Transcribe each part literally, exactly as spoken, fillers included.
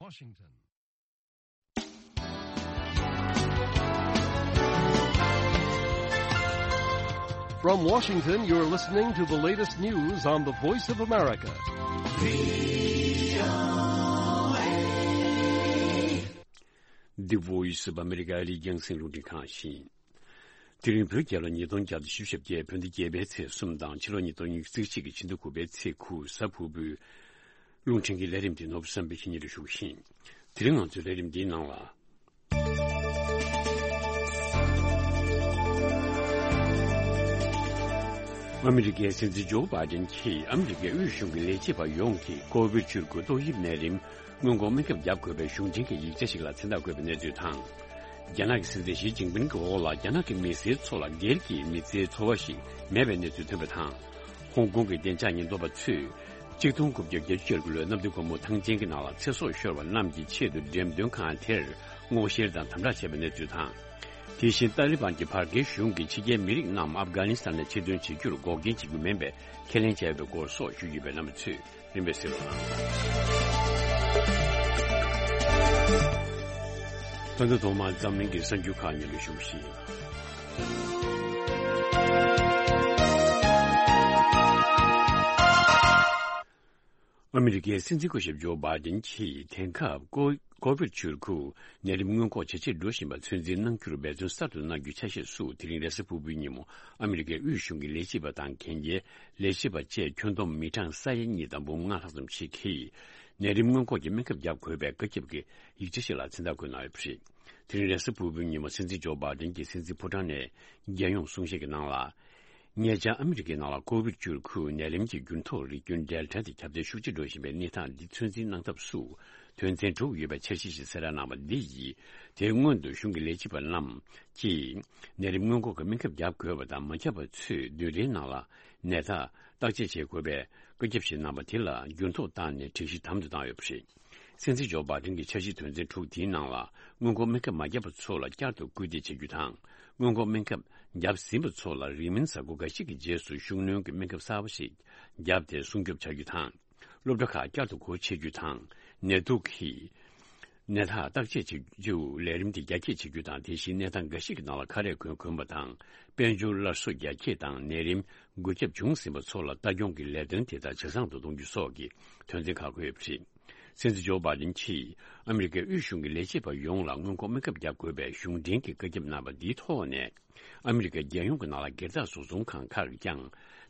Washington. From Washington, you're listening to the latest news on the Voice of America. The Voice of America ཨ་རིའི་རྒྱང་སྲིང་རླུང་འཕྲིན་ཁང་ཡིན། དེ་རིང་བོད་རྒྱལ་ལོ་ཉིས་སྟོང་བརྒྱ་དང་བཞི་བཅུ་ཞེ་བརྒྱད། བོད་ཟླ་བརྒྱད་པའི་ཚེས་གསུམ་དང་ཕྱི་ལོ་ཉིས་སྟོང་ཉི་ཤུ་རྩ་གཅིག་གི་ཕྱི་ཟླ་དགུ་པའི་ཚེས་དགུ། གཟའ་ཕུར་བུའི་རླུང་འཕྲིན་གྱི་ལས་རིམ་དེ་ནོར་བུ་བསམ་འཕེལ་གྱིས་སྙན་སྒྲོན་ཞུ་བཞིན། དེ་རིང་ང་ཚོའི་ལས་རིམ་འདིའི་ནང་ལ། ཨ་མི་རི་ཀའི་སྲིད་འཛིན་ཇོ་བྷའི་ཌེན་གྱིས་ཨ་མི་རི་ཀའི་དབུས་གཞུང་གི་ལས་བྱེད་པ་ཡོངས་ཀྱིས་ཀོ་བིཌ་བཅུ་དགུ་ཏོག་དབྱིབས་ནད་རིམས་སྔོན་འགོག་སྨན་ཁབ་བརྒྱབ་དགོས་པའི་གཞུང་འབྲེལ་གྱི་ཡིག་ཆ་ཞིག་ལ་མཚན་རྟགས་བཀོད་པའི་གནས་ཚུལ་དང་། རྒྱ་ནག་གི་སྲིད་འཛིན་ཞི་ཅིན་ཕིང་གི་འོག་ལ་རྒྱ་ནག་གི་མི་སེར་ཚོ་ལ་སྒེར་གྱི་མི་ཚེའི་འཚོ་བ་ཞིག་མེད་པའི་གནས་ཚུལ་ཐོན་པ་དང་། ཧོང་ཀོང་གི་བདེ་འཇགས་ཉེན་རྟོག་པ་ཚོས་གཅིག་སྟོང་དགུ་བརྒྱ་བརྒྱད་ཅུ་གྱ་དགུ་ལོའི་གནམ་བདུན་སྒོ་མོ་ཐང་ཆེན་གྱི་ནང་ལ་ཚེ་སྲོག་ཤོར་བ་རྣམས་ཀྱི་ཆེད་དུ་འགྲེམས་སྟོན་ཁང་དེར་སྔོག་བཤེར་དང་དམ་དྲག་བྱས་པའི་གནས་ཚུལ་དང་། དེ་བཞིན་ཏཱ་ལི་བན་གྱིས་བར་བརྒལ་གཞུང་གི་ཕྱི་རྒྱལ་མི་རིགས་རྣམས་ཨབ་གྷ་ནི་སི་ཐན་ནས་ཕྱིར་འདོན་བྱེད་རྒྱུར་འགོག་རྐྱེན་བྱེད་རྒྱུ་མིན་པའི་ཁས་ལེན་བྱས་ཡོད་པའི་སྐོར་སོགས་ཞུ་རྒྱུ་ཡོད་པའི་རྣམ་པ་ཚོས་རིམ་པས་གསན་རོགས་གནང་། ད་ལྟ་ཐོག་མར་འཛམ་གླིང་གི་གསར་འགྱུར་ཁག་སྙན་སྒྲོན་ཞུ་བཞིན། ཨ་མི་རི་ཀའི་སྲིད་འཛིན་སྐུ་ཞབས་ཇོ་བྷའི་ཌེན་གྱིས་དེང་སྐབས་ཀོ་ཀོ་བིཌ་བཅུ་དགུ་ནད་རིམས་སྔོན་འགོག་ཇེ་ཆེར་འགྲོ་བཞིན་པ་ཚོད་འཛིན་གནང་རྒྱུར་འབད་བརྩོན་གསར་དུ་གནང་རྒྱུའི་ཆ་ཤས་སུ། དེ་རིང་རེས་གཟའ་ཕུར་བུའི་ཉིན་མོ་ཨ་མི་རི་ཀའི་དབུས་གཞུང་གི་ལས་བྱེད་པ་དང་གན་རྒྱའི་ལས་བྱེད་པ་བཅས་ཁྱོན་བསྡོམས་མི་གྲངས་ས་ཡ་གཉིས་དང་འབུམ་ལྔ་ལྷག་ཙམ་ཞིག་གིས་ནད་རིམས་སྔོན་འགོག་གི་སྨན་ཁབ་བརྒྱབ་དགོས་པའི་བཀའ་ཁྱབ་ཀྱི་ཡིག་ཆ་ཞིག་ལ་མཚན་རྟགས་བཀོད་གནང་ཡོད་པ་རེད། དེ་རིང་རེས་གཟའ་ཕུར་བུའི་ཉིན་མོ་སྲིད་འཛིན་ཇོ་བྷའི་ཌེན་གྱིས་སྲིད་འཛིན་ཕོ་བྲང་ནས་རྒྱལ་ཡོངས་གསུང་བཤད་ཀྱི་ནང་ལ། ཉེ་ཆར་ཨ་མི་རི་ཀའི་ནང་ལ་ཀོ་བིཌ་བཅུ་དགུ་ནད་རིམས་ཀྱི་འགྱུར་ལྡོག་རིགས་རྒྱུན་ཌེལ་ཊ་དེ་ཁྱབ་གདལ་ཤུགས་ཆེ་འགྲོ་བཞིན་པའི་གནས་སྟངས་འདི་ཚོད་འཛིན་གནང་ཐབས་སུ། དོན་ཚན་དྲུག་ཡོད་པའི་འཆར་གཞི་ཞིག་གསལ་བསྒྲགས་གནང་བ་འདི་ཡིས། དེའི་སྔོན་དུ་གཞུང་གི་ལས་བྱེད་པ་རྣམས་ཀྱིས་ནད་རིམས་སྔོན་འགོག་གི་སྨན་ཁབ་བརྒྱབ་དགོས་པ་དང་། མ་བརྒྱབ་པ་ཚོས་བདུན་རེའི་ནང་ལ་ནད་རྟགས་བརྟག་དཔྱད་བྱེད་དགོས་པའི་བཀའ་ཁྱབ་ཞིག་གནང་བ་དེ་ལ་འགྱུར་ལྡོག་བཏང་ནས་སྒྲིག་གཞི་དམ་དུ་བཏང་ཡོད་པ་རེད། སྲིད་འཛིན་ཇོ་བྷའི་ཌེན་གྱི་འཆར་གཞི་དོན་ཚན་དྲུག་དེའི་ནང་ལ། སྔོན་འགོག་སྨན་ཁབ་མ་བརྒྱབ་པ་ཚོ་ལ་བསྐྱར་དུ་སྐུལ་འདེད་བྱེད་རྒྱུ་དང་། སྔོན་འགོག་སྨན་ཁབ་བརྒྱབ་ཟིན་པ་ཚོ་ལ་རིང་མིན་གཟའ་འཁོར་འགའ་ཤས་ཀྱི་རྗེས་སུ་ཤུགས་སྣོན་གྱི་སྨན་ཁབ་གསར་པ་ཞིག་བརྒྱབ་སྟེ་སྲུང་སྐྱོབ་བྱ་རྒྱུ་དང་། སློབ་གྲྭ་ཁག་བསྐྱར་དུ་སྒོ་ཕྱེ་རྒྱུ་དང་། ནད་དུག་གི་ནད་རྟགས་བརྟག་དཔྱད་བྱེད་རྒྱུ་ལས་རིམ་དེ་རྒྱ་སྐྱེད་བྱེད་རྒྱུ་དང་། དེ་བཞིན་གནས་སྟངས་འགའ་ཞིག་གི་ནང་ལ་ཁ་རས་གོན་དགོས་པ་དང་། དཔལ་འབྱོར་སླར་གསོ་རྒྱ་སྐྱེད་དང་། ནད་རིམས་འགོས་ཁྱབ་བྱུང་ཟིན་པ་ཚོ་ལ་ལྟ་སྐྱོང་གི་ལས་དོན་དེ་དག་ཇེ་བཟང་དུ་གཏོང་རྒྱུ་སོགས་ཀྱི་དོན་ཚན་ཁག་འཁོད་ཡོད་པ་རེད། སྲིད་འཛིན་ཇོ་བྷའི་ཌེན་གྱིས་ཨ་མི་རི་ཀའི་དབུས་གཞུང་གི་ལས་བྱེད་པ་ཡོངས་ལ་སྔོན་འགོག་སྨན་ཁབ་བརྒྱབ་དགོས་པའི་གཞུང་འབྲེལ་གྱི་བཀའ་ཁྱབ་གནང་བ་འདིའི་ཐོག་ནས། ཨ་མི་རི་ཀའི་རྒྱལ་ཡོངས་ཀྱི་ནང་ལ་སྒེར་བདག་བཟོ་ཚོང་ཁང་ཁག་གིས་ཀྱང་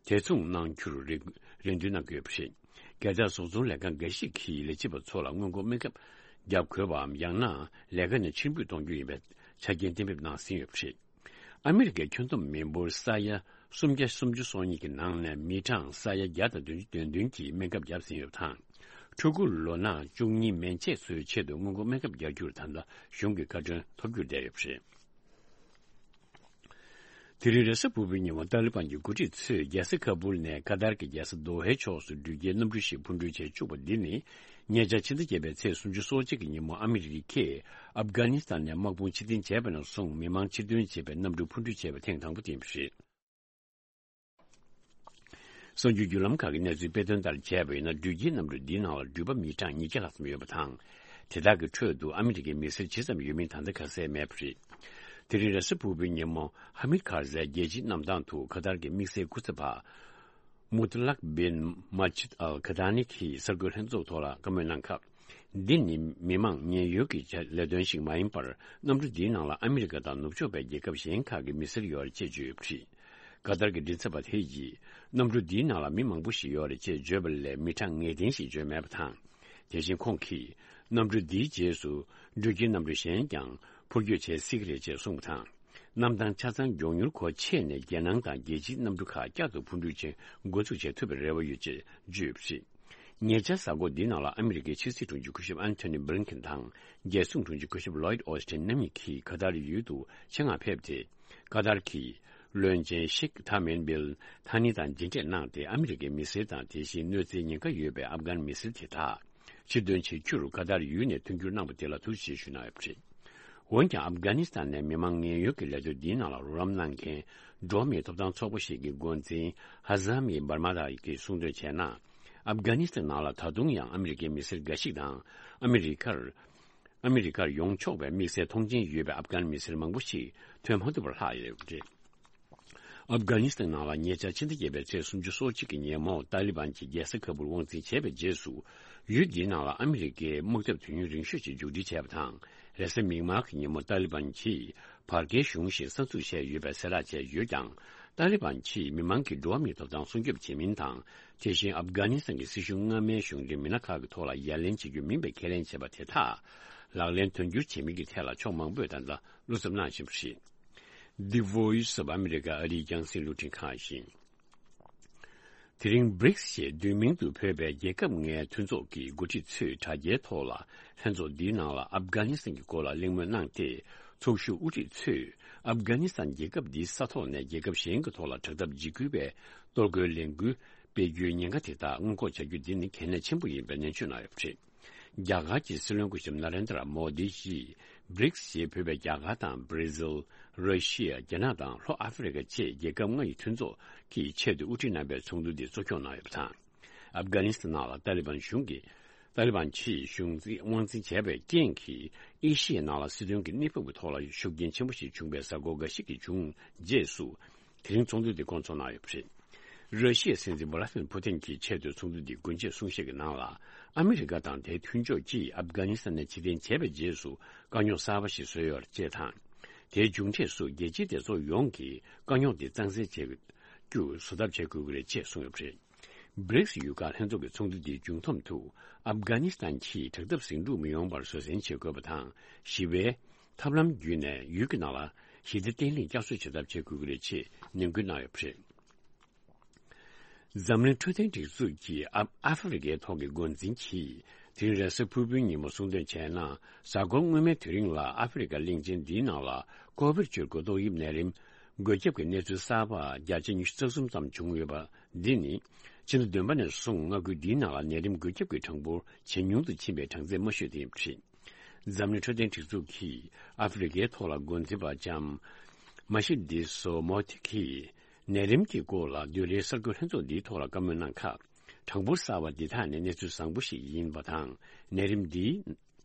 དེ་མཚུངས་གནང་རྒྱུར་རེ་རེ་འདུན་གནང་གི་ཡོད་པ་རེད། སྒེར་བདག་བཟོ་ཚོང་ལས་ཁང་འགའ་ཞིག་གིས་ལས་བྱེད་པ་ཚོ་ལ་སྔོན་འགོག་སྨན་ཁབ་བརྒྱབ་དགོས་པའམ། ཡང་ན་ལས་ཀ་ནས་ཕྱིར་འབུད་གཏོང་རྒྱུ་ཡིན་པའི་ཆ་རྐྱེན་གཏན་འབེབས་གནང་ཟིན་ཡོད་པ་རེད། ཨ་མི་རི་ཀའི་ཁྱོན་བསྡོམས་མི་འབོར་ས་ཡ་སུམ་བརྒྱ་སུམ་ཅུ་སོ་གཉིས་ཀྱི་ནང་ནས་མི་གྲངས་ས་ཡ་བརྒྱ་དང་བདུན་ཅུ་དོན་བདུན་གྱིས་སྨན་ཁབ་བརྒྱབ་ཟིན་ཡོད་པ་དང་། ཕྲུ་གུ་ལོ་ན་བཅུ་གཉིས་མན་ཆད་ཚོའི་ཆེད་དུ་སྔོན་འགོག་སྨན་ཁབ་རྒྱག་རྒྱུར་ད་ལྟ་གཞུང་གི་བཀའ་འཁྲོལ་ཐོབ་རྒྱུར་བསྡད་ཡོད་པ་རེད། དེ་རིང་རེས་གཟའ་ཕུར་བུའི་ཉིན་མོ་ཏཱ་ལི་བན་གྱི་འགོ་ཁྲིད་ཚོས་རྒྱལ་ས་ཁ་པུལ་ནས་ཀ་ཏར་གྱི་རྒྱལ་ས་དོ་ཧའི་ཕྱོགས་སུ་འགྲུལ་སྐྱེལ་གནམ་གྲུ་ཞིག་འཕུར་འགྲུལ་བྱེད་བཅུག་པ་འདི་ནི། ཉེ་ཆར་ཕྱི་ཟླ་བརྒྱད་པའི་ཚེས་སུམ་ཅུ་སོ་གཅིག་གི་ཉིན་མོ་ཨ་མི་རི་ཀས་ཨབ་གྷ་ནི་སི་ཐན་ནས་དམག་དཔུང་ཕྱིར་འཐེན་བྱས་པ་ནས་བཟུང་མི་མང་ཕྱིར་འདོན་བྱེད་པའི་གནམ་གྲུ་འཕུར་འགྲུལ་བྱས་པ་ཐེངས་དང་པོ་དེ་ཡིན་པ་རེད། གསར་འགྱུར་བརྒྱུད་ལམ་ཁག་གིས་གནས་ཚུལ་སྤེལ་དོན་ལྟར་བྱས་པ་ཡིན་ན། འགྲུལ་སྐྱེལ་གནམ་གྲུ་འདིའི་ནང་ལ་འགྲུལ་པ་མི་གྲངས་ཉིས་བརྒྱ་ལྷག་ཙམ་ཡོད་པ་དང་། དེ་དག་གི་ཁྲོད་དུ་ཨ་མི་རི་ཀའི་མི་སེར་ཇི་ཙམ་ཡོད་མིན་ད་ལྟ་ཁ་གསལ་མེད་པ་རེད། དེ་རིང་རེས་གཟའ་ཕུར་བུའི་ཉིན་མོ་ཧ་མིད་ཁར་ཟའི་རྒྱལ་སྤྱིའི་གནམ་ཐང་དུ་ཁ་ཏར་གྱི་དམིགས་བསལ་སྐུ་ཚབ་པ་མུ་ཏ་ལག་བིན་མ་ཇིད་ཨལ་ཁ་ཏ་ནི་གིས་གསར་འགོད་ལྷན་ཚོགས་ཐོག་ལ་བཀའ་མོལ་གནང་སྐབས། འདི་ནི་མི་མང་ཉེན་གཡོལ་གྱི་ལས་དོན་ཞིག་མ་ཡིན་པར། གནམ་གྲུ་འདིའི་ནང་ལ་ཨ་མི་རི་ཀ་དང་ནུབ་ཕྱོགས་པའི་རྒྱལ་ཁབ་གཞན་ཁག་གི་མི་སེར་ཡོད་རེད་ཅེས་བརྗོད་ཡོད་པ་རེད། ཀ་ཏར་གྱི་མགྲིན་ཚབ་པ་དེ་ཡིས། གནམ་གྲུ་འདིའི་ནང་ལ་མི་མང་པོ་ཞིག་ཡོད་རེད་ཅེས་བརྗོད་པ་ལས། མི་གྲངས་ངེས་གཏན་ཞིག་བརྗོད་མེད་པ་དང་། དེ་བཞིན་ཁོང་གིས། གནམ་གྲུ་འདིའི་རྗེས་སུ་འགྲུལ་སྐྱེལ་གནམ་གྲུ་གཞན་ཀྱང་འཕུར་སྐྱོད་བྱེད་སྲིད་ཀྱི་རེད་ཅེས་གསུངས་པ་དང་། གནམ་ཐང་ཆ་ཚང་མགྱོགས་མྱུར་སྒོ་ཕྱེ་ནས། རྒྱལ་ནང་དང་རྒྱལ་སྤྱིའི་གནམ་གྲུ་ཁག་བསྐྱར་དུ་འཕུར་འགྲུལ་བྱེད་འགོ་འཛུགས་བྱེད་ཐུབ་པའི་རེ་བ་ཡོད་ཅེས་བརྗོད་ཡོད་པ་རེད། ཉེ་ཆར་གཟའ་འཁོར་འདིའི་ནང་ལ་ཨ་མི་རི་ཀའི་ཕྱི་སྲིད་དྲུང་ཆེ་སྐུ་ཞབས་ཨན་ཐོ་ནི་བྷི་ལིན་ཁེན་དང་། རྒྱལ་སྲུང་དྲུང་ཆེ་སྐུ་ཞབས་ལོའིད་ཨོ་སི་ཐིན་རྣམ་གཉིས་ཀྱིས་ཀ་ཏར་ཡུལ་དུ་ཆེད་མངགས་ཕེབས་ཏེ། ཀ་ཏར་གྱི་བློན་ཆེན་ཤེག་ཐ་མིན་བིལ་ཐ་ནི་དང་མཇལ་འཕྲད་གནང་སྟེ། ཨ་མི་རི་ཀའི་མི་སེར་དང་། དེ་བཞིན་གནོད་འཚེའི་ཉེན་ཁ་ཡོད་པའི་ཨབ་གྷན་མི་སེར་དེ་དག་ཕྱིར་འདོན་བྱེད་རྒྱུར་ཀ་ཏར་ཡུལ་ནས་མཐུན་འགྱུར་གནང་བ་དེ་ལ་ཐུགས་རྗེ་ཆེ་ཞུ་གནང་ཡོད་པ་རེད། འོན་ཀྱང་། ཨབ་གྷ་ནི་སི་ཐན་ནས་མི་མང་ངན་གཡོལ་གྱི་ལས་དོན་འདིའི་ནང་ལ་རོགས་རམ་གནང་མཁན་འགྲོ་བ་མིའི་ཐོབ་ཐང་ཚོགས་པ་ཞིག་གི་འགོ་འཛིན་ཧ་ཛ་མི་འབར་མ་ཏ་གིས་གསུངས་དོན་བྱས་ན། ཨབ་གྷ་ནི་སི་ཐན་ནང་ལ་ད་དུང་ཡང་ཨ་མི་རི་ཀའི་མི་སེར་འགའ་ཞིག་དང་། ཨ་མི་རི་ཀར་ཨ་མི་རི་ཀར་ཡོང་ཆོག་པའི་དམིགས་བསལ་ཐོངས་མཆན་ཡོད་པའི་ཨབ་གྷན་མི་སེར་མང་པོ་ཞིག་ཐོན་མ་ཐུབ་པར་ལྷག་ཡོད་པ་རེད། ཨབ་གྷ་ནི་སི་ཐན་ནང་ལ་ཉེ་ཆར་ཕྱི་ཟླ་བརྒྱད་པའི་ཚེས་སུམ་ཅུ་སོ་གཅིག་གི་ཉིན་མོ་ཏཱ་ལི་བན་གྱིས་རྒྱལ་ས་ཁ་བུར་དབང་འཛིན་བྱས་པའི་རྗེས་སུ། ཡུལ་འདིའི་ནང་ལ་ཨ་མི་རི་ཀའི་དམག་འཐབ་དུས་ཡུན་རིང་ཤོས་ཤིག་མཇུག་སྒྲིལ་བྱས་པ་དང་། རེས་གཟའ་མིག་དམར་གྱི་ཉིན་མོ་ཏཱ་ལི་བན་གྱིས་བར་བརྒལ་གཞུང་ཞིག་གསར་འཛུགས་བྱས་ཡོད་པའི་གསལ་བསྒྲགས་བྱས་ཡོད་ཀྱང་། ཏཱ་ལི་བན་གྱིས་མི་མང་གི་འགྲོ་བ་མིའི་ཐོབ་ཐང་སྲུང་སྐྱོབ་བྱེད་མིན་དང་། དེ་བཞིན་ཨབ་གྷ་ནི་སི་ཐན་གྱི་སྲིད་གཞུང་སྔ་མའི་གཞུང་འབྲེལ་མི་སྣ་ཁག་གི་ཐོག་ལ་ཡ་ལན་བྱེད་རྒྱུ་མིན་པའི་ཁས་ལེན་བྱས་པ་དེ་དག་ལག་ལེན་དོན་འཁྱོལ་བྱེད་མིན་གྱི་ཐད་ལ་ཕྱོགས་མང་པོས་ད་ལྟ་བློ་འཚབ་གནང་བཞིན་པ་རེད། The Voice of America ཨ་རིའི་རྒྱང་སྲིང་རླུང་འཕྲིན་ཁང་ཡིན། དེ་རིང་བྷི་རིག་སི་ཞེས་བསྡུས་མིང་དུ་འབོད་པའི་རྒྱལ་ཁབ་ལྔའི་མཐུན་ཚོགས་ཀྱི་འགོ་ཁྲིད་ཚོས་དྲ་རྒྱའི་ཐོག་ལ་ལྷན་ཚོགས་འདིའི་ནང་ལ་ཨབ་གྷ་ནི་སི་ཐན་གྱི་སྐོར་ལ་གླེང་མོལ་གནང་སྟེ། ཚོགས་ཞུགས་དབུ་ཁྲིད་ཚོས་ཨབ་གྷ་ནི་སི་ཐན་རྒྱལ་ཁབ་འདིའི་ས་ཐོག་ནས་རྒྱལ་ཁབ་གཞན་གྱི་ཐོག་ལ་དྲག་འཐབ་འཇིགས་སྐུལ་བའི་གཏོར་རྒོལ་ལས་འགུལ་སྤེལ་རྒྱུའི་ཉེན་ཁ་དེ་དག་སྔོན་འགོག་བྱ་རྒྱུ་འདི་ནི་གལ་གནད་ཆེན་པོ་ཡིན་པའི་ནན་བརྗོད་གནང་ཡོད་པ་རེད། རྒྱ་གར་གྱི་སྲིད་བློན་སྐུ་ཞབས་ན་རེན་དྲ་མོ་དི་ཡིས་བྷི་རིག་སི་ཞེས་འབོད་པའི་རྒྱ་གར་དང་བྷི་ར་ཟིལ། ར་ཤི་ཡ། རྒྱ་ནག་དང་ལྷོ་ཨ་ཧྥེ་རི་ཁ་བཅས་རྒྱལ་ཁབ་ལྔ་ཡི་མཐུན་ཚོགས་ཀྱི་ཆེད་དུ་དབུ་ཁྲིད་རྣམ་པའི་ཚོགས་འདུ་འདི་གཙོ་སྐྱོང་གནང་ཡོད་པ་དང་། ཨབ་གྷ་ནི་སི་ཐན་ནང་ལ་ཏཱ་ལི་བན་གཞུང་གིས་ཏཱ་ལི་བན་གྱིས་གཞུང་འཛིན་དབང་འཛིན་བྱས་པའི་རྐྱེན་གྱིས་ཨེ་ཤི་ཡའི་ནང་ལ་སྲིད་དོན་གྱི་གནས་བབ་ཀྱི་ཐོག་ལ་ཤུགས་རྐྱེན་ཆེན་པོ་ཞིག་བྱུང་བའི་གཟའ་འཁོར་འགའ་ཞིག་གི་བྱུང་རྗེས་སུ། དེ་རིང་ཚོགས་འདུ་འདི་བསྐོང་ཚོགས་གནང་ཡོད་པ་རེད། ར་ཤི་ཡའི་སྲིད་འཛིན་ཝ་ལ་ཏི་མིར་ཕུ་ཏིན་གྱི་ཆེད་དུ་ཚོགས་འདུ་འདི་སྒོ་འབྱེད་གསུང་བཤད་ཀྱི་ནང་ལ། ཨ་མི་རི་ཀ་དང་དེའི་མཐུན་ཕྱོགས་ཀྱིས་ཨབ་གྷ་ནི་སི་ཐན་ནས་ཕྱིར་འཐེན་བྱས་པའི་རྗེས་སུ་དཀའ་རྙོག་གསར་པ་ཞིག་བཟོས་ཡོད་པ་བཅས་དང་། དེའི་མཇུག་འབྲས་སུ་རྒྱལ་སྤྱིའི་སྡེ་ཚོགས་ཡོངས་ཀྱིས་དཀའ་རྙོག་དེ་གཙང་སེལ་བྱེད་རྒྱུར་བཟོ་ཐབས་བྱེད་དགོས་ཀྱི་རེད་ཅེས་གསུངས་ཡོད་པ་རེད། བྷི་རིག་སི་ཡུལ་ཁག་ལྷན་ཚོགས་ཀྱི་ཚོགས་འདུ་འདིའི་མཇུག་སྡོམ་དུ། ཨབ་གྷ་ནི་སི་ཐན་གྱིས་དྲག་འཐབ་ཟིང་འཁྲུག་མི་ཡོང་བར་བཟོད་བསྲན་བྱེད་དགོས་པ་དང་། ཞི་བའི་ཐབས་ལམ་བརྒྱུད་ནས་ཡུལ་གྱི་ནང་ལ་ཞི་བདེ་བརྟན་ལྷིང་བསྐྱར་གསོ་བྱེད་ཐབས་བྱེད་དགོས་ཀྱི་རེད་ཅེས་ནན་སྐུལ་གནང་ཡོད་པ་རེད། འཛམ་གླིང་འཕྲོད་བསྟེན་སྒྲིག་འཛུགས་ཀྱི་ཨ་ཨ་ཧྥེ་རི་ཁའི་ཐོག་གི་འགོ་འཛིན་གྱིས། དེ་རིང་རེས་གཟའ་ཕུར་བུའི་ཉིན་མོ་གསུངས་དོན་བྱས་ན། གཟའ་འཁོར་སྔོན་མའི་དུས་རིང་ལ་ཨ་ཧྥེ་རི་ཁ་གླིང་ཆེན་འདིའི་ནང་ལ་ཀོ་བིཌ་བཅུ་དགུ་ཏོག་དབྱིབས་ནད་རིམས་འགོས་ཁྱབ་ཀྱི་གནས་ཚུལ་གསར་པ་བརྒྱ་ཆ་ཉི་ཤུ་རྩ་གསུམ་ཙམ་བྱུང་ཡོད་པ་འདི་ནི། ཕྱི་ཟླ་བདུན་པ་ནས་བཟུང་མངའ་ཁུལ་འདིའི་ནང་ལ་ནད་རིམས་འགོས་ཁྱབ་ཀྱི་གྲངས་འབོར་ཇེ་ཉུང་དུ་ཕྱིན་པའི་གྲངས་ཚད་མ་ཤོས་དེ་ཡིན་པ་རེད། འཛམ་གླིང་འཕྲོད་བསྟེན་སྒྲིག་འཛུགས་ཀྱིས་ཨ་ཧྥེ་རི་ཁའི་ཐོག་ལ་འགོ་འཛིན་པ་ལྕམ་མ་ཤི་དི་སོ་མོ་ཐི་ཀིས་ནད་རིམས་ཀྱི་སྐོར་ལ་བདུན་རེའི་གསར་འགོད་ལྷན་ཚོགས་འདིའི་ཐོག་ལ་བཀའ་མོལ་གནང་སྐབས། གྲངས་འབོར་གསར་བ་འདི་དག་ནི་གནས་ཚུལ་བཟང་པོ་ཞིག་ཡིན་པ་དང་། ནད་རིམས་འདི།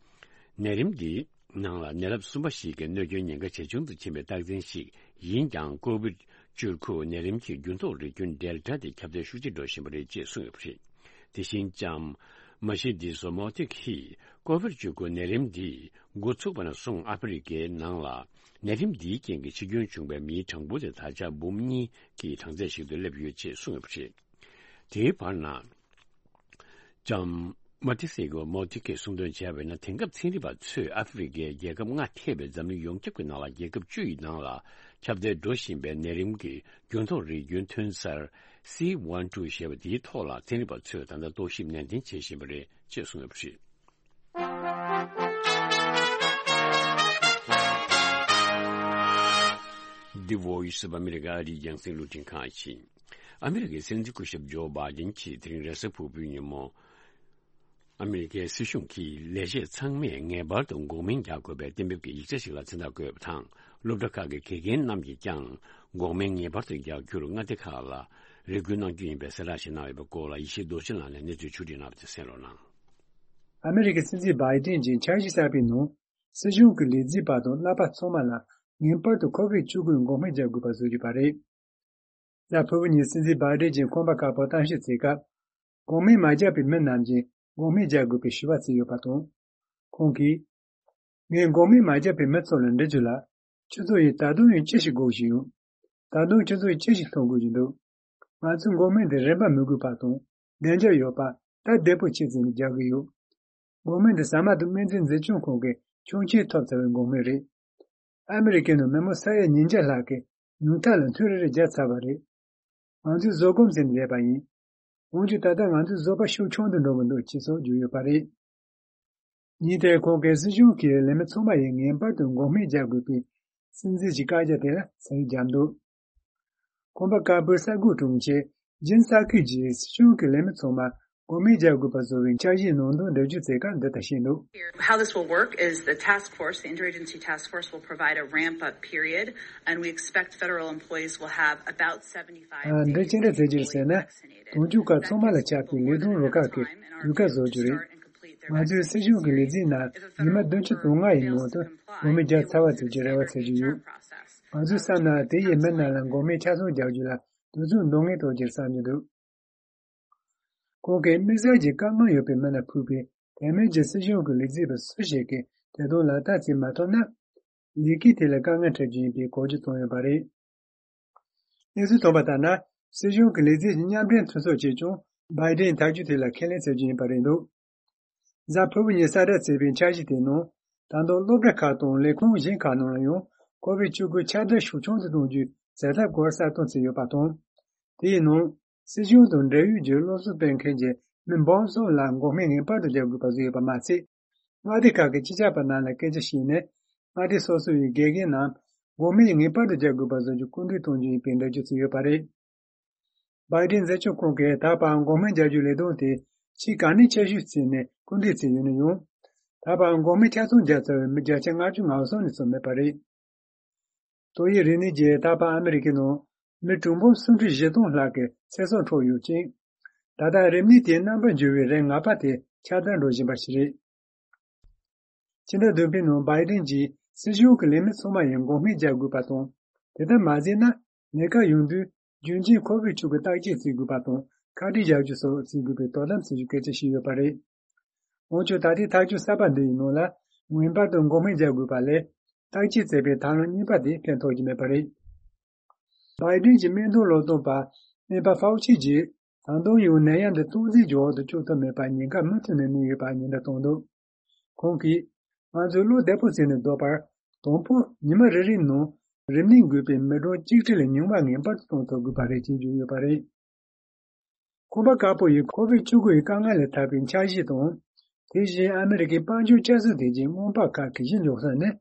ནད་རིམས་འདིའི་ནང་ལ་ནད་རབས་གསུམ་པ་ཞིག་གི་གནོད་སྐྱོན་ཉེན་ཁ་ཇེ་ཆུང་དུ་ཕྱིན་པའི་རྟགས་མཚན་ཞིག་ཡིན་ཀྱང་། ཀོ་བིཌ་བཅུ་དགུ་ནད་རིམས་ཀྱི་འགྱུར་ལྡོག་རིགས་རྒྱུན་ཌེལ་ཊ་དེ་ཁྱབ་གདལ་ཤུགས་ཆེ་འགྲོ་བཞིན་པ་རེད་ཅེས་གསུངས་ཡོད་པ་རེད། དེ་བཞིན་ལྕམ་མ་ཤི་དི་སོ་མོ་ཐི་ཀིས་ཀོ་བིཌ་བཅུ་དགུ་ནད་རིམས་འདི་འགོ་ཚུགས་པ་ནས་བཟུང་ཨ་ཧྥེ་རི་ཁའི་ནང་ལ་ནད་རིམས་འདིའི་རྐྱེན་གྱིས་འཆི་སྐྱོན་བྱུང་བའི་མིའི་གྲངས་འབོར་དེ་ད་ཆ་འབུམ་གཉིས་ཀྱི་གྲངས་ཚད་ཞིག་ཏུ་སླེབས་ཡོད་ཅེས་གསུངས་ཡོད་པ་རེད། དེའི་བར་ན། ལྕམ་མ་ཏི་སེ་གོ་མོ་ཏི་ཀས་གསུངས་དོན་བྱས་པ་ཡིན་ན། དེང་སྐབས་ཚན་རིག་པ་ཚོས་ཨ་ཧྥེ་རི་ཁའི་རྒྱལ་ཁབ་ལྔ་ཐེ་བའི་འཛམ་གླིང་ཡོངས་ཁྱབ་ཀྱི་ནང་ལ་རྒྱལ་ཁབ་བཅུ་ཡི་ནང་ལ་ཁྱབ་གདལ་འགྲོ་བཞིན་པའི་ནད་རིམས་ཀྱི་འགྱུར་ལྡོག་རིགས་རྒྱུན་ཐོན་གསར་སི་ཝན་ཊུ་ཞེས་པ་དེའི་ཐོག་ལ་ཚན་རིག་པ་ཚོས་ད་ལྟ་རྟོག་ཞིབ་ནན་ཏན་བྱེད་བཞིན་པ་རེད་ཅེས་གསུངས་ཡོད་པ་རེད། The Voice of America ཨ་རིའི་རྒྱང་སྲིང་རླུང་འཕྲིན་ཁང་ཡིན། ཨ་མི་རི་ཀའི་སྲིད་འཛིན་སྐུ་ཞབས་ཇོ་བྷའི་ཌེན་གྱིས་དེ་རིང་རེས་གཟའ་ཕུར་བུའི་ཉིན་མོ། ཨ་མི་རི་ཀའི་སྲིད་གཞུང་གིས་ལས་བྱེད་ཚང་མས་ངེས་པར་དུ་འགོག་སྨན་རྒྱག་དགོས་པའི་གཏན་འབེབས་ཀྱི་ཡིག་ཆ་ཞིག་ལ་མཚན་རྟགས་བཀོད་པ་དང་། སློབ་གྲྭ་ཁག་གི་དགེ་རྒན་རྣམས་ཀྱིས་ཀྱང་འགོག་སྨན་ངེས་པར་དུ་རྒྱག་རྒྱུར་མངའ་སྡེ་ཁག་ལ་རེ་སྐུལ་གནང་རྒྱུ་ཡིན་པའི་གསལ་བསྒྲགས་ཤིག་གནང་ཡོད་པའི་སྐོར་ལ་ཡེ་ཤེས་རྡོ་རྗེ་ལགས་ནས་གནས་ཚུལ་ཕྱོགས་སྒྲིག་གནང་བ་དེ་གསན་རོགས་གནང་། ཨ་མི་རི་ཀའི་སྲིད་འཛིན་བྷའི་ཌེན་གྱིས་འཆར་གཞི་གསར་པའི་ནང་། སྲིད་གཞུང་གི་ལས་བྱེད་པ་དང་བསླབ་པ་ཚང་མ་ལ་ངེས་པར་དུ་ཁོ་བིཌ་བཅུ་དགུའི་འགོག་སྨན་རྒྱག་དགོས་པ་བཟོ་རྒྱུ་པ་རེད། གཟའ་ཕུར་བུ་ཉིན་སྲིད་འཛིན་བྷའི་ཌེན་གྱིས་ཁང་པ་དཀར་པོར་གཏམ་བཤད་བྱེད་སྐབས། འགོག་སྨན་མ་རྒྱག་པའི་མི་རྣམས་ཀྱིས་འགོག་སྨན་རྒྱག་དགོས་པའི་ཞུ་བ་བྱས་ཡོད་པ་དང་། ཁོང་གིས། ངས་འགོག་སྨན་མ་རྒྱག་པའི་མི་ཚོ་ལ་འདྲི་རྒྱུ་ལ། ཁྱོད་ཚོ་ཡིས་ད་དུང་ཡང་ཅི་ཞིག་འགོག་བཞིན་ཡོད། ད་དུང་ཁྱོད་ཚོ་ཡིས་ཅི་ཞིག་སློང་དགོས་ཀྱི་འདུག། ང་ཚོས་འགོག་སྨན་དེ་རིན་པ་མི་དགོས་པ་དང་། བདེ་འཇགས་ཡོད་པ། སྟབས་བདེ་པོ་ཆེ་བརྩིས་ནས་རྒྱག་གི་ཡོད། འགོག་སྨན་དེ་ཟ་མ་དང་སྨན་རྫས་འཛིན་སྐྱོང་ཁང་གིས་ཆོག་མཆན་ཐོབ་ཚར་བའི་འགོག་སྨན་རེད། ཨ་མི་རི་ཀའི་ནང་མི་མང་ས་ཡ་ཉིས་བརྒྱ་ལྷག་གིས་ཉུང་མཐའ་ལ་ཐུན་རེ་རེ་བརྒྱབ་ཚར་བ་རེད། ང་ཚོས་བཟོད་སྒོམ་བྱས་ནས་བསྡད་པ་ཡིན། འོན་ཀྱང་ད་ལྟ་ང་ཚོའི་བཟོད་པ་ཤུགས་ཆུང་དུ་འགྲོ་གི་འདུག་ཅེས་སོགས་བརྗོད་ཡོད་པ་རེད། ཉིན་དེར་ཁོང་གིས་སྲིད་གཞུང་གིས་ལས་མི་ཚང་མ་ཡིས་ངེས་པར་དུ་འགོག་སྨན་རྒྱག་དགོས་པའི་སྲིད་འཛིན་གྱི་བཀའ་རྒྱ་དེ་ལ་ཟས་རིགས་བརྒྱབ་འདུག། ཁང་པ་དཀར་པོའི་གསར་འགོད་དྲུང་ཆེ་ཇིན་སཱ་ཁི་ཇིས་སྲིད་གཞུང་གིས་ལས་མི་ཚང་མར་ འགོག་སྨན་རྒྱག་དགོས་པ་བཟོ་བའི་འཆར་གཞིའི་ནང་དོན་འགྲེལ་བརྗོད་བྱེད་སྐབས་འདི་ལྟར་བཤད་འདུག། How this will work is the task force, the interagency task force, will provide a ramp-up period, and we expect federal employees will have about seventy-five ཨ། འདི་ཅི་འདྲ་བྱེད་རྒྱུ་རེད་ཟེར་ན། དུང་ཕྱུར་ཁག་ཚང་མ་ལ་ཁྱབ་པའི་ལས་དོན་རུ་ཁག་གི་ལས་ཀ་བཟོ་རྒྱུ་རེད། ང་ཚོའི་སྲིད་གཞུང་གི་ལས་འཛིན་ནང་ཉི་མ་བདུན་ཅུ་དོན་ལྔ་ཡི་ནང་དུ་འགོག་སྨན་རྒྱག་ཚར་བ་བྱེད་རྒྱུའི་རེ་བ་བྱེད་ཀྱི་ཡོད། ང་ཚོའི་བསམ་ན་དེ་ཡི་མི་རྣམས་ལ་འགོག་སྨན་ཆ་ཚང་རྒྱག་རྒྱུ་ལ་དུས་ཚོད་འདང་ངེས་ཐོག་ཅིག་བསམ་གྱི་འདུག། ཁོང་གིས་དམིགས་བསལ་གྱི་དཀའ་ངལ་ཡོད་པའི་མི་ལ་ཕུལ་བའི་དེ་མིན་གྱི་སྲིད་གཞུང་གི་ལས་བྱེད་པ་སུ་ཞིག་གིས་དེ་དོན་ལག་བསྟར་བྱེད་མ་ཐུབ་ན། ལས་ཀའི་ཐད་ལ་དཀའ་ངལ་འཕྲད་རྒྱུ་ཡིན་པའི་གོ་རྒྱུ་བྱུང་ཡོད་པ་རེད། གནས་ཚུལ་ཐོན་པ་ལྟར་ན། སྲིད་གཞུང་གི་ལས་བྱེད་ཀྱི་མཉམ་འབྲེལ་མཐུན་ཚོགས་ཀྱིས་ཀྱང་བྷའི་ཌེན་ཐག་གཅོད་ཐད་ལ་ཁས་ལེན་བྱེད་རྒྱུ་ཡིན་པ་རེད་འདུག། གཟའ་ཕུར་བུ་ཉིན་གསལ་བསྒྲགས་བྱས་པའི་འཆར་གཞི་དེའི་ནང་། ད་དུང་སློབ་གྲྭ་ཁག་དང་ལས་ཁུངས་གཞན་ཁག་ནང་ལ་ཡང་ཀོ་བིད་བཅུ་དགུ་ཁྱབ་གདལ་ཤུགས་ཆུང་དུ་གཏོང་རྒྱུའི་བྱ་ཐབས་སྐོར་གསལ་སྟོན་བྱས་ཡོད་པ་དང་། དེའི་ནང་། སྲིད་གཞུང་དང་འབྲེལ་ཡོད་ཀྱི་སློབ་གསོ་སྤེལ་མཁན་གྱི་མི་འབུམ་གསུམ་ལ་འགོག་སྨན་ངེས་པར་དུ་རྒྱག་དགོས་པ་བཟོས་ཡོད་པ་མ་ཚད། མངའ་སྡེ་ཁག་གི་སྤྱི་ཁྱབ་པ་རྣམས་ལ་སྐད་ཆ་བཤད་ནས། མངའ་སྡེ་སོ་སོ་ཡི་དགེ་རྒན་རྣམས་འགོག་སྨན་ངེས་པར་དུ་རྒྱག་དགོས་པ་བཟོ་རྒྱུ་སྐུལ་འདེད་གཏོང་རྒྱུ་ཡིན་པའི་འགྲེལ་བརྗོད་བྱས་ཡོད་པ་རེད། བྷའི་ཌེན་འཛིན་སྐྱོང་ཁང་གིས་ད་བར་འགོག་སྨན་རྒྱག་རྒྱུའི་ལས་དོན་དེ་ཕྱིའི་ག་ནས་ཁྱད་གཞི་བརྩིས་ནས་སྐུལ་འདེད་བྱས་ཡོད་ན་ཡང་། ད་བར་འགོག་སྨན་ཆ་ཚང་བརྒྱབ་ཚར་བའི་མི་བརྒྱ་ཆ་ལྔ་བཅུ་ང་གསུམ་ནས་ཙམ་མེད་པ་རེད། ཏོག་དབྱིབས་རིམས་ནད་ཀྱིས་ད་བར་ཨ་མི་རི་ཀའི་ནང་མི་གྲངས་འབོར་སུམ་ཁྲི་བཞི་སྟོང་ལྷག་གི་ཚེ་སྲོག་འཕྲོག་ཡོད་ཅིང་། ད་ལྟ་རིམས་ནད་དེའི་རྣམ་པར་འགྱུར་བའི་རིགས་ང་པ་དེ་ཁྱབ་གདལ་འགྲོ་བཞིན་པ་ཞིག་རེད། ཕྱི་ཟླ་བདུན་པའི་ནང་བྷའི་ཌེན་གྱིས་སྲིད་གཞུང་གི་ལས་མི་ཚང་མ་ཡིས་འགོག་སྨན་རྒྱག་དགོས་པ་དང་། དེ་ལྟར་མ་བྱས་ན། ལས་ཀ་ཡོང་དུས་རྒྱུན་གཅིག་ཁོ་བིད་བཅུ་དགུ་བརྟག་དཔྱད་བྱེད་དགོས་པ་དང་ཁ་དཀྲིས་བཞག་རྒྱུ་སོགས་བྱེད་དགོས་པའི་དོ་དམ་བྱེད་རྒྱུ་གལ་ཆེ་ཞིག་ཡོད་པ་རེད། འོན་ཀྱང་ད་ལྟའི་ཐག་གཅོད་གསར་པ་འདི་ཡི་ནང་ལ་ངེས་པར་དུ་འགོག་སྨན་རྒྱག་དགོས་པ་ལས། བརྟག་དཔྱད་བྱས་པའི་ཐབས་ལམ་གཉིས་པ་དེ་ཕན་ཐོགས་ཀྱི་མེད་པ་རེད། བྷའི་ཌེན་གྱི་སྨན་དོན་བློ་སྟོན་པ་སྨན་པ་ཧྥའུ་ཆི་གྱིས་ད་དུང་ཡང་ནད་ཡམས་འདི་སྟངས་འཛིན་གྱི་འོག་ཏུ་བཅུག་ཐུབ་མེད་པར་ཉེན་ཁ་མུ་མཐུད་ནས་གནས་ཡོད་པ་ཉེན་བརྡ་བཏང་འདུག། ཁོང་གིས། ང་ཚོས་བློ་བདེ་པོ་བྱས་ནས་སྡོད་པར། དང་པོ་ཉི་མ་རེ་རེའི་ནང་རིམས་ནད་འགོས་པའི་མི་གྲངས་གཅིག་ཁྲི་ལས་ཉུང་བ་ངེས་པར་དུ་གཏོང་ཐུབ་དགོས་པ་རེད་ཅེས་བརྗོད་ཡོད་པ་རེད། ཁང་པ་དཀར་པོ་ཡིས་ཁོ་བིད་བཅུ་དགུ་ཡི་དཀའ་ངལ་ལས་ཐར་བའི་འཆར་གཞི་དང་། དེ་བཞིན་ཨ་མི་རི་ཀའི་དཔལ་འབྱོར་བསྐྱར་གསོ་དེ་བཞིན་སྔོན་དཔག་ཁག་གི་གཞི་འཇོག་ས་ནས།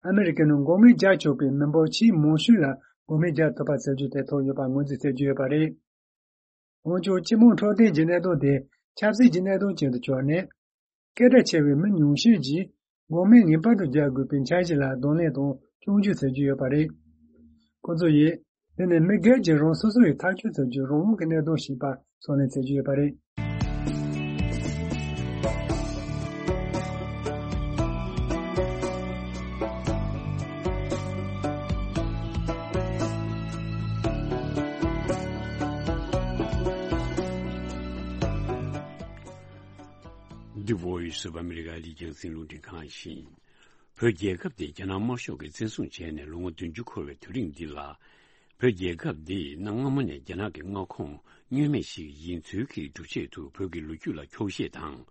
ཨ་མི་རི་ཀའི་ནང་འགོག་སྨན་རྒྱག་ཆོག་པའི་མི་འབོར་ཆེས་མང་ཤོས་ལ་འགོག་སྨན་རྒྱག་ཐུབ་པ་བྱ་རྒྱུ་དེ་ཐོག་ཡོད་པ་ངོས་འཛིན་བྱེད་ཀྱི་ཡོད་པ་རེད། འོན་ཀྱང་སྤྱི་དམངས་འཕྲོད་བསྟེན་གྱི་གནད་དོན་དེ་ཆབ་སྲིད་ཀྱི་གནད་དོན་ཅན་དུ་གྱུར་ནས། སྐད་གྲགས་ཆེ་བའི་མི་ཉུང་ཤས་ཀྱིས་འགོག་སྨན་ངེས་པར་དུ་རྒྱག་དགོས་པའི་འཆར་གཞི་ལ་གདོང་ལེན་དང་སྐྱོན་བརྗོད་བྱེད་ཀྱི་ཡོད་པ་རེད། ཁོ་ཚོ་ཡིས། དེ་ནི་མི་སྒེར་གྱིས་རང་སོ་སོ་ཡི་ཐག་གཅོད་བྱ་རྒྱུའི་རང་དབང་གི་གནད་དོན་ཞིག་པ་ཚོར་ལེན་བྱེད་ཀྱི་ཡོད་པ་རེད། The Voice of America ལས་རྒྱང་སྲིང་རླུང་འཕྲིན་ཁང་ཡིན། བོད་རྒྱལ་ཁབ་དེ་རྒྱ་ནག་དམར་ཤོག་གིས་བཙན་བཟུང་བྱས་ནས་ལོ་ངོ་བདུན་ཅུ་འཁོར་བའི་དུས་རིང་འདི་ལ། བོད་རྒྱལ་ཁབ་འདི་གནའ་སྔ་མོ་ནས་རྒྱ་ནག་གི་མངའ་ཁོངས་བསྙོན་མེད་ཞིག་ཡིན་ཚུལ་གྱི་སྒྲུབ་ཆེད་དུ་བོད་ཀྱི་ལོ་རྒྱུས་ལ་འཁྱོག་བཤད་དང་།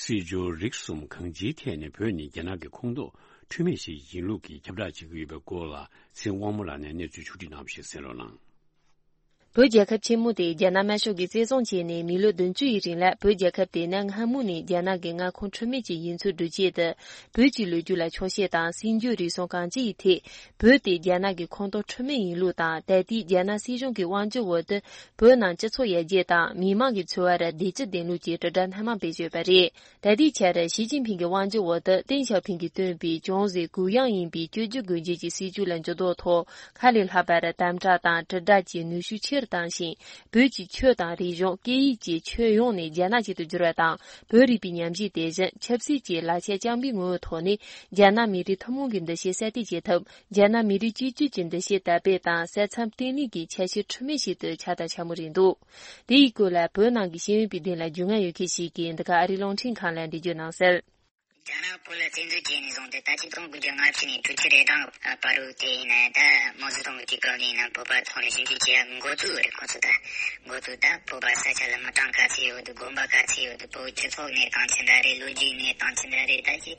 སྲིད་འབྱོར་རིག་གསུམ་གང་ཅིའི་ཐད་ནས་བོད་ནི་རྒྱ་ནག་གི་ཁོངས་གཏོགས་འཁྲུལ་མེད་ཞིག་ཡིན་ལུགས་ཀྱི་ཁྱབ་བསྒྲགས་བྱེད་ཀྱི་ཡོད་པའི་སྐོར་ལ་ཚེ་དབང་མོ་ལགས་ནས་གནས་ཚུལ་ཕྱོགས་སྒྲིག་གནང་བ་ཞིག་གསན་རོགས་གནང་། བོད་རྒྱལ་ཁབ་ཆེན་མོ་དེ་རྒྱ་ནག་དམར་ཤོག་གིས་བཙན་བཟུང་བྱས་ནས་མི་ལོ་བདུན་ཅུ་ཡི་རིང་ལ་བོད་རྒྱལ་ཁབ་དེ་གནའ་སྔ་མོ་ནས་རྒྱ་ནག་གི་མངའ་ཁོངས་འཁྲུལ་མེད་ཅིག་ཡིན་ཚུལ་སྒྲུབ་ཆེད་དུ། བོད་ཀྱི་ལོ་རྒྱུས་ལ་འཁྱོག་བཤད་དང་སྲིད་འབྱོར་རིག་གསུམ་གང་ཅི་ཡི་ཐད། བོད་དེ་རྒྱ་ནག་གི་ཁོངས་གཏོགས་འཁྲུལ་མེད་ཡིན་ལུགས་དང་། ད་ལྟའི་རྒྱ་ནག་སྲིད་གཞུང་གི་དབང་སྒྱུར་འོག་ཏུ་བོད་ནང་སྤྱི་ཚོགས་ཡར་རྒྱས་དང་མི་མང་གི་འཚོ་བར་བདེ་སྐྱིད་ལྡན་ལུགས་ཀྱི་དྲིལ་བསྒྲགས་སྣ་མང་སྤེལ་བཞིན་ཡོད་པ་རེད། ད་ལྟའི་ཆར་ཞི་ཅིན་ཕིང་གི་དབང་སྒྱུར་འོག་ཏུ་ཏེང་ཞའོ་ཕིང་གིས་བཏོན་པའི་ཅུང་ཟད་གུ་ཡངས་ཡིན་པའི་བཅོས་བསྒྱུར་སྒོ་འབྱེད་ཀྱི་སྲིད་བྱུས་ལ་འགྱུར་ལྡོག་ཐོག་ཁ་ལས་ལྷག་པར་དམ་དྲག་དང་དྲིལ་བསྒྲགས་ཀྱི་ནུས་ཤུགས་ཆེ་རུ་བཏང་ཞིང་། བོད་ཀྱི་ཆོས་དང་རིག་གཞུང་། སྐད་ཡིག་བཅས་ཁྱོན་ཡོངས་ནས་རྒྱ་ནག་ཅིག་ཏུ་བསྒྱུར་བ་དང་། བོད་རིག་པའི་ཉམས་ཞིབ་དེ་བཞིན་ཆབ་སྲིད་ཀྱི་ལག་ཆ་རྐྱང་པའི་ངོ་བོའི་ཐོག་ནས་རྒྱ་ནག་མི་རིགས་ཐུན་མོང་གི་འདུ་ཤེས་གསལ་སྟོན་བྱེད་ཐབས། རྒྱ་ནག་མི་རིགས་གཅིག་གྱུར་གྱི་འདུ་ཤེས་དར་སྤེལ་དང་ས་མཚམས་བརྟན་ལྷིང་གི་ཆ་ཤས་འཁྲུལ་མེད་ཞིག་ཏུ་ཆགས་དང་ཆགས་མུས་རེད་འདུག། དེ་ཡི་སྐོར་ལ་བོད་ནང་གི་ཤེས་ཡོན་པའི་སྡིངས་ལ་རྒྱུས་མངའ་ཡོད་མཁན་ཞིག་གིས་འདི་ག་ཨ་རིའི་རླུང་འཕྲིན་ཁང་ལ་འགྲེལ་བརྗོད་གནང་གསལ། རྒྱ་ནག་བོད་ལ་བཙན་འཛུལ་བྱས་ནས་བཟུང་སྟེ་ད་ཆིག་སྟོང་དགུ་བརྒྱ་ལྔ་བཅུ་ནས་དྲུག་ཅུ་རེ་གྲངས་བར་དུ་དེ་ཡིན་ན་ད་མའོ་ཙེ་ཏུང་གི་དུས་སྐབས་ནས་ཡིན་ན་བོད་པ་ཚོང་ལས་ཞིབ་འཇུག་བྱེད་ཡ་འགོ་བཙུགས་རེད། ཁོ་ཚོ་ད་འགོ་བཙུགས་ད་བོད་པ་ས་ཆ་ལ་མི་གྲངས་ག་ཚོད་ཡོད་འདུག། དགོན་པ་ག་ཚོད་ཡོད་འདུག། བོད་སྤྱི་ཚོགས་གནས་སྟངས་ཅི་འདྲ་རེད། ལོ་རྒྱུས་གནས་སྟངས་ཅི་འདྲ་རེད། ད་ཅི་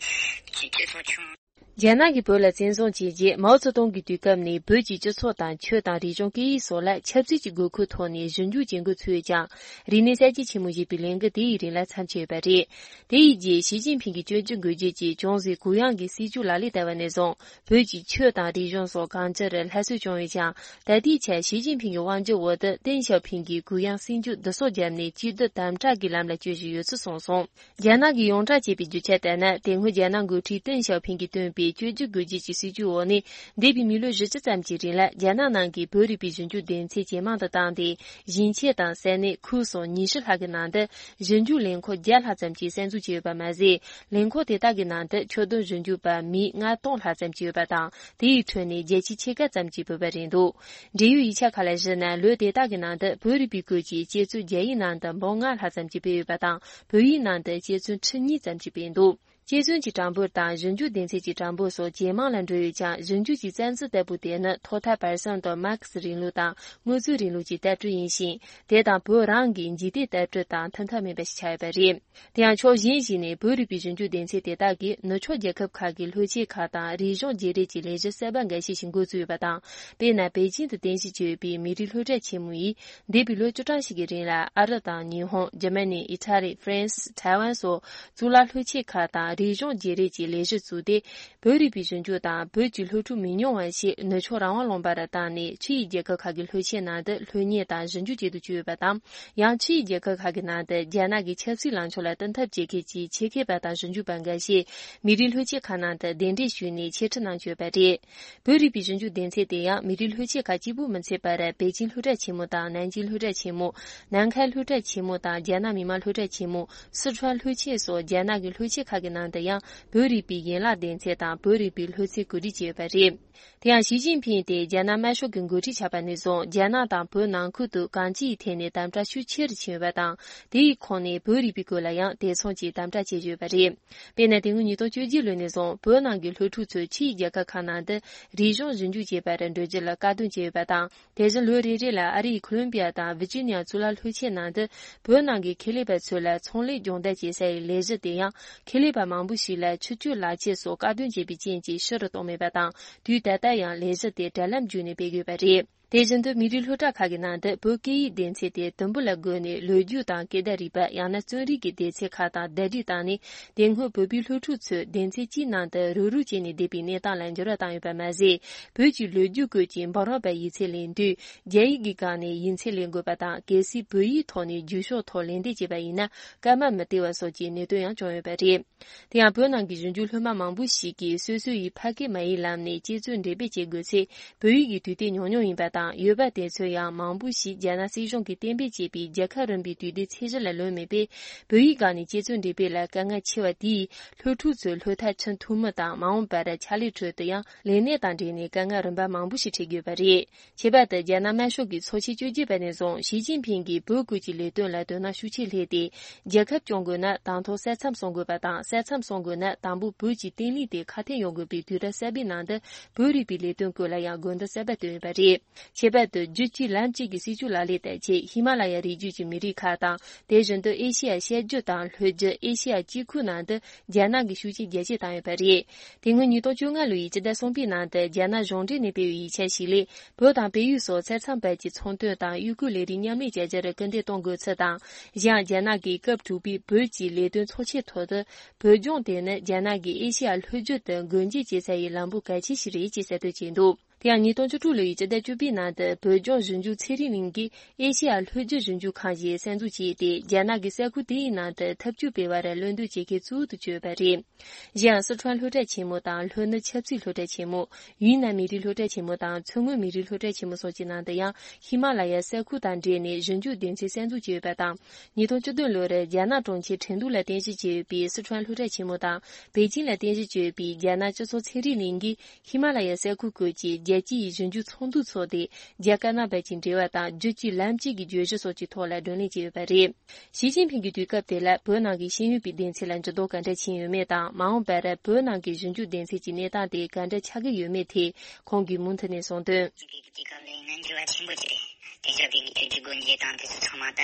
སྤྱི་ཚོགས་ཆུང་། རྒྱ་ནག་གིས་བོད་ལ་བཙན་བཟུང་བྱས་རྗེས། མའོ་ཙེ་ཏུང་གི་དུས་སྐབས་ནས་བོད་ཀྱི་སྤྱི་ཚོགས་དང་ཆོས་དང་རིག་གཞུང་སྐད་ཡིག་སོགས་ལ་ཆབ་སྲིད་ཀྱི་དགོས་མཁོའི་ཐོག་ནས་ཞིབ་འཇུག་བྱེད་འགོ་ཚུགས་ཀྱང་། རིག་གནས་གསར་བརྗེ་ཆེན་མོ་ཞེས་པའི་ལས་འགུལ་དེ་ཡི་རིང་ལ་མཚམས་ཆད་ཡོད་པ་རེད། དེ་ཡི་རྗེས་ཞི་ཅིན་ཕིང་གིས་བཅོས་སྒྱུར་དགོས་རྒྱུ་གྱི་ཅུང་ཟད་གུ་ཡངས་ཀྱི་སྲིད་ཇུས་ལག་ལེན་བསྟར་བ་ནས་བཟུང་། བོད་ཀྱི་ཆོས་དང་རིག་གཞུང་སོགས་གང་ཅིར་སླར་གསོ་བྱུང་ཡོད་ཀྱང་། ད་ལྟའི་ཆར་ཞི་ཅིན་ཕིང་གི་དབང་སྒྱུར་འོག་ཏུ་ཏེང་ཞའོ་ཕིང་གིས་གུ་ཡངས་སྲིད་ཇུས་བསྡུ་གསོག་བརྒྱབ་ནས། གཅིག་སྡུད་དམ་དྲག་གི་ལམ་ལ་བསྐྱོད་བཞིན་ཡོད་ཚུལ་གསུངས་སོང་། རྒྱ་ནག་གིས་ཡོངས་གྲགས་བྱས་པའི་རྒྱུ་ཆ་ལྟར་ན། དེ་སྔོན་རྒྱ་ནག་འགོ་ཁྲིད་ཏེང་ཞའོ་ཕིང་གིས་བཏོན་པའི་བཅོས་སྒྱུར་དགོས་རྒྱུ་གྱི་སྲིད་ཇུས་འོག་ནས། འདས་པའི་མི་ལོ་བཞི་བཅུ་ཙམ་གྱི་རིང་ལ་རྒྱ་ནག་ནང་གི་བོད་རིག་པའི་ཞིབ་འཇུག་སྡེ་ཚན་ཇེ་མང་དུ་བཏང་སྟེ། ཞིང་ཆེན་དང་ས་གནས་ཁུལ་སོགས་ཉི་ཤུ་ལྷག་གི་ནང་དུ་ཞིབ་འཇུག་ལས་ཁུངས་བརྒྱ་ལྷག་ཙམ་གྱིས་གསར་འཛུགས་བྱས་ཡོད་པ་མ་ཟད། ལས་ཁུངས་དེ་དག་གི་ནང་དུ་ཆོས་དོན་ཞིབ་འཇུག་པ་མི་ལྔ་སྟོང་ལྷག་ཙམ་གྱིས་ཡོད་པ་དང་། དེའི་ཁྲོད་ནས་བརྒྱ་ཆའི་ཕྱེད་ཀ་ཙམ་གྱིས་བོད་པ་རེད་འདུག་འབྲེལ་ཡོད་ཡིག་ཆ་ཁག་ལ་གཞིགས་ན། ལོ་དེ་དག་གི་ནང་དུ་བོད་རིག་པའི་སྐོར་གྱི་དཔྱད་རྩོམ་རྒྱ་ཡིག་ནང་དུ་འབུམ་ལྔ་ལྷག་ཙམ་གྱིས་སྤེལ་ཡོད་པ་དང་། བོད་ཡིག་ནང་དུ་དཔྱད་རྩོམ་ཁྲི་གཉིས་ཙམ་གྱིས་སྤེལ་འདུག་དཔྱད་རྩོམ་གྱི་གྲངས་འབོར་དང་། ཞིབ་འཇུག་སྡེ་ཚན་གྱི་གྲངས་འབོར་སོགས་ཇེ་མང་ལ་འགྲོ་ཡོད་ཀྱང་། ཞིབ་འཇུག་གི་རྩ་འཛིན་ལྟ་བུ་དེ་ནི་ཐོག་མཐའ་བར་གསུམ་དུ་མར་ཁེ་སི་རིང་ལུགས་དང་དངོས་གཙོའི་རིང་ལུགས་ཀྱི་ལྟ་གྲུབ་ཡིན་ཞིང་། དེ་དང་བོད་རང་གི་འཇིག་རྟེན་ལྟ་གྲུབ་དང་མཐུན་ཐབས་མིན་པ་ཞིག་ཆགས་ཡོད་པ་རེད། དེ་ཡང་ཕྱོགས་གཞན་ཞིག་ནས། བོད་རིག་པའི་ཞིབ་འཇུག་སྡེ་ཚན་དེ་དག་གིས་ནུབ་ཕྱོགས་རྒྱལ་ཁབ་ཁག་གི་ལྷོ་ཆས་ཁག་དང་རིག་གཞུང་བརྗེ་རེས་ཀྱི་ལས་གཞི་གསར་པ་འགའ་ཤས་ཤིག་འགོ་བཙུགས་ཡོད་པ་དང་། དཔེར་ན། པེ་ཅིང་དུ་རྟེན་གཞི་བྱས་ཡོད་པའི་མི་རིགས་སློབ་གྲྭ་ཆེན་མོ་ཡིས། འདས་པའི་ལོ་བཅུ་གྲངས་ཤིག་གི་རིང་ལ། ཨ་རི་དང་ཉི་ཧོང་། འཇར་མ་ནི། ཨི་ཊ་ལི། ཧྥ་རན་སི། ཐའེ་ཝན་སོགས་གཙུག་ལག་ལྷོ་ཆས་ཁག་དང་རིག་གཞུང་བརྗེ་རེས་ཀྱི་ལས་གཞི་བཙུགས་ཏེ། བོད་རིག་པའི་ཞིབ་འཇུག་དང་བོད་ཀྱི་སློབ་ཕྲུག་མི་ཉུང་བ་ཞིག་ནུབ་ཕྱོགས་རང་དབང་ལུང་པར་བཏང་ནས། ཕྱི་ཡི་རྒྱལ་ཁབ་ཁག་གི་ལྷོ་ཆས་ནང་དུ་སློབ་གཉེར་དང་ཞིབ་འཇུག་བྱེད་དུ་བཅུག་ཡོད་པ་དང་། ཡང་ཕྱི་ཡི་རྒྱལ་ཁབ་ཁག་གི་ནང་དུ་རྒྱ་ནག་གི་ཆབ་སྲིད་ལངས་ཕྱོགས་ལ་བསྟུན་ཐབས་བྱེད་མཁན་གྱི་ཆེད་མཁས་པ་དང་ཞིབ་འཇུག་པ་འགའ་ཤས་མི་རིགས་ལྷོ་ཆས་ཁག་ནང་དུ་གདན་འདྲེན་ཞུས་ནས་འཆད་ཁྲིད་གནང་བཞིན་ཡོད་པ་རེད། བོད་རིག་པའི་ཞིབ་འཇུག་སྡེ་ཚན་དེ་ཡང་མི་རིགས་ལྷོ་ཆས་ཁག་གཅིག་པུ་མི་ཚད་པར། པེ་ཅིང་སློབ་གྲྭ་ཆེན་མོ་དང་ནན་ཅིང་སློབ་གྲྭ་ཆེན་མོ། ནན་ཁའེ་སློབ་གྲྭ་ཆེན་མོ་དང་རྒྱ་ནག་མི་དམངས་སློབ་གྲྭ་ཆེན་མོ། སི་ཁྲོན་ལྷོ་ཆས་སོགས་རྒྱ་ནག་གི་ལྷོ་ཆས་ཁག་གི་ནང་དུ་ཡང་བོད་རིག་པའི་ཡན་ལག་སྡེ་ཚན་དང་བོད་རིག་པའི་སློབ་ཚན་གོ་སྒྲིག་བྱས་ཡོད་པ་རེད། དེ་ཡང་ཞི་ཅིན་ཕིང་དེ་རྒྱ་ནག་དམར་ཤོག་གི་འགོ་ཁྲིད་ཆགས་པ་ནས་བཟུང་། རྒྱ་ནག་དང་བོད་ནང་ཁུལ་དུ་གང་ཅིའི་ཐད་ནས་དམ་དྲག་ཤུགས་ཆེ་རུ་ཕྱིན་ཡོད་པ་དང་། དེའི་ཁོངས་ནས་བོད་རིག་པའི་སྐོར་ལ་ཡང་དེ་མཚུངས་ཀྱི་དམ་དྲག་བྱེད་བཞིན་ཡོད་པ་རེད། དཔེར་ན། དེ་སྔོན་ཉིས་སྟོང་བཅོ་བརྒྱད་ལོ་ནས་བཟུང་བོད་ནང་གི་སློབ་ཕྲུག་ཚོས་ཕྱི་ཡི་རྒྱལ་ཁབ་ཁག་ནང་དུ་རིག་གཞུང་ཞིབ་འཇུག་བྱེད་པར་འགྲོ་རྒྱུ་ལ་དཀའ་སྡུག་བྱས་ཡོད་པ་དང་། དེ་བཞིན་ལོ་རེ་རེ་ལ་ཨ་རིའི་ཁོ་ལོམ་པི་ཡ་དང་ཝི་ཇི་ནི་ཡ་གཙུག་ལག་སློབ་ཆེན་ནང་དུ་བོད་ནང་གི་ཁེ་ལས་པ་ཚོ་ལ་ཚོང་ལས་སྦྱོང་བརྡར་བྱེད་ས་ཡི་ལས་གཞི་དེ་ཡང་། ཁེ་ལས་པ་མང་པོ་ཞིག་ལ་ཆུ་སྤྱོད་ལག་ཁྱེར་སོགས་བཀག་སྡོམ་བྱས་པའི་རྐྱེན་གྱིས་ཕྱི་རུ་གཏོང་མེད་པ་དང་། དུས་ད་ལྟ་ཡང་ལས་གཞི་དེ་དྲ་ལམ་བརྒྱུད་ནས་སྤེལ་དགོས་པ་རེད། དེ་བཞིན་དུ་མི་རིགས་སློབ་གྲྭ་ཁག་གི་ནང་དུ་བོད་སྐད་ཡིག་སྡེ་ཚན་དེ་དུམ་བུ་ལ་བགོས་ནས་ལོ་རྒྱུས་དང་སྐད་བརྡ་རིག་པ། ཡང་ན་རྩོམ་རིག་གི་སྡེ་ཚན་ཁག་དང་ཟླ་སྒྲིལ་བཏང་ནས། དེ་སྔོན་བོད་པའི་སློབ་ཕྲུག་ཚོས་སྡེ་ཚན་གཅིག་ནང་དུ་རུག་རུག་བྱས་ནས་བསྡད་པའི་གནས་སྟངས་ལ་འགྱུར་བ་བཏང་ཡོད་པ་མ་ཟད། བོད་ཀྱི་ལོ་རྒྱུས་སྐོར་གྱི་འབུམ་རམས་པ་ཡིག་ཚད་ལེན་དུས། རྒྱ་ཡིག་གི་སྒང་ནས་ཡིག་ཚད་ལེན་དགོས་པ་དང་། གལ་སྲིད་བོད་ཡིག་ཐོག་ནས་རྒྱུགས་ཤོག་ཐོག་ལན་འདེབས་བྱས་པ་ཡིན་ན། སྐར་མ་མི་སྟེར་བ་སོགས་ཀྱི་གནད་དོན་ཡང་བྱུང་ཡོད་པ་རེད། དེ་ཡང་བོད་ནང་གི་གཞོན་སྐྱེས་སློབ་མ་མང་པོ་ཞིག་གིས་སོ་སོ་ཡི་ཕ་སྐད་མ་ཡིག་ལམ་ནས་དཔྱད་རྩོམ་འགྲེམས་སྤེལ་བྱེད་དགོས་ཚེ། བོད་ཡིག་གི་དུས་དེབ་ཉུང་ཉུང་ཡིན་པ་དང་། ཡོད་པ་དེ་ཚོ་ཡང་མང་པོ་ཞིག་རྒྱ་ནག་སྲིད་གཞུང་གིས་གཏན་འབེབས་བྱས་པའི་རྒྱལ་ཁབ་རིམ་པའི་དུས་དེབ་ཚད་གཞི་ལ་ལོན་མེད་པས། བོད་ཡིག་སྒང་ནས་དཔྱད་རྩོམ་འགྲེམས་སྤེལ་ལ་དཀའ་ངལ་ཆེ་བ་དེས། སློབ་ཕྲུག་ཚོའི་སློབ་མཐར་ཕྱིན་ཐུབ་མིན་དང་། མ་འོངས་པར་ཕྱག་ལས་ཁྲོད་དུ་ཡང་ལས་གནས་དང་འབྲེལ་ནས་དཀའ་ངལ་རིམ་པ་མང་པོ་ཞིག་འཕྲད་དགོས་པ་རེད། ཁྱད་པར་དུ་རྒྱ་ནག་དམར་ཤོག་གི་ཚོགས་ཆེན་བཅོ་བརྒྱད་པ་ནས་བཟུང་ཞི་ཅིན་ཕིང་གིས་བོད་སྐོར་གྱི་ལས་དོན་ལ་དོ་སྣང་ཤུགས་ཆེ་སླེབས་ཏེ། རྒྱལ་ཁབ་སྐྱོང་དགོས་ན་དང་ཐོག་ས་མཚམས་སྲུང་དགོས་པ་དང་། ས་མཚམས་སྲུང་དགོས་ན་དང་པོ་བོད་ཀྱི་བརྟན་ལྷིང་དེ་ཁ་གཏད་ཡོང་དགོས་པའི་དུས་རབས་གསར་པའི་ནང་དུ། བོད་རིག་པའི་ལས་དོན་སྐོར་ལ་ཡང་དགོས་འདུན་གསར་པ་བཏོན་ཡོད་པ་རེད། ཁྱད་པར་དུ་རྒྱུད་གཅིག་ལམ་གཅིག་གི་སྲིད་ཇུས་ལག་ལེན་བསྟར་ཆེད། ཧི་མ་ལ་ཡ་རི་རྒྱུད་ཀྱི་མི་རིགས་ཁག་དང་། དེ་བཞིན་དུ་ཨེ་ཤེ་ཡ་ཤར་རྒྱུད་དང་ལྷོ་རྒྱུད། ཨེ་ཤེ་ཡ་དཀྱིལ་ཁུལ་ནང་དུ། རྒྱ་ནག་གིས་ཤུགས་རྐྱེན་རྒྱ་སྐྱེད་བཏང་ཡོད་པ་རེད། དེ་སྔོན་ཉིས་སྟོང་བཅོ་ལྔ་ལོའི་སྤྱི་ཟླ་གསུམ་པའི་ནང་དུ། རྒྱ་ནག་གཞུང་འབྲེལ་ནས་སྤེལ་བའི་ཡིག་ཆ་ཞིག་ལས། བོད་དང་བལ་ཡུལ་སོགས་ས་མཚམས་བར་གྱི་ཚོང་དོན་དང་གཡོ་སྐོལ་ལས་རིགས་མཉམ་ལས་བྱ་རྒྱུར་སྐུལ་འདེད་གཏོང་དགོས་ཚུལ་དང་། གཞན་ཡང་རྒྱ་ནག་གིས་སྐབས་དྲུག་པའི་བོད་ཀྱི་ལས་དོན་ཚོགས་ཆེན་ཐོག་ཏུ། བོད་ལྗོངས་དེ་ནི་རྒྱ་ནག་གིས་ཨེ་ཤེ་ཡ་ལྷོ་རྒྱུད་དུ་སྒོ་འབྱེད་བྱེད་ས་ཡི་ལམ་བུ་གལ་ཆེ་ཞིག་རེད་ཅེས་གསལ་སྟོན་བྱས་འདུག་དེ་ཡང་ཉིས་སྟོང་བཅུ་དྲུག་ལོའི་སྤྱི་ཟླ་བཅུ་པའི་ནང་དུ། བོད་ལྗོངས་ཞིབ་འཇུག་ཚན་རིག་གླིང་གིས་ཨེ་ཤེ་ཡ་ལྷོ་རྒྱུད་ཞིབ་འཇུག་ཁང་ཞིག་གསར་འཛུགས་བྱས་ཏེ། རྒྱ་ནག་གི་ས་ཁུལ་དེ་ཡི་ནང་དུ་འཐབ་ཇུས་སྤེལ་བར་བློ་འདོན་བྱེད་མཁན་གཙོ་བོ་དུ་གྱུར་ཡོད་པ་རེད། གཞན་ཡང་། སི་ཁྲོན་སློབ་གྲྭ་ཆེན་མོ་དང་། ལྷོ་ནུབ་ཆབ་སྲིད་སློབ་གྲྭ་ཆེན་མོ། ཡུན་ནན་མི་རིགས་སློབ་གྲྭ་ཆེན་མོ་དང་། མཚོ་སྔོན་མི་རིགས་སློབ་གྲྭ་ཆེན་མོ་སོགས་ཀྱི་ནང་དུ་ཡང་། ཧི་མ་ལ་ཡའི་ས་ཁུལ་དང་འབྲེལ་ནས་ཞིབ་འཇུག་སྡེ་ཚན་གསར་འཛུགས་བྱས་ཡོད་པ་དང་། ཉིས་སྟོང་བཅུ་བདུན་ལོར་རྒྱ་ནག་གྲོང་ཁྱེར་ཁྲེང་ཏུའུ་ལ་རྟེན་གཞི་བྱས་ཡོད་པའི་སི་ཁྲོན་སློབ་གྲྭ་ཆེན་མོ་དང་། པེ་ཅིང་ལ་རྟེན་གཞི་བྱས་ཡོད་པའི་རྒྱ་ནག་སྤྱི་ཚོགས་ཚན་རིག་གླིང་གིས་ཧི་མ་ལ་ཡའི་ས་ཁུལ་སྐོར་གྱི་རྒྱལ་སྤྱི་ཡི་ཞིབ་འཇུག་ཚོགས་འདུ་འཚོགས་ཏེ། རྒྱ་དཀར་ནག་བར་གྱི་འབྲེལ་བ་དང་། རྒྱུད་གཅིག་ལམ་གཅིག་གི་བརྗོད་གཞི་སོགས་ཀྱི་ཐོག་ལ་བགྲོ་གླེང་བྱས་ཡོད་པ་རེད། ཞི་ཅིན་ཕིང་གི་དུས་སྐབས་དེ་ལ་བོད་ནང་གི་ཤེས་ཡོན་པའི་སྡེ་ཚན་ལ་འགྱུར་ལྡོག་ག་འདྲ་ཕྱིན་ཡོད་མེད་དང་། མ་འོངས་པར་བོད་ནང་གི་ཞིབ་འཇུག་སྡེ་ཚན་གྱི་གནས་སྟངས་དེ་ག་འདྲ་ཆགས་ཀྱི་ཡོད་མེད་ཐད། ཁོང་གིས་མུ་མཐུད་ནས་གསུངས་དོན། ཞི་ཅིན་ཕིང་གི་དུས་སྐབས་ལ་ཡིན་ན་འགྱུར་བ་ཆེན་པོ་ཅིག་རེད། དེང་སྐབས་ཀྱི་དངོས་དོན་གྱི་སྒོ་འབྱེད་དང་དེ་ཚོ་ཚང་མ་ད་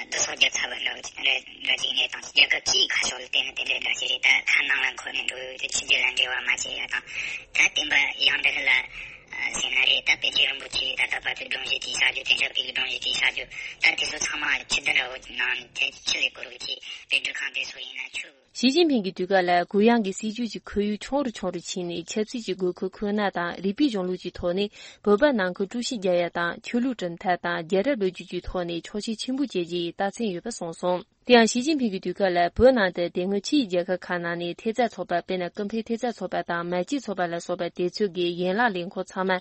བསྡུ་གསོག་བརྒྱབ་ཚར་བ་འདྲ་བོ་ཅིག་རེད་འདྲ་ཅིག་ཡིན་ནས་དང་། རྒྱལ་ཁབ་ཀྱི་ཁ་ཕྱོགས་ལ་བལྟས་ན་དེ་འདྲ་འདྲ་ཞིག་རེད། ད་ཁ་ནང་ལ་འཁོར་ནས་འགྲོ་ཡོད་དུས་ཕྱི་རྒྱལ་ལ་འབྲེལ་བ་མ་བྱས་ཡ་དང་། ད་བསྟན་པ་ཡང་འདི་ལ་ཟེར་ན་རེད། ད་པཎ་ཆེན་རིན་པོ་ཆེ་ད་ལྟ་བར་དུ་སྒྲོམ་གཞི་དེའི་བྱ་རྒྱུ། དེང་སྐབས་ཀྱི་སྒྲོམ་གཞི་དེའི་བྱ་རྒྱུ། ད་དེ་ཚོ་ཚང་མ་ཆུ་ལྡིང་འདྲ་བོ་ནང་ནས་ཆུ་ལས་བསྐོར་བའི་ཆེད་དཔེ་སྒྲུབ་ཁང་དེ་ཚོ་ཡིན་ན་ཆུ། ཞི་ཅིན་ཕིང་གི་དུས་སྐབས་ལ་གུ་ཡངས་ཀྱི་སྲིད་བྱུས་ཀྱི་ཁོར་ཡུག་ཆུང་རུ་ཆུང་རུ་ཕྱིན་ནས། ཆབ་སྲིད་ཀྱི་དགོས་མཁོ་ཁོ་ན་དང་རིགས་པའི་གཞུང་ལུགས་ཀྱི་ཐོག་ནས་བོད་པ་ནང་ཁུལ་དཀྲུག་ཤིང་རྒྱག་ཡ་དང་། ཆོས་ལུགས་གྲུབ་མཐའ་དང་རྒྱལ་རབས་ལོ་རྒྱུས་ཀྱི་ཐོག་ནས་ཆོག་མཆན་ཆེན་པོ་བྱེད་རྒྱུ་ཡི་རྟགས་མཚན་ཡོད་པ་གསུངས་སོང་། དེ་ཡང་ཞི་ཅིན་ཕིང་གི་དུས་སྐབས་ལ་བོད་ནང་དུ་དེ་སྔོན་ཕྱིའི་རྒྱལ་ཁབ་ཁག་ནང་ནས་ཐེབས་རྩ་ཚོགས་པ། དཔེར་ན་ཀུན་ཕན་ཐེབས་རྩ་ཚོགས་པ་དང་མ་སྐྱེས་ཚོགས་པ་ལ་སོགས་པ་དེ་ཚོ་གི་ཡན་ལག་ལས་ཁུངས་ཚང་མ་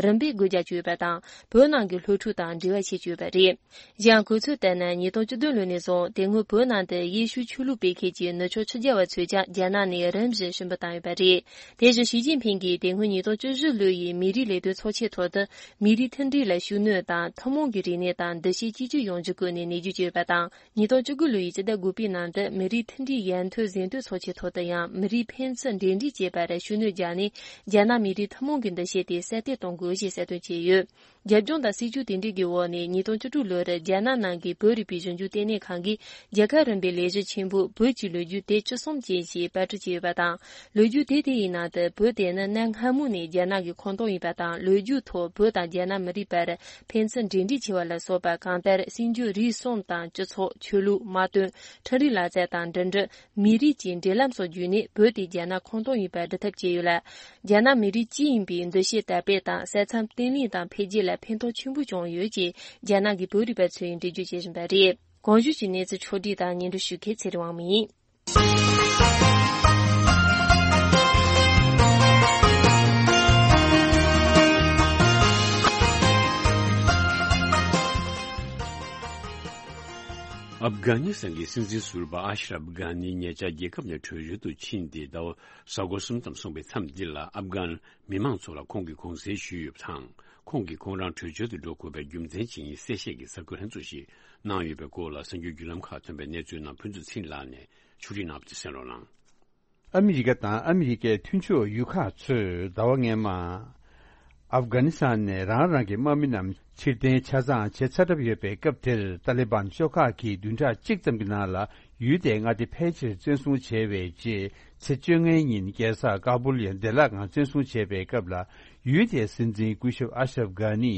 རིམ་པས་སྒོ་རྒྱག་བཅུག་ཡོད་པ་དང་། བོད་ནང་གི་སློབ་ཕྲུག་དང་འབྲེལ་བ་བྱེད་བཅུག་ཡོད་པ་རེད། གཞན་གོ་ཚོད་ལྟར་ན། ཉིས་སྟོང་བཅུ་བདུན་ལོ་ནས་བཟུང་དེ་སྔོན་བོད་ནང་དུ་ཡེ་ཤུ་ཆོས་ལུགས་སྤེལ་མཁན་གྱི་ནུབ་ཕྱོགས་ཕྱི་རྒྱལ་བ་ཚོས་ཀྱང་རྒྱ་ནག་ནས་རིམ་བཞིན་ཞུ་འབོད་བཏང་ཡོད་པ་རེད། དེ་བཞིན་ཞི་ཅིན་ཕིང་གིས་དེ་སྔོན་ཉིས་སྟོང་བཅུ་བཞི་ལོ་ཡི་མི་རིགས་ལས་དོན་ཚོགས་ཆེན་ཐོག་ཏུ་མི་རིགས་མཐུན་སྒྲིལ་ལ་ཤུགས་སྣོན་དང་། ཐུན་མོང་གི་རིག་གནས་དང་འདུ་ཤེས་གཅིག་གྱུར་ཡོང་རྒྱུ་སྐོར་ནས་ནན་བརྗོད་བྱས་ཡོད་པ་དང་། ཉིས་སྟོང་བཅུ་དགུ་ལོ་ཡི་སྤྱི་ཟླ་དགུ་པའི་ནང་དུ་མི་རིགས་མཐུན་སྒྲིལ་ཡར་ཐོན་གཟེངས་བསྟོད་ཚོགས་ཆེན་ཐོག་ཏུ་ཡང་མི་རིགས་ཕན་ཚུན་འབྲེལ་འདྲིས་བྱེད་པར་ཤུགས་སྣོན་བརྒྱབ་ནས། རྒྱ་ནག་མི་རིགས་ཐུན་མོང་གི་འདུ་ཤེས་དེ་གསལ་སྟོན་གཏོང་དགོས་ཞེས་གསལ་སྟོན་བྱས་ཡོད། རྒྱབ་ལྗོངས་དང་སྲིད་བྱུས་དེ་འདྲའི་གི་འོག་ནས་ཉིས་སྟོང་བཅུ་དྲུག་ལོར་རྒྱ་ནག་ནང་གི་བོད་རིག་པའི་གཞོན་སྐྱོང་ལྟེ་གནས་ཁང་གིས་རྒྱལ་ཁབ་རིམ་པའི་ལས་གཞི་ཆེན་པོ་བོད་ཀྱི་ལོ་རྒྱུས་དེབ་བཅུ་གསུམ་ཅན་ཞེས་པར་སྐྲུན་བྱས་ཡོད་པ་དང་། ལོ་རྒྱུས་དེབ་དེ་ཡི་ནང་དུ་བོད་དེ་ནི་གནའ་སྔ་མོ་ནས་རྒྱ་ནག་གི་ཁོངས་གཏོགས་ཡིན་པ་དང་། ལོ་རྒྱུས་ཐོག་བོད་དང་རྒྱ་ནག་མི་རིགས་བར་ཕན་ཚུན་འབྲེལ་འདྲིས་ཆེ་བ་ལ་སོགས་པ། གང་ལྟར་སྲིད་འབྱོར་རིག་གསུམ་དང་། སྤྱི་ཚོགས། ཆོས་ལུགས། དམག་དོན། འཕྲུལ་རིག་ལག་རྩལ་དང་འགྲིམ་འགྲུལ། མི་རིགས་ཀྱི་འབྲེལ་ལམ་སོགས་བརྒྱུད་ནས་བོད་དེ་རྒྱ་ནག་ཁོངས་གཏོགས་ཡིན་པར་སྒྲུབ་ཐབས་བྱས་ཡོད་ལ། རྒྱ་ནག་མི་རིགས་གཅིག་ཡིན་པའི་འདུ་ཤེས་དར་སྤེལ་དང་། ས་མཚམས་བརྟན་ལྷིང་དང་འཕེལ་རྒྱས་ལ་ཕན་ཐོགས་ཆེན་པོ་བྱུང་ཡོད་ཅེས་རྒྱ་ནག་གི་བོད་རིག་པ་ཚོས་འགྲེལ་བརྗོད་བྱེད་བཞིན་པ་རེད། གོང་ཞུས་ཀྱི་གནས་ཚུལ་ཕྱོགས་བསྒྲིགས་དང་སྙན་སྒྲོན་ཞུ་མཁན་ཚེ་རིང་དབང་མོ་ཡིན། ཨབ་གྷ་ནི་སི་ཐན་གྱི་སྲིད་འཛིན་ཟུར་པ་ཨ་ཤ་རབ་གྷ་ནི་ཉེ་ཆར་རྒྱལ་ཁབ་ནས་བྲོས་བྱོལ་དུ་ཕྱིན་ཏེ་ཟླ་བ་གཟའ་འཁོར་གསུམ་ཙམ་སོང་པའི་མཚམས་འདི་ལ། ཨབ་གྷན་མི་མང་ཚོ་ལ་ཁོང་གིས་དགོངས་སེལ་ཞུས་ཡོད་པ་དང་། ཁོང་གིས་ཁོང་རང་བྲོས་བྱོལ་དུ་འགྲོ་དགོས་པའི་རྒྱུ་མཚན་ཅི་ཡིན་གསལ་བཤད་ཀྱི་གསར་འགོད་ལྷན་ཚོགས་ཤིག་གནང་ཡོད་པའི་སྐོར་ལ། གསར་འགྱུར་བརྒྱུད་ལམ་ཁག་ཐོན་པའི་གནས་ཚུལ་རྣམས་ཕུན་ཚོགས་ཚེ་རིང་ལགས་ནས་ཕྱོགས་སྒྲིག་གནང་བ་དེ་གསན་རོགས་གནང་། ཨ་མི་རི་ཀ་དང་ཨ་མི་རི་ཀའི་མཐུན་ཕྱོགས་ཡུལ་ཁག་ཚོས་ཟླ་བ་སྔོན་མ། ཨབ་གྷ་ནི་སི་ཐན་ནས་རང་རང་གི་དམག་མི་རྣམས་ཕྱིར་འཐེན་ཆ་ཚང་བྱེད་ཚར་གྲབས་ཡོད་པའི་སྐབས་དེར། ཏཱ་ལི་བན་ཤོག་ཁག་གིས་བདུན་ཕྲག་གཅིག་ཙམ་གྱི་ནང་ལ་ཡུལ་དེའི་མངའ་སྡེ་ཕལ་ཆེར་བཙན་བཟུང་བྱས་པའི་རྗེས། ཚེས་བཅོ་ལྔའི་ཉིན་རྒྱལ་ས་ཀ་བུལ་ཡང་བདེ་བླག་ངང་བཙན་བཟུང་བྱས་པའི་སྐབས་ལ། ཡུལ་དེའི་སྲིད་འཛིན་སྐུ་ཞབས་ཨ་ཤ་རབ་གྷ་ནི་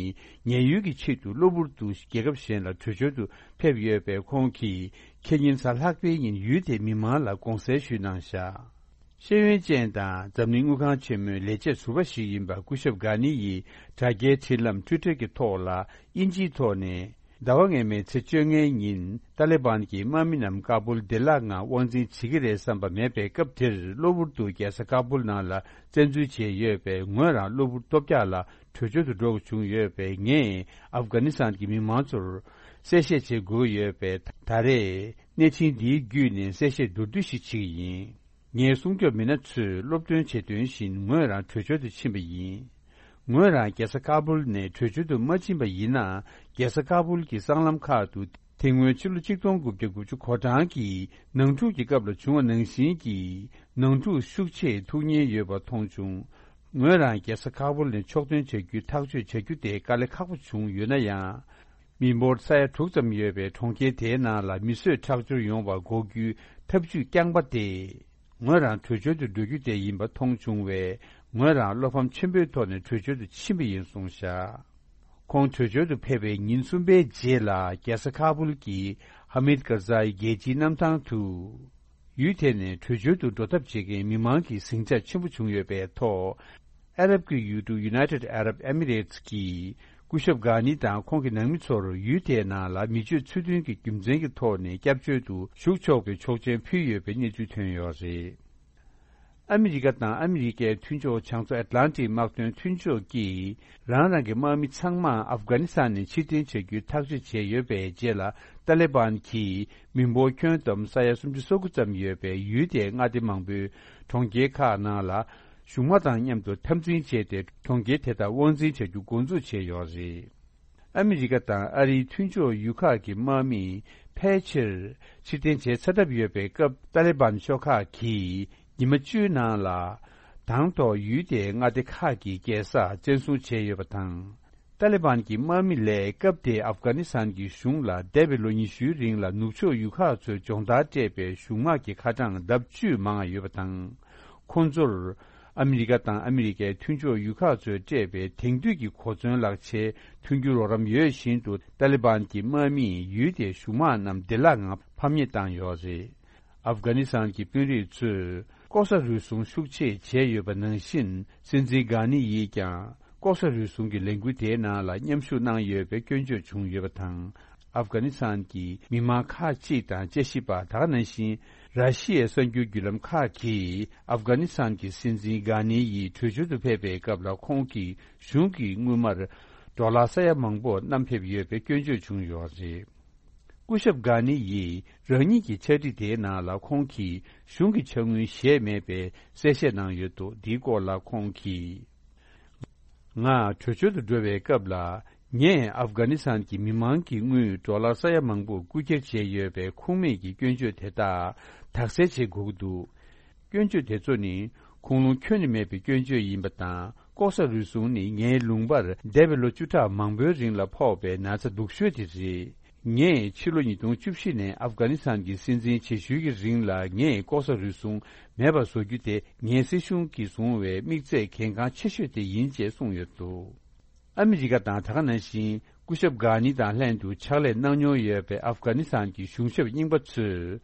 ཉེན་གཡོལ་གྱི་ཆེད་དུ་གློ་བུར་དུ་རྒྱལ་ཁབ་གཞན་ལ་བྲོས་བྱོལ་དུ་ཕེབས་ཡོད་པས། ཁོང་གིས་ཁེ་ཉིན་གཟའ་ལྷག་པའི་ཉིན་ཡུལ་དེའི་མི་མང་ལ་དགོངས་སེལ་ཞུས་གནང་བཞག། ཤེས་ཡོན་ཅན་དང་འཛམ་གླིང་དངུལ་ཁང་ཆེན་མོའི་ལས་བྱེད་ཟུར་པ་ཞིག་ཡིན་པ་སྐུ་ཞབས་གྷ་ནི་ཡིས་དྲ་རྒྱའི་འཕྲིན་ལམ་ཊུའི་ཊར་གྱི་ཐོག་ལ། དབྱིན་ཇིའི་ཐོག་ནས། ཟླ་བ་སྔོན་མའི་ཚེས་བཅོ་ལྔའི་ཉིན། ཏཱ་ལི་བན་གྱི་དམག་མི་རྣམས་ཀ་བུལ་བདེ་བླག་ངང་དབང་འཛིན་བྱེད་ཀྱི་རེད་བསམ་པ་མེད་པའི་སྐབས་དེར། གློ་བུར་དུ་རྒྱལ་ས་ཀ་བུལ་ནང་ལ་བཙན་འཛུལ་བྱས་ཡོད་པས། ངོས་རང་གློ་བུར་ལྟོ་འཕྱག་ལ་བྲོས་བྱོལ་དུ་འགྲོ་དགོས་བྱུང་ཡོད་པས། ངས་ཨབ་གྷ་ནི་སི་ཐན་གྱི་མི་མང་ཚོར་གསལ་བཤད་བྱེད་དགོས་ཡོད་པས། ད་རེས་གནས་ཆེན་འདིའི་བརྒྱུད་ནས་གསལ་བཤད་མདོར་བསྡུས་ཤིག་བྱེད་ཀྱི་ཡིན། ངའི་སྲུང་སྐྱོབ་མི་སྣ་ཚོས་སློབ་སྟོན་བྱེད་དོན་བཞིན་ངོས་རང་བྲོས་བྱོལ་དུ་ཕྱིན་པ་ཡིན། ངོས་རང་རྒྱལ་ས་ཀ་བུལ་ནས་བྲོས་བྱོལ་དུ་མ་ཕྱིན་པ་ཡིན་ན། རྒྱལ་ས་ཀ་བུལ་གྱི་སྲང་ལམ་ཁག་ཏུ་དེ་སྔོན་ཕྱི་ལོ་ཆིག་སྟོང་དགུ་བརྒྱ་དགུ་བཅུ་གོ་གྲངས་ཀྱི་ནང་འཁྲུག་གི་སྐབས་ལ་བྱུང་བ་ནང་བཞིན་གྱི་ནང་འཁྲུག་ཤུགས་ཆེ་ཐུག་ཉེན་ཡོད་པ་མཐོང་བྱུང་། ངོས་རང་རྒྱལ་ས་ཀ་བུལ་ནས་ཕྱོགས་ཐོན་བྱ་རྒྱུའི་ཐག་གཅོད་བྱ་རྒྱུ་དེ་དཀའ་ལས་ཁག་པོ་བྱུང་ཡོད་ན་ཡང་། མི་འབོར་ས་ཡ་དྲུག་ཙམ་ཡོད་པའི་གྲོང་ཁྱེར་དེའི་ནང་ལ་མི་གསོད་ཁྲག་སྦྱོར་ཡོང་བར་འགོག་རྒྱུའི་ཐབས་ཇུས་རྐྱང་པ་དེ། ངོས་རང་བྲོས་བྱོལ་དུ་འགྲོ་རྒྱུ་དེ་ཡིན་པ་མཐོང་བྱུང་བས། ངོས་རང་བློ་ཕམ་ཆེན་པོའི་ཐོག་ནས་བྲོས་བྱོལ་དུ་ཕྱིན་པ་ཡིན་གསུངས་བཞག། ཁོང་བྲོས་བྱོལ་དུ་ཕེབས་པའི་ཉིན་གསུམ་པའི་རྗེས་ལ། རྒྱལ་ས་ཁ་པུལ་གྱི་ཧ་མིད་ཀར་ཛའི་རྒྱལ་སྤྱིའི་གནམ་ཐང་དུ། ཡུལ་དེ་ནས་བྲོས་བྱོལ་དུ་འགྲོ་ཐབས་བྱེད་མཁན་མི་མང་གི་ཟིང་ཆ་ཆེན་པོ་བྱུང་ཡོད་པའི་ཐོག། ཨ་རབ་ཀྱི་ཡུལ་གྲུ་United Arab Emirates་གིས་སྐུ་ཞབས་གྷ་ནི་དང་ཁོང་གི་ནང་མི་ཚོར་ཡུལ་དེའི་ནང་ལ་མི་སྤྱོད་ཚུལ་མཐུན་གྱི་རྒྱུ་མཚན་གྱི་ཐོག་ནས་སྐྱབས་བཅོལ་དུ་ཞུགས་ཆོག་པའི་ཆོག་མཆན་ཕུལ་ཡོད་པའི་གནས་ཚུལ་ཐོན་ཡོད་རེད། ཨ་མི་རི་ཀ་དང་ཨ་མི་རི་ཀའི་མཐུན་ཕྱོགས་བྱང་མཚོ་ཨེཊ་ལན་ཊིག་དམག་དོན་མཐུན་ཕྱོགས་ཀྱིས་རང་རང་གི་དམག་མི་ཚང་མ་ཨབ་གྷ་ནི་སི་ཐན་ནས་ཕྱིར་འཐེན་བྱ་རྒྱུའི་ཐག་གཅོད་བྱས་ཡོད་པའི་རྗེས་ལ། ཏཱ་ལི་བན་གྱིས་མི་འབོར་ཁྱོན་བསྡོམས་ས་ཡ་སུམ་ཅུ་སོ་དགུ་ཙམ་ཡོད་པའི་ཡུལ་དེའི་མངའ་སྡེ་མང་པོའི་གྲོང་ཁྱེར་ཁག་ནང་ལ། གཞུང་དམག་དང་མཉམ་དུ་འཐབ་འཛིང་བྱས་ཏེ། གྲོང་ཁྱེར་དེ་དག་དབང་འཛིན་བྱ་རྒྱུ་འགོ་འཛུགས་བྱས་ཡོད་རེད། ཨ་མི་རི་ཀ་དང་ཨ་རིའི་མཐུན་ཕྱོགས་ཡུལ་ཁག་གི་དམག་མི་ཕལ་ཆེར་ཕྱིར་འཐེན་བྱས་ཚར་གྲབས་ཡོད་པའི་སྐབས། ཏཱ་ལི་བན་ཤོག་ཁག་གིས་ཉི་མ་བཅུའི་ནང་ལ་དང་ཐོག་ཡུལ་དེའི་མངའ་སྡེ་ཁག་གི་རྒྱལ་ས་བཙན་བཟུང་བྱས་ཡོད་པ་དང་། ཏཱ་ལི་བན་གྱི་དམག་མི་ལས་སྐབས་དེའི་ཨབ་གྷ་ནི་སི་ཐན་གྱི་གཞུང་ལ་འདས་པའི་ལོ་ཉི་ཤུའི་རིང་ལ་ནུབ་ཕྱོགས་ཡུལ་ཁག་ཚོའི་སྦྱོང་བརྡར་སྤྲད་པའི་གཞུང་དམག་གི་ཁ་གྲངས་ལྡབ་བཅུས་མང་བ་ཡོད་པ་དང་། ཁོང་ཚོར་ཨ་མི་རི་ཀ་དང་ཨ་མི་རི་ཀའི་མཐུན་ཕྱོགས་ཡུལ་ཁག་ཚོས་སྤྲད་པའི་དེང་དུས་ཀྱི་གོ་མཚོན་ལག་ཆའི་མཐུན་འགྱུར་རོགས་རམ་ཡོད་བཞིན་དུ། ཏཱ་ལི་བན་གྱི་དམག་མིས་ཡུལ་དེའི་གཞུང་དམག་རྣམས་བདེ་བླག་ངང་ཕམ་ཉེས་བཏང་ཡོད་རེད། ཨབ་གྷ་ནི་སི་ཐན་གྱི་དཔོན་རིགས་ཚོས་ལྐོག་ཟ་རུལ་སུངས་ཤུགས་ཆེ་བྱས་ཡོད་པ་ནང་བཞིན། སྲིད་འཛིན་གྷ་ནི་ཡིས་ཀྱང་ལྐོག་ཟ་རུལ་སུངས་ཀྱི་ལས་འགུལ་དེའི་ནང་ལ་མཉམ་ཞུགས་གནང་ཡོད་པའི་སྐྱོན་བརྗོད་བྱུང་ཡོད་པ་དང་། ཨབ་གྷ་ནི་སི་ཐན་གྱི་མི་མང་ཁག་ཅིག་དང་དཔྱད་ཞིབ་པ། ད་ག་ནང་བཞིན་ར་ཤི་ཡའི་གསར་འགྱུར་བརྒྱུད་ལམ་ཁག་གིས་ཨབ་གྷ་ནི་སི་ཐན་གྱི་སྲིད་འཛིན་གྷ་ནི་ཡིས་བྲོས་བྱོལ་དུ་ཕེབས་པའི་སྐབས་ལ་ཁོང་གིས་གཞུང་གི་དངུལ་སྨར་ཌོ་ལར་ས་ཡ་མང་པོ་བསྣམས་ཕེབས་ཡོད་པའི་སྐྱོན་བརྗོད་བྱུང་ཡོད་རེད། སྐུ་ཞབས་གྷ་ནི་ཡིས་རང་ཉིད་ཀྱི་ཕྱག་བྲིས་དེའི་ནང་ལ་ཁོང་གིས་གཞུང་གི་ཕྱག་དངུལ་བཞེས་མེད་པའི་གསལ་བཤད་གནང་ཡོད་འདུག་འདིའི་སྐོར་ལ་ཁོང་གིས། ང་བྲོས་བྱོལ་དུ་འགྲོ་བའི་སྐབས་ལ། ངས་ཨབ་གྷ་ནི་སི་ཐན་གྱི་མི་མང་གི་དངུལ་ཌོ་ལར་ས་ཡ་མང་པོ་རྐུ་འཁྱེར་བྱས་ཡོད་པའི་ཁུངས་མེད་ཀྱི་སྐྱོན་བརྗོད་དེ་དག་དག་སེལ་བྱེད་དགོས་ཀྱི་འདུག་སྐྱོན་བརྗོད་དེ་ཚོ་ནི་ཁུངས་ལུང་ཁྱོན་ནས་མེད་པའི་སྐྱོན་བརྗོད་ཡིན་པ་དང་། ལྐོག་ཟ་རུལ་སུངས་ནི་ངའི་ལུང་པར་འདས་པའི་ལོ་བཅུ་ཕྲག་མང་པོའི་རིང་ལ་ཕོག་པའི་ན་ཚ་སྡུག་ཤོས་དེ་རེད། ངས་ཕྱི་ལོ་ཉིས་སྟོང་བཅུ་བཞི་ནས་ཨབ་གྷ་ནི་སི་ཐན་གྱི་སྲིད་འཛིན་བྱེད་ཤུལ་གྱི་རིང་ལ། ངས་ལྐོག་ཟ་རུལ་སུངས་མེད་པར་བཟོ་རྒྱུ་དེ་ངའི་སྲིད་གཞུང་གིས་བཟུང་བའི་དམིགས་ཚད་གལ་འགངས་ཆེ་ཤོས་དེ་ཡིན་ཅེས་གསུངས་ཡོད་འདུག་ཨ་མི་རི་ཀ་དང་། ད་ག་ནང་བཞིན་སྐུ་ཞབས་གྷ་ནི་དང་ལྷན་དུ་ཕྱག་ལས་གནང་མྱོང་ཡོད་པའི་ཨབ་གྷ་ནི་སི་ཐན་གྱི་གཞུང་ཞབས་རྙིང་པ་ཚོས།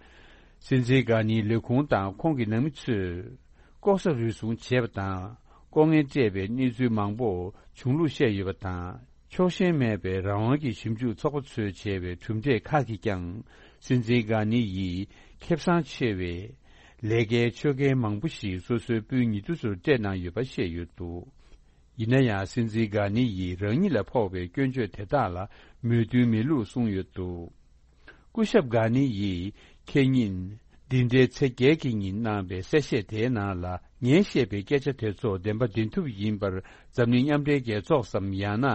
སྲིད་འཛིན་གྷ་ནིའི་ལས་ཁུངས་དང་ཁོང་གི་ནང་མི་ཚོས་ལྐོག་ཟ་རུལ་སུངས་བྱས་པ་དང་། ལྐོག་རྔན་སྤྲད་པའི་གནས་ཚུལ་མང་པོ་བྱུང་ལུགས་བཤད་ཡོད་པ་དང་། ཕྱོགས་ཞེན་མེད་པའི་རང་དབང་གི་ཞིབ་འཇུག་ཚོགས་པ་ཚོས་བྱས་པའི་གྲུབ་འབྲས་ཁག་གིས་ཀྱང་། སྲིད་འཛིན་གྷ་ནི་ཡིས་ཁེ་བཟང་ཆེ་བའི་ལས་ཀའི་ཆོད་གན་མང་པོ་ཞིག་སོ་སོའི་སྤུན་ཉེ་དུ་ཚོར་སྤྲད་གནང་ཡོད་པ་བཤད་ཡོད་འདུག་ཡིན་ན་ཡང་། སྲིད་འཛིན་གྷ་ནི་ཡིས་རང་ཉིད་ལ་ཕོག་པའི་སྐྱོན་བརྗོད་དེ་དག་ལ་མོས་མཐུན་མེད་ལུགས་གསུངས་ཡོད་འདུག་སྐུ་ཞབས་གྷ་ནི་ཡིས་ཁེ་ཉིན་འདི་ཟླའི་ཚེས་བརྒྱད་ཀྱི་ཉིན་གནང་བའི་གསལ་བཤད་དེའི་ནང་ལ། ངས་བཤད་པའི་སྐད་ཆ་དེ་ཚོ་བདེན་པ་བདེན་ཐུབ་ཡིན་པར། འཛམ་གླིང་མཉམ་འབྲེལ་རྒྱལ་ཚོགས་སམ། ཡང་ན་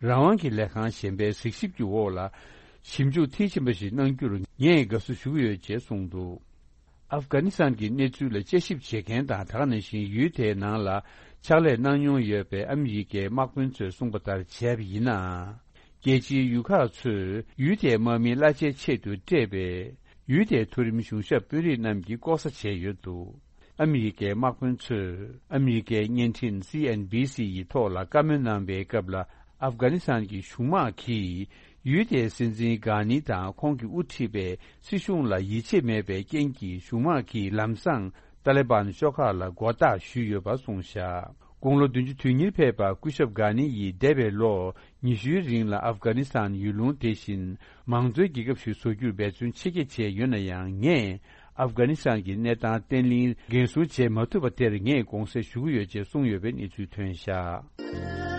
རང་དབང་གི་ལས་ཁང་གཞན་པའི་གཟིགས་ཞིབ་ཀྱི་འོག་ལ་ཞིབ་འཇུག་མཐིལ་ཕྱིན་པ་ཞིག་གནང་རྒྱུར་ངས་དགའ་བསུ་ཞུ་གི་ཡོད་ཅེས་གསུངས་འདུག་ཨབ་གྷ་ནི་སི་ཐན་གྱི་གནས་ཚུལ་ལ་དཔྱད་ཞིབ་བྱེད་མཁན་དང་། ད་ག་ནང་བཞིན་ཡུལ་དེའི་ནང་ལ་ཕྱག་ལས་གནང་མྱོང་ཡོད་པའི་ཨ་མི་རི་ཀའི་དམག་དཔོན་ཚོས་གསུངས་པ་ལྟར་བྱས་པ་ཡིན་ན། རྒྱལ་སྤྱིའི་ཡུལ་ཁག་ཚོས་ཡུལ་དེའི་དམག་མིའི་གླ་ཆའི་ཆེད་དུ་སྤྲད་པའི་ཡུལ་དེའི་མཐོ་རིམ་གཞུང་ཞབས་དཔོན་རིགས་རྣམས་ཀྱིས་ལྐོག་ཟ་བྱས་ཡོད་འདུག་ཨ་མི་རི་ཀའི་དམག་དཔོན་ཚོས་ཨ་མི་རི་ཀའི་བརྙན་འཕྲིན་སི་ཨེན་བྷི་སི་ཡི་ཐོག་ལ་བཀའ་མོལ་གནང་བའི་སྐབས་ལ། ཨབ་གྷ་ནི་སི་ཐན་གྱི་གཞུང་དམག་གིས་ཡུལ་དེའི་སྲིད་འཛིན་གྷ་ནི་དང་ཁོང་གིས་དབུ་ཁྲིད་པའི་སྲིད་གཞུང་ལ་ཡིད་ཆེས་མེད་པའི་རྐྱེན་གྱིས། གཞུང་དམག་གིས་ལམ་སང་ཏཱ་ལི་བན་ཤོག་ཁག་ལ་མགོ་བཏགས་ཞུས་ཡོད་པ་གསུངས་བཞག་དགུང་ལོ་བདུན་ཅུ་དོན་གཉིས་ཕེབས་པ་སྐུ་ཞབས་གྷ་ནི་ཡིས་འདས་པའི་ལོ་ཉི་ཤུའི་རིང་ལ་ཨབ་གྷ་ནི་སི་ཐན་ཡུལ་ལུང་དེ་བཞིན་མང་གཙོའི་རྒྱལ་ཁབ་ཞིག་བཟོ་རྒྱུར་འབད་བརྩོན་ཆེ་བསྐྱེད་བྱས་ཡོད་ན་ཡང་། ངས་ཨབ་གྷ་ནི་སི་ཐན་གྱི་གནས་སྟངས་བརྟན་བརླིང་འགན་སྲུང་བྱེད་མ་ཐུབ་པ་དེར་ངས་དགོངས་སེལ་ཞུ་གི་ཡོད་ཅེས་གསུངས་ཡོད་པའི་གནས་ཚུལ་ཐོན་བཞག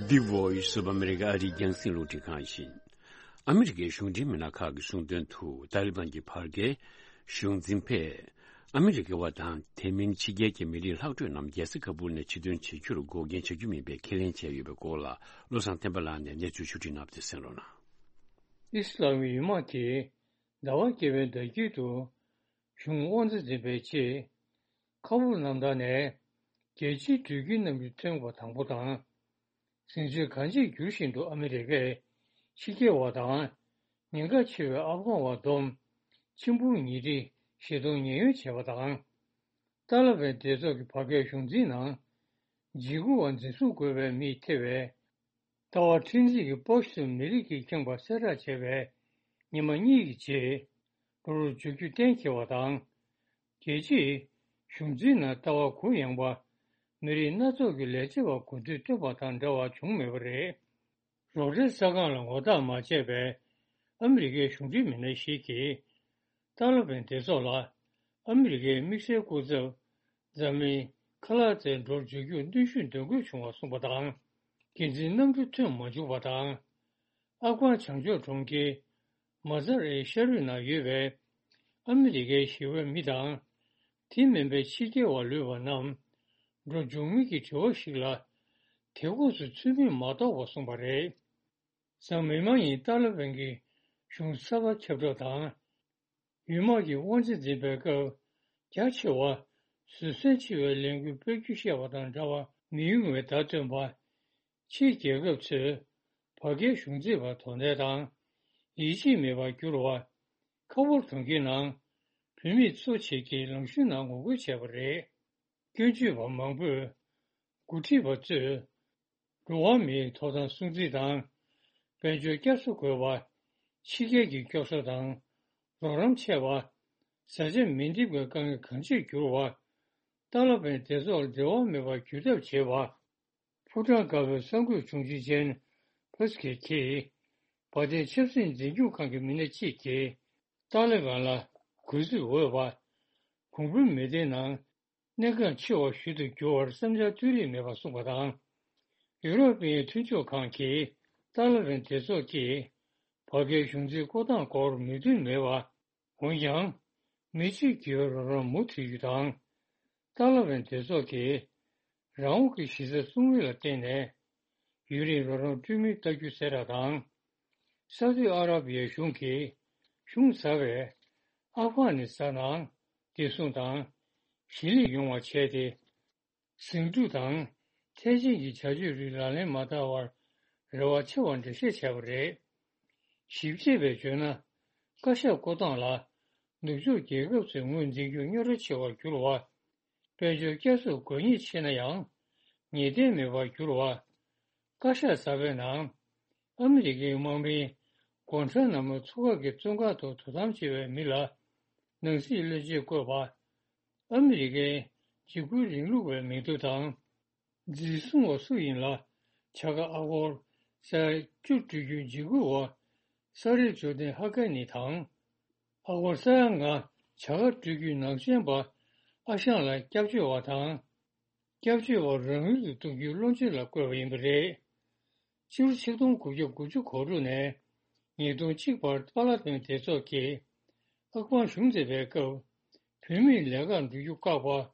The Voice of America ཨ་རིའི་རྒྱང་སྲིང་རླུང་འཕྲིན་ཁང་ཡིན། ཨ་མི་རི་ཀའི་གཞུང་འབྲེལ་མི་སྣ་ཁག་གིས་གསུངས་དོན་དུ། ཏཱ་ལི་བན་གྱི་བར་བརྒལ་གཞུང་འཛིན་པས་ཨ་མི་རི་ཀ་བ་དང་དེ་མིན་ཕྱི་རྒྱལ་གྱི་མི་རིགས་ལྷག་འཕྲོས་རྣམས་རྒྱལ་ས་ཁ་པུར་ནས་ཕྱིར་ཐོན་བྱེད་རྒྱུར་འགོག་རྐྱེན་བྱ་རྒྱུ་མིན་པའི་ཁས་ལེན་བྱས་ཡོད་པའི་སྐོར་ལ། བློ་བཟང་བསྟན་པ་ལགས་ནས་གནས་ཚུལ་ཕྱོགས་བསྒྲིགས་གནང་བ་དེ་གསན་རོགས་གནང་། ཨི་སི་ལམ་ཡུལ་དམག་གིས་ཟླ་བ་བརྒྱད་པའི་ཟླ་དཀྱིལ་དུ་གཞུང་དབང་ཆ་འཛིན་པའི་ཆེད། ཁ་པུར་གནམ་ཐང་ནས་རྒྱལ་སྤྱིའི་འགྲུལ་སྐྱེལ་གནམ་གྲུ་ཐོན་པ་དང་པོ་དང་། ཟིང་ཆ་གང་ཆེར་འགྱུར་བཞིན་དུ་ཨ་མི་རི་ཀས་ཕྱི་རྒྱལ་བ་དང་ཉེན་ཁ་ཆེ་བའི་ཨབ་གྷན་བ་བསྡོམས་ཆིག་འབུམ་ཉིས་ཁྲི་བཞི་སྟོང་ཉེན་གཡོལ་བྱས་པ་དང་། ཏཱ་ལ་བན་སྡེ་ཚོགས་ཀྱི་བར་བརྒལ་གཞུང་འཛིན་ནང་འཇིགས་སྐུལ་བ་འཛིན་བཟུང་དགོས་པའི་མི་ཐེ་བའི་ལྟ་བ་ཁྲིམས་འཛིན་གྱི་པོ་ཤི་ཏུ་མི་རིགས་ཀྱིས་ཁེངས་པ་གསལ་བསྒྲགས་བྱས་པའི་ཉི་མ་གཉིས་ཀྱི་རྗེས། འགྲོ་རུ་འཇུག་རྒྱུ་གཏན་འཁེལ་བ་དང་། རྒྱལ་སྤྱིའི་གཞུང་འཛིན་ནང་ལྟ་བ་གུ་ཡངས་པ་མི་རིགས་སྣ་ཚོགས་ཀྱི་ལས་བྱེད་པ་གོ་བསྡུར་བཏོན་པ་དང་འབྲེལ་བ་བྱུང་མེད་པ་རེད། རོགས་ཟླའི་ས་ཁང་ལ་ངོ་རྟགས་མ་བྱས་པའི་ཨ་མི་རི་ཀའི་གཞུང་འབྲེལ་མི་སྣ་ཞིག་གིས། ཏཱ་ལ་བན་སྡེ་ཚོགས་ལ་ཨ་མི་རི་ཀའི་དམིགས་བསལ་སྐུ་ཚབ་འཛམ་གླིང་ཁ་ལག་རྩེར་འགྲོ་འཇུག་རྒྱུར་གནོན་ཤུགས་འདོན་དགོས་བྱུང་བ་གསུངས་པ་དང་། འགན་འཛིན་གནམ་གྲུ་ཐོན་མ་བཅུག་པ་དང་། ཨབ་གྷན་བྱང་ཕྱོགས་གྲོང་ཁྱེར་མ་ཟ་རའི་ཤར་རུས་ནང་ཡོད་པའི་ཨ་མི་རི་ཀའི་ཞི་བའི་མི་དང་། དེ་མིན་པའི་ཕྱི་རྒྱལ་བ་ལུས་པ་རྣམས་འགྲོ་འཇུག་མི་གི་དྲི་བ་ཞིག་ལ། དེ་ཁོངས་སུ་ཚུད་མིན་མ་རྟོགས་པར་གསུངས་པ་རེད། འཛམ་མི་མང་ཡིས་ཏཱ་ལི་བན་གྱི་གཞུང་གསར་པ་ཁྱབ་བསྒྲགས་དང་། ཡུལ་དམག་གི་དབང་ཆ་འཛིན་པའི་སྐབས་རྒྱ་ཆེ་བ་བཟོད་བསྲན་ཆེ་བའི་ལས་འགུལ་སྤེལ་རྒྱུ་བཤད་པ་དང་འདྲ་བ་མི་ཡོང་བའི་བརྡ་སྟོན་པ། ཕྱིའི་རྒྱལ་ཁབ་ཚོས་བར་བརྒལ་གཞུང་འཛིན་པར་དོ་ཁྲན་དང་ཡིད་ཆེས་མེད་པར་གྱུར་བ། ཁ་ཕོར་གྲོང་ཁྱེར་ནང་བོད་མི་ཚོ་ཆེད་ཀྱི་ལམ་གཞུང་ནང་ངོ་རྒོལ་བྱས་པ་རེད། སྐྱོན་བརྗོད་པ་མང་པོས་འགོ་ཁྲིད་པ་ཚོས་འགྲོ་བ་མིའི་ཐོབ་ཐང་སྲུང་བརྩི་དང་། དཔལ་འབྱོར་བསྐྱར་གསོ་དགོས་པ། ཕྱི་རྒྱལ་གྱི་སྐྱོབ་གསོ་དང་རོགས་རམ་ཆད་པ། བཟའ་བཅའ་མི་འདེབས་པའི་དཀའ་ངལ་གང་ཆེར་གྱུར་བ། ཏཱ་ལ་བན་སྡེ་ཚོགས་འབྲེལ་བ་མེད་པར་བརྒྱུད་ཐབས་བྱེད་པ། ཕོ་བྲང་དཀར་པོའི་གསར་འགོད་དྲུང་ཆེ་ཅན་ཕོ་སི་ཁེ་གིས་བ་དན་ཆབ་སྲིད་འཛིན་སྐྱོང་ཁང་གི་མི་སྣ་གཅིག་གིས་ཏཱ་ལི་བན་ལ་གུས་བརྩི་འོས་པ། གོང་བུའི་མི་སྡེའི་ནང་གནས་འགག་ཆེ་བ་ཞིག་ཏུ་འགྱུར་བར་བསམ་འཆར་ཏོག་ཙམ་མེད་པར་གསུངས་པ་དང་། ཡུ་རོབ་པའི་མཐུན་ཕྱོགས་ཁང་གིས་ཏཱ་ལི་བན་སྡེ་ཚོགས་ཀྱིས་བར་བརྒལ་གཞུང་འཛིན་བསྐོ་སྟངས་སྐོར་མོས་མཐུན་མེད་པ། འོན་ཀྱང་། མི་གཅིག་གིས་རོགས་རམ་མུ་མཐུད་རྒྱུ་དང་། ཏཱ་ལི་བན་སྡེ་ཚོགས་ཀྱིས་རང་དབང་གི་གཞི་རྩ་སྲུང་མིན་ལ་བརྟེན་ནས་ཡུན་རིང་རོགས་རམ་སྤྲོད་མུས་ལྟ་རྒྱུ་ཟེར་ཡག་དང་། སའུ་ཏི་ཨ་ར་བི་ཡའི་གཞུང་གིས་གཞུང་ཟབ་པའི་ཨབ་གྷ་ནི་སི་ཐན་ནང་བདེ་སྲུང་དང་གཞིས་ལུས་ཡོང་བ་བྱས་ཏེ། ཟིང་འཁྲུག་དང་ཐེག་ཆེན་གྱི་བྱ་སྤྱོད་རིགས་ལག་ལེན་མ་བསྟར་བར་རེ་བ་ཆེ་བ་འགྲེལ་བཤད་བྱས་པ་རེད། ཞིབ་དཔྱད་པས་བརྗོད་ན། བཀའ་ཤག་བསྐོ་སྟངས་ལ་ནུབ་ཕྱོགས་རྒྱལ་ཁབ་ཚོས་ངོས་འཛིན་རྒྱུ་རྙོག་དྲ་ཆེ་བར་གྱུར་བ། དཔལ་འབྱོར་བསྐྱར་གསོ་དགོས་ངེས་ཆེ་ན་ཡང་ངེས་གཏན་མེད་པར་གྱུར་བ། བཀའ་ཤག་གསར་པའི་ནང་ཨ་མི་རི་ཀའི་དམག་མིས་གོང་ཁྲ་ན་མོ་མཚོ་ཁ་གི་བཙོན་ཁང་དུ་དོ་དམ་བྱེད་པའི་མི་ལ་ནང་སྲིད་བློན་ཆེན་བསྐོས་པ། ཨ་མི་རི་ཀའི་འཇིགས་སྐུལ་རིང་ལུགས་པའི་མི་ཐོ་དང་། འཛིན་བཟུང་བ་སུ་ཡིན་ལ་བྱ་དགའ་ཨ་སྒོར་ས་ཡ་བཅུ་སྤྲོད་རྒྱུའི་འཇིགས་སྐུལ་བ་ས་རི་ཇོ་ལྡན་ཧ་ཀ་ནི་དང་། ཨ་སྒོར་ས་ཡ་ལྔ་བྱ་དགའ་སྤྲོད་རྒྱུའི་ནག་ཅན་པ་ཨ་ཞང་ལ་སྐྱབས་བཅོལ་བ་དང་། སྐྱབས་བཅོལ་བ་རང་ཡུལ་དུ་གཏོང་རྒྱུའི་བློ་འཆར་ལ་བཀོད་པ་ཡིན་པ་རེད། སྤྱི་ལོ་ཆིག་སྟོང་དགུ་བརྒྱ་དགུ་བཅུ་གོ་དྲུག་ནས་ཉིས་སྟོང་གཅིག་བར་ཏཱ་ལ་བན་སྡེ་ཚོགས་ཀྱིས་ཨབ་གྷན་གཞུང་མཛད་པའི་སྐབས། བུད་མེད་ལས་ཀར་འགྲོ་རྒྱུ་བཀག་པ།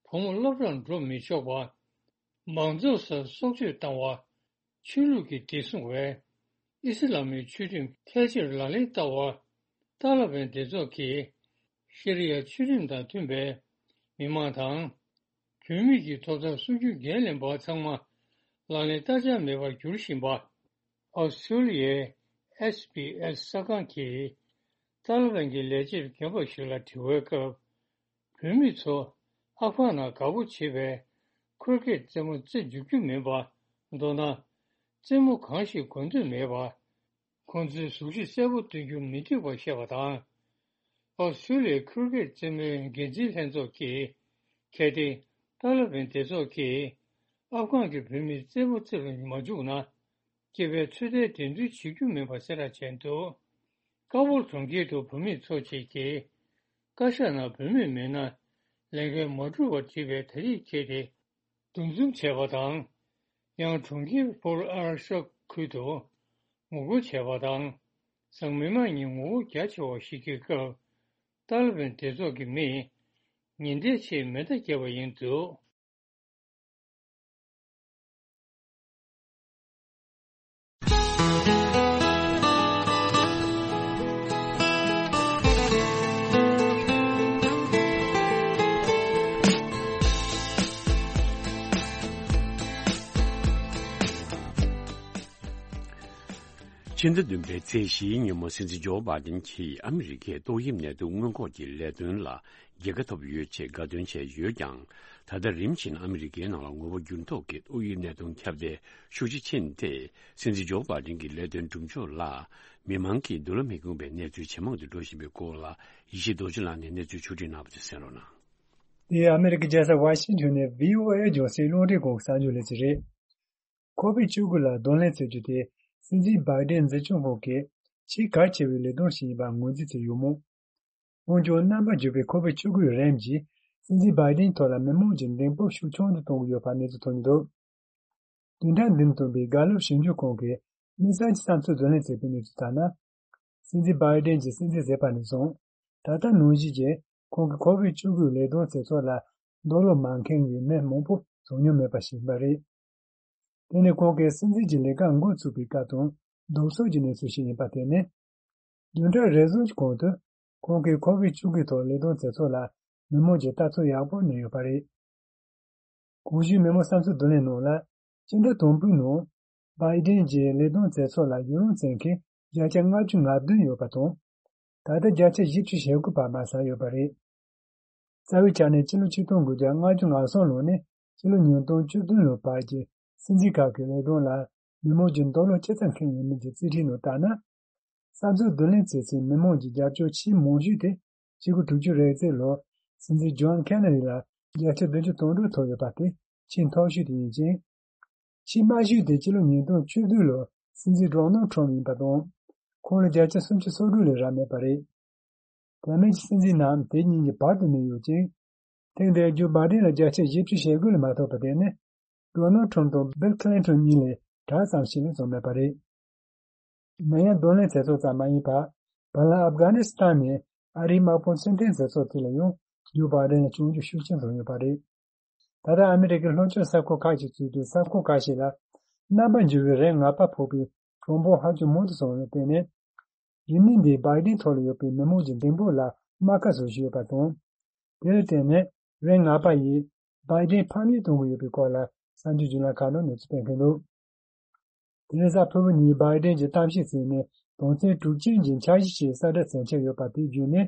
བུ་མོ་སློབ་གྲྭར་འགྲོ་མི་ཆོག་པ། མང་ཚོགས་སར་སྲོག་གཅོད་བཏང་བ། ཆོས་ལུགས་ཀྱི་བདེ་སྲུང་བས་ཨི་སི་ལ་མིའི་ཆོས་ཁྲིམས་ཕལ་ཆེར་ལག་ལེན་བསྟར་བ། ཏཱ་ལ་བན་སྡེ་ཚོགས་ཀྱིས་ཤ་རི་ཡ་ཆོས་ཁྲིམས་དང་མཐུན་པའི་མི་མང་དང་། བུད་མེད་ཀྱི་ཐོབ་ཐང་སྲུང་སྐྱོབ་འགན་ལེན་པ་ཚང་མ་ལག་ལེན་བསྟར་འཆར་མེད་པར་གྱུར་བཞིན་པ། ཨོ་སི་ཀྲོ་ལི་ཡའི་ཨེས་བྷི་ཨེས་གསར་ཁང་གིས་ཏཱ་ལི་བན་གྱི་ལས་བྱེད་རྒན་པ་ཞིག་ལ་དྲི་བའི་སྐབས། བུད་མེད་ཚོ་ཨབ་གྷན་ནང་དགའ་པོ་བྱེད་པའི་ཁིར་ཀེད་རྩེད་མོ་རྩེ་འཇུག་རྒྱུ་མིན་པ། མདོར་ན། རྩེད་མོ་གང་ཞིག་གོན་འདོད་མེད་པ། ཁོང་ཚོའི་གཟུགས་གཞི་གསལ་པོ་སྟོན་རྒྱུ་མི་འདོད་པར་བཤད་པ་དང་། ཨོ་སི་ཀྲོ་ལི་ཡའི་ཁིར་ཀེད་རྩེད་མོའི་འགན་འཛིན་ལྷན་ཚོགས་ཀྱིས། གལ་ཏེ་ཏཱ་ལི་བན་སྡེ་ཚོགས་ཀྱིས་ཨབ་གྷན་གྱི་བུད་མེད་རྩེད་མོ་རྩེ་རུ་མ་འཇུག་ན། སྐྱེས་པའི་ཚོད་ལྟའི་འགྲན་བསྡུར་བྱེད་རྒྱུ་མིན་པ་གསལ་བསྒྲགས་བྱས་འདུག་ཀ་བོར་གྲོང་ཁྱེར་དུ་བུད་མེད་ཚོ་ཅིག་གིས། བཀའ་ཤག་ནང་བུད་མེད་མེད་ན་ལས་འགན་མ་འགྲུབ་པར་བྲིས་པའི་དེབ་ཅིག་འཁྱེར་ཏེ། འདུ་འཛོམས་བྱས་པ་དང་། ཡང་གྲོང་ཁྱེར་པོར་ཨར་ཤག་ཁུལ་དུ་ངོ་རྒོལ་བྱས་པ་དང་། འཛམ་མི་མང་གཉིས་ངོ་རྒོལ་རྒྱ་ཆེ་བ་ཞིག་གི་སྐབས། ཏཱ་ལི་བན་སྡེ་ཚོགས་ཀྱི་མིས་ཉེན་བརྡའི་ཆེད་མེ་མདའ་བརྒྱབ་པ་ཡིན་འདུག་ཕྱི་ཟླ་བདུན་པའི་ཚེས་བཞིའི་ཉིན་མོ་སྲིད་འཛིན་ཇོ་བྷ་དན་གྱིས་ཨ་མི་རི་ཀའི་ཏོག་དབྱིབས་ནད་དུག་སྔོན་འགོག་གི་ལས་དོན་ལ་རྒྱལ་ཁ་ཐོབ་ཡོད་ཅེས་དགའ་སྟོན་བྱས་ཡོད་ཀྱང་། ད་ལྟ་རིམ་བཞིན་ཨ་མི་རི་ཀའི་ནང་ལ་ངོ་བོ་འགྱུར་ལྡོག་གི་ཏོག་དབྱིབས་ནད་དུག་ཁྱབ་གདལ་ཤུགས་ཆེ་ཕྱིན་ཏེ། སྲིད་འཛིན་ཇོ་བྷ་དན་གྱི་ལས་དོན་སྒྲུབ་ཕྱོགས་ལ་མི་མང་གིས་འདུན་ལ་མི་དགོངས་པའི་གནས་ཚུལ་ཇེ་མང་དུ་འགྲོ་བཞིན་པའི་སྐོར་ལ། ཡེ་ཤེས་རྡོ་རྗེ་ལགས་ནས་གནས་ཚུལ་ཕྱོགས་སྒྲིག་གནང་བ་དེ་གསན་རོགས་གནང་། འདི་ཨ་མི་རི་ཀའི་རྒྱལ་ས་ཝ་ཤིང་ཊོན་ནས་བྷི་ཨོ་ཨེ་རྒྱང་སྲིང་རླུང་འཕྲིན་ཁང་གི་གསར་འགྱུར་ལས་ཚན་རེད། ཁོ་བིད་བཅུ་དགུ་ལ་གདོང་ལེན་བྱེད་རྒྱུ་དེ་སྲིད་འཛིན་བྷའི་ཌེན་འཛིན་སྐྱོང་ཁང་གི་ཆེས་གལ་ཆེ་བའི་ལས་དོན་ཞིག་ཡིན་པར་ངོས་འཛིན་བྱས་ཡོད་མོད། འོན་ཀྱང་རྣམ་པར་འགྱུར་བའི་ཁོ་བིད་བཅུ་དགུའི་རིམས་ཀྱིས་སྲིད་འཛིན་བྷའི་ཌེན་ཐོག་ལ་མི་མང་གི་མགྲོན་པོ་ཤུགས་ཆུང་དུ་གཏོང་གི་ཡོད་པའི་གནས་ཚུལ་ཐོན་གྱི་འདུག་བདུན་ཕྲག་འདིར་བཏོན་པའི་གྷ་ལོབ་ཞིབ་འཇུག་ཁང་གིས་དམིགས་བསལ་གྱི་བསམ་ཚུལ་བརྗོད་ལེན་བྱས་པའི་གནས་ཚུལ་ལྟར་ན། སྲིད་འཛིན་བྷའི་ཌེན་གྱིས་སྲིད་འཛིན་བཟོས་པ་ནས་བཟུང་། ད་ལྟ་ནང་བཞིན་གྱི་ཁོང་གི་ཁོ་བིད་བཅུ་དགུའི་ལས་དོན་བྱེད་ཕྱོགས་ལ་རྡོག་རོལ་མ་འཁེལ་བའི་མི་མང་པོ་བྱུང་མྱོང་མེད་པ་ཞིག་ཡིན་པ་རེད། དེ་ནི་ཁོང་གིས་སྲིད་འཛིན་གྱི་ལས་ཀ་འགོ་བཙུགས་པའི་སྐབས་དང་སྡུག་སོགས་ཀྱི་གནས་ཚུལ་ཞིག་ཡིན་པ་དེ་ནི། བདུན་ཕྲག་རེ་ཟུང་གི་གོང་དུ་ཁོང་གིས་ཁོ་བིཌ་བཅུ་དགུ་ཐོག་ལས་དོན་མཛད་ཚོགས་ལ་མི་མང་གིས་ལྟ་ཚུལ་ཡག་པོ་གནས་ཡོད་པ་རེད། གོང་ཞུས་མི་མང་བསམ་ཚུལ་བསྡུ་ལེན་ནང་ལ། སྤྱི་ཟླ་དང་པོའི་ནང་། བྷའི་ཌེན་གྱིས་ལས་དོན་མཛད་ཚོགས་ལ་ཡུན་རིང་བརྩི་མཁན་བརྒྱ་ཆ་ལྔ་བཅུ་ང་བདུན་ཡོད་པ་དང་། ད་ལྟ་བརྒྱ་ཆ་བཞི་བཅུ་ཞེ་དགུ་བར་མར་ཟག་ཡོད་པ་རེད། རྩ་བའི་ཆ་ནས་ཕྱི་ལོ་ཆིག་སྟོང་དགུ་བརྒྱ་ལྔ་བཅུ་ང་གསུམ་ལོ་ནས་ཕྱི་ལོ་ཉིས་སྟོང་བཅུ་བདུན་ལོ་བར་གྱི་སྲིད་འཛིན་ཁག་གི་ལས་དོན་ལ་མི་མང་གིས་འདོད་བློ་ཅི་ཙམ་འཁེལ་ཡོད་མེད་ཀྱི་རྩིས་ཁྲའི་ནང་བལྟས་ན། བསམ་ཚུལ་བསྡུ་ལེན་བྱེད་སའི་མི་མང་གི་རྒྱབ་སྐྱོར་ཆེས་མང་ཤོས་དེ་ཕྱི་ལོ་དྲུག་ཅུ་རེ་གཅིག་ལོར་སྲིད་འཛིན་ཇོན་ཁེ་ནེ་རི་ལ་བརྒྱ་ཆ་བདུན་ཅུ་དོན་དྲུག་ཐོབ་ཡོད་པ་དེ་ཆེས་མཐོ་ཤོས་དེ་ཡིན་ཅིང་། ཆེས་དམའ་ཤོས་དེ་ཕྱི་ལོ་ཉིས་སྟོང་བཅུ་བདུན་ལོར་སྲིད་འཛིན་ཌོ་ནལ་ཁྲོམ་ཡིན་པ་དང་། ཁོང་ལ་བརྒྱ་ཆ་སུམ་ཅུ་སོ་དྲུག་ལས་རག་མེད་པ་རེད། དེ་མིན་གྱི་སྲིད་འཛིན་རྣམས་དེ་གཉིས་ཀྱི་བར་དུ་གནས་ཡོད་ཅིང་། ཐེངས་འདིར་ཇོ་བྷའི་ཌེན་ལ་བརྒྱ་ཆ་བཞི་བཅུ་ཞེ་དགུ་ལས་མ་ཐོབ་པ་དེ་ནི། ཌོ་ནལ་ཁྲོམ་དང་བིལ་ཁི་ལིན་ཊོན་གཉིས་ལས་གྲངས་ཙམ་ཞིག་ལས་བྱུང་མེད་པ་རེད། ནད་ཡམས་གདོང་ལེན་མཛད་ཚོགས་ཙམ་མ་ཡིན་པར། བར་ལམ་ཨབ་གྷ་ནི་སི་ཐན་ནས་ཨ་རིའི་དམག་དཔུང་ཕྱིར་འཐེན་མཛད་ཚོགས་དེ་ལ་ཡང་ཇོ་བྷའི་ཌེན་ལ་བྱུང་རྒྱུ་ཤུགས་ཆེན་བྱུང་ཡོད་པ་རེད། ད་ལྟ་ཨ་མི་རི་ཀའི་ལྷོ་ཕྱོགས་ས་ཁུལ་ཁག་ཅིག་གཙོས་པའི་ས་ཁུལ་ཁག་ཞིག་ལ། རྣམ་པར་འགྱུར་བའི་རིམས་ནད་ཕོག་པའི་གྲངས་འབོར་ཧ་ཅང་མང་དུ་སོང་བའི་སྟེང་ནས། རིམས་ནད་འདིས་བྷའི་ཌེན་ཐོག་ལ་ཡོད་པའི་མི་མང་གི་འདེམས་བསྐོ་ལ་རྨ་ཁ་བཟོ་བཞིན་ཡོད་པ་དང་། དེར་བརྟེན་ནས་རིམས་ནད་ཡིས་བྷའི་ཌེན་ཕམ་ཉེས་གཏོང་གི་ཡོད་པའི་སྐོར་ལ་གསར་འགྱུར་བརྒྱུད་ལམ་ཁག་ནང་གནས་ཚུལ་སྤེལ་མཁན་འདུག་དེ་རིང་གཟའ་ཕུར་བུ་ཉིན་བྷའི་ཌེན་གྱི་གཏམ་བཤད་ཚིག་ནས་དོན་ཚན་དྲུག་ཅུ་ཅན་གྱི་འཆར་གཞི་ཞིག་གསལ་བསྒྲགས་མཚོན་ཆེད་ཡོད་པ་དེ་བརྒྱུད་ནས།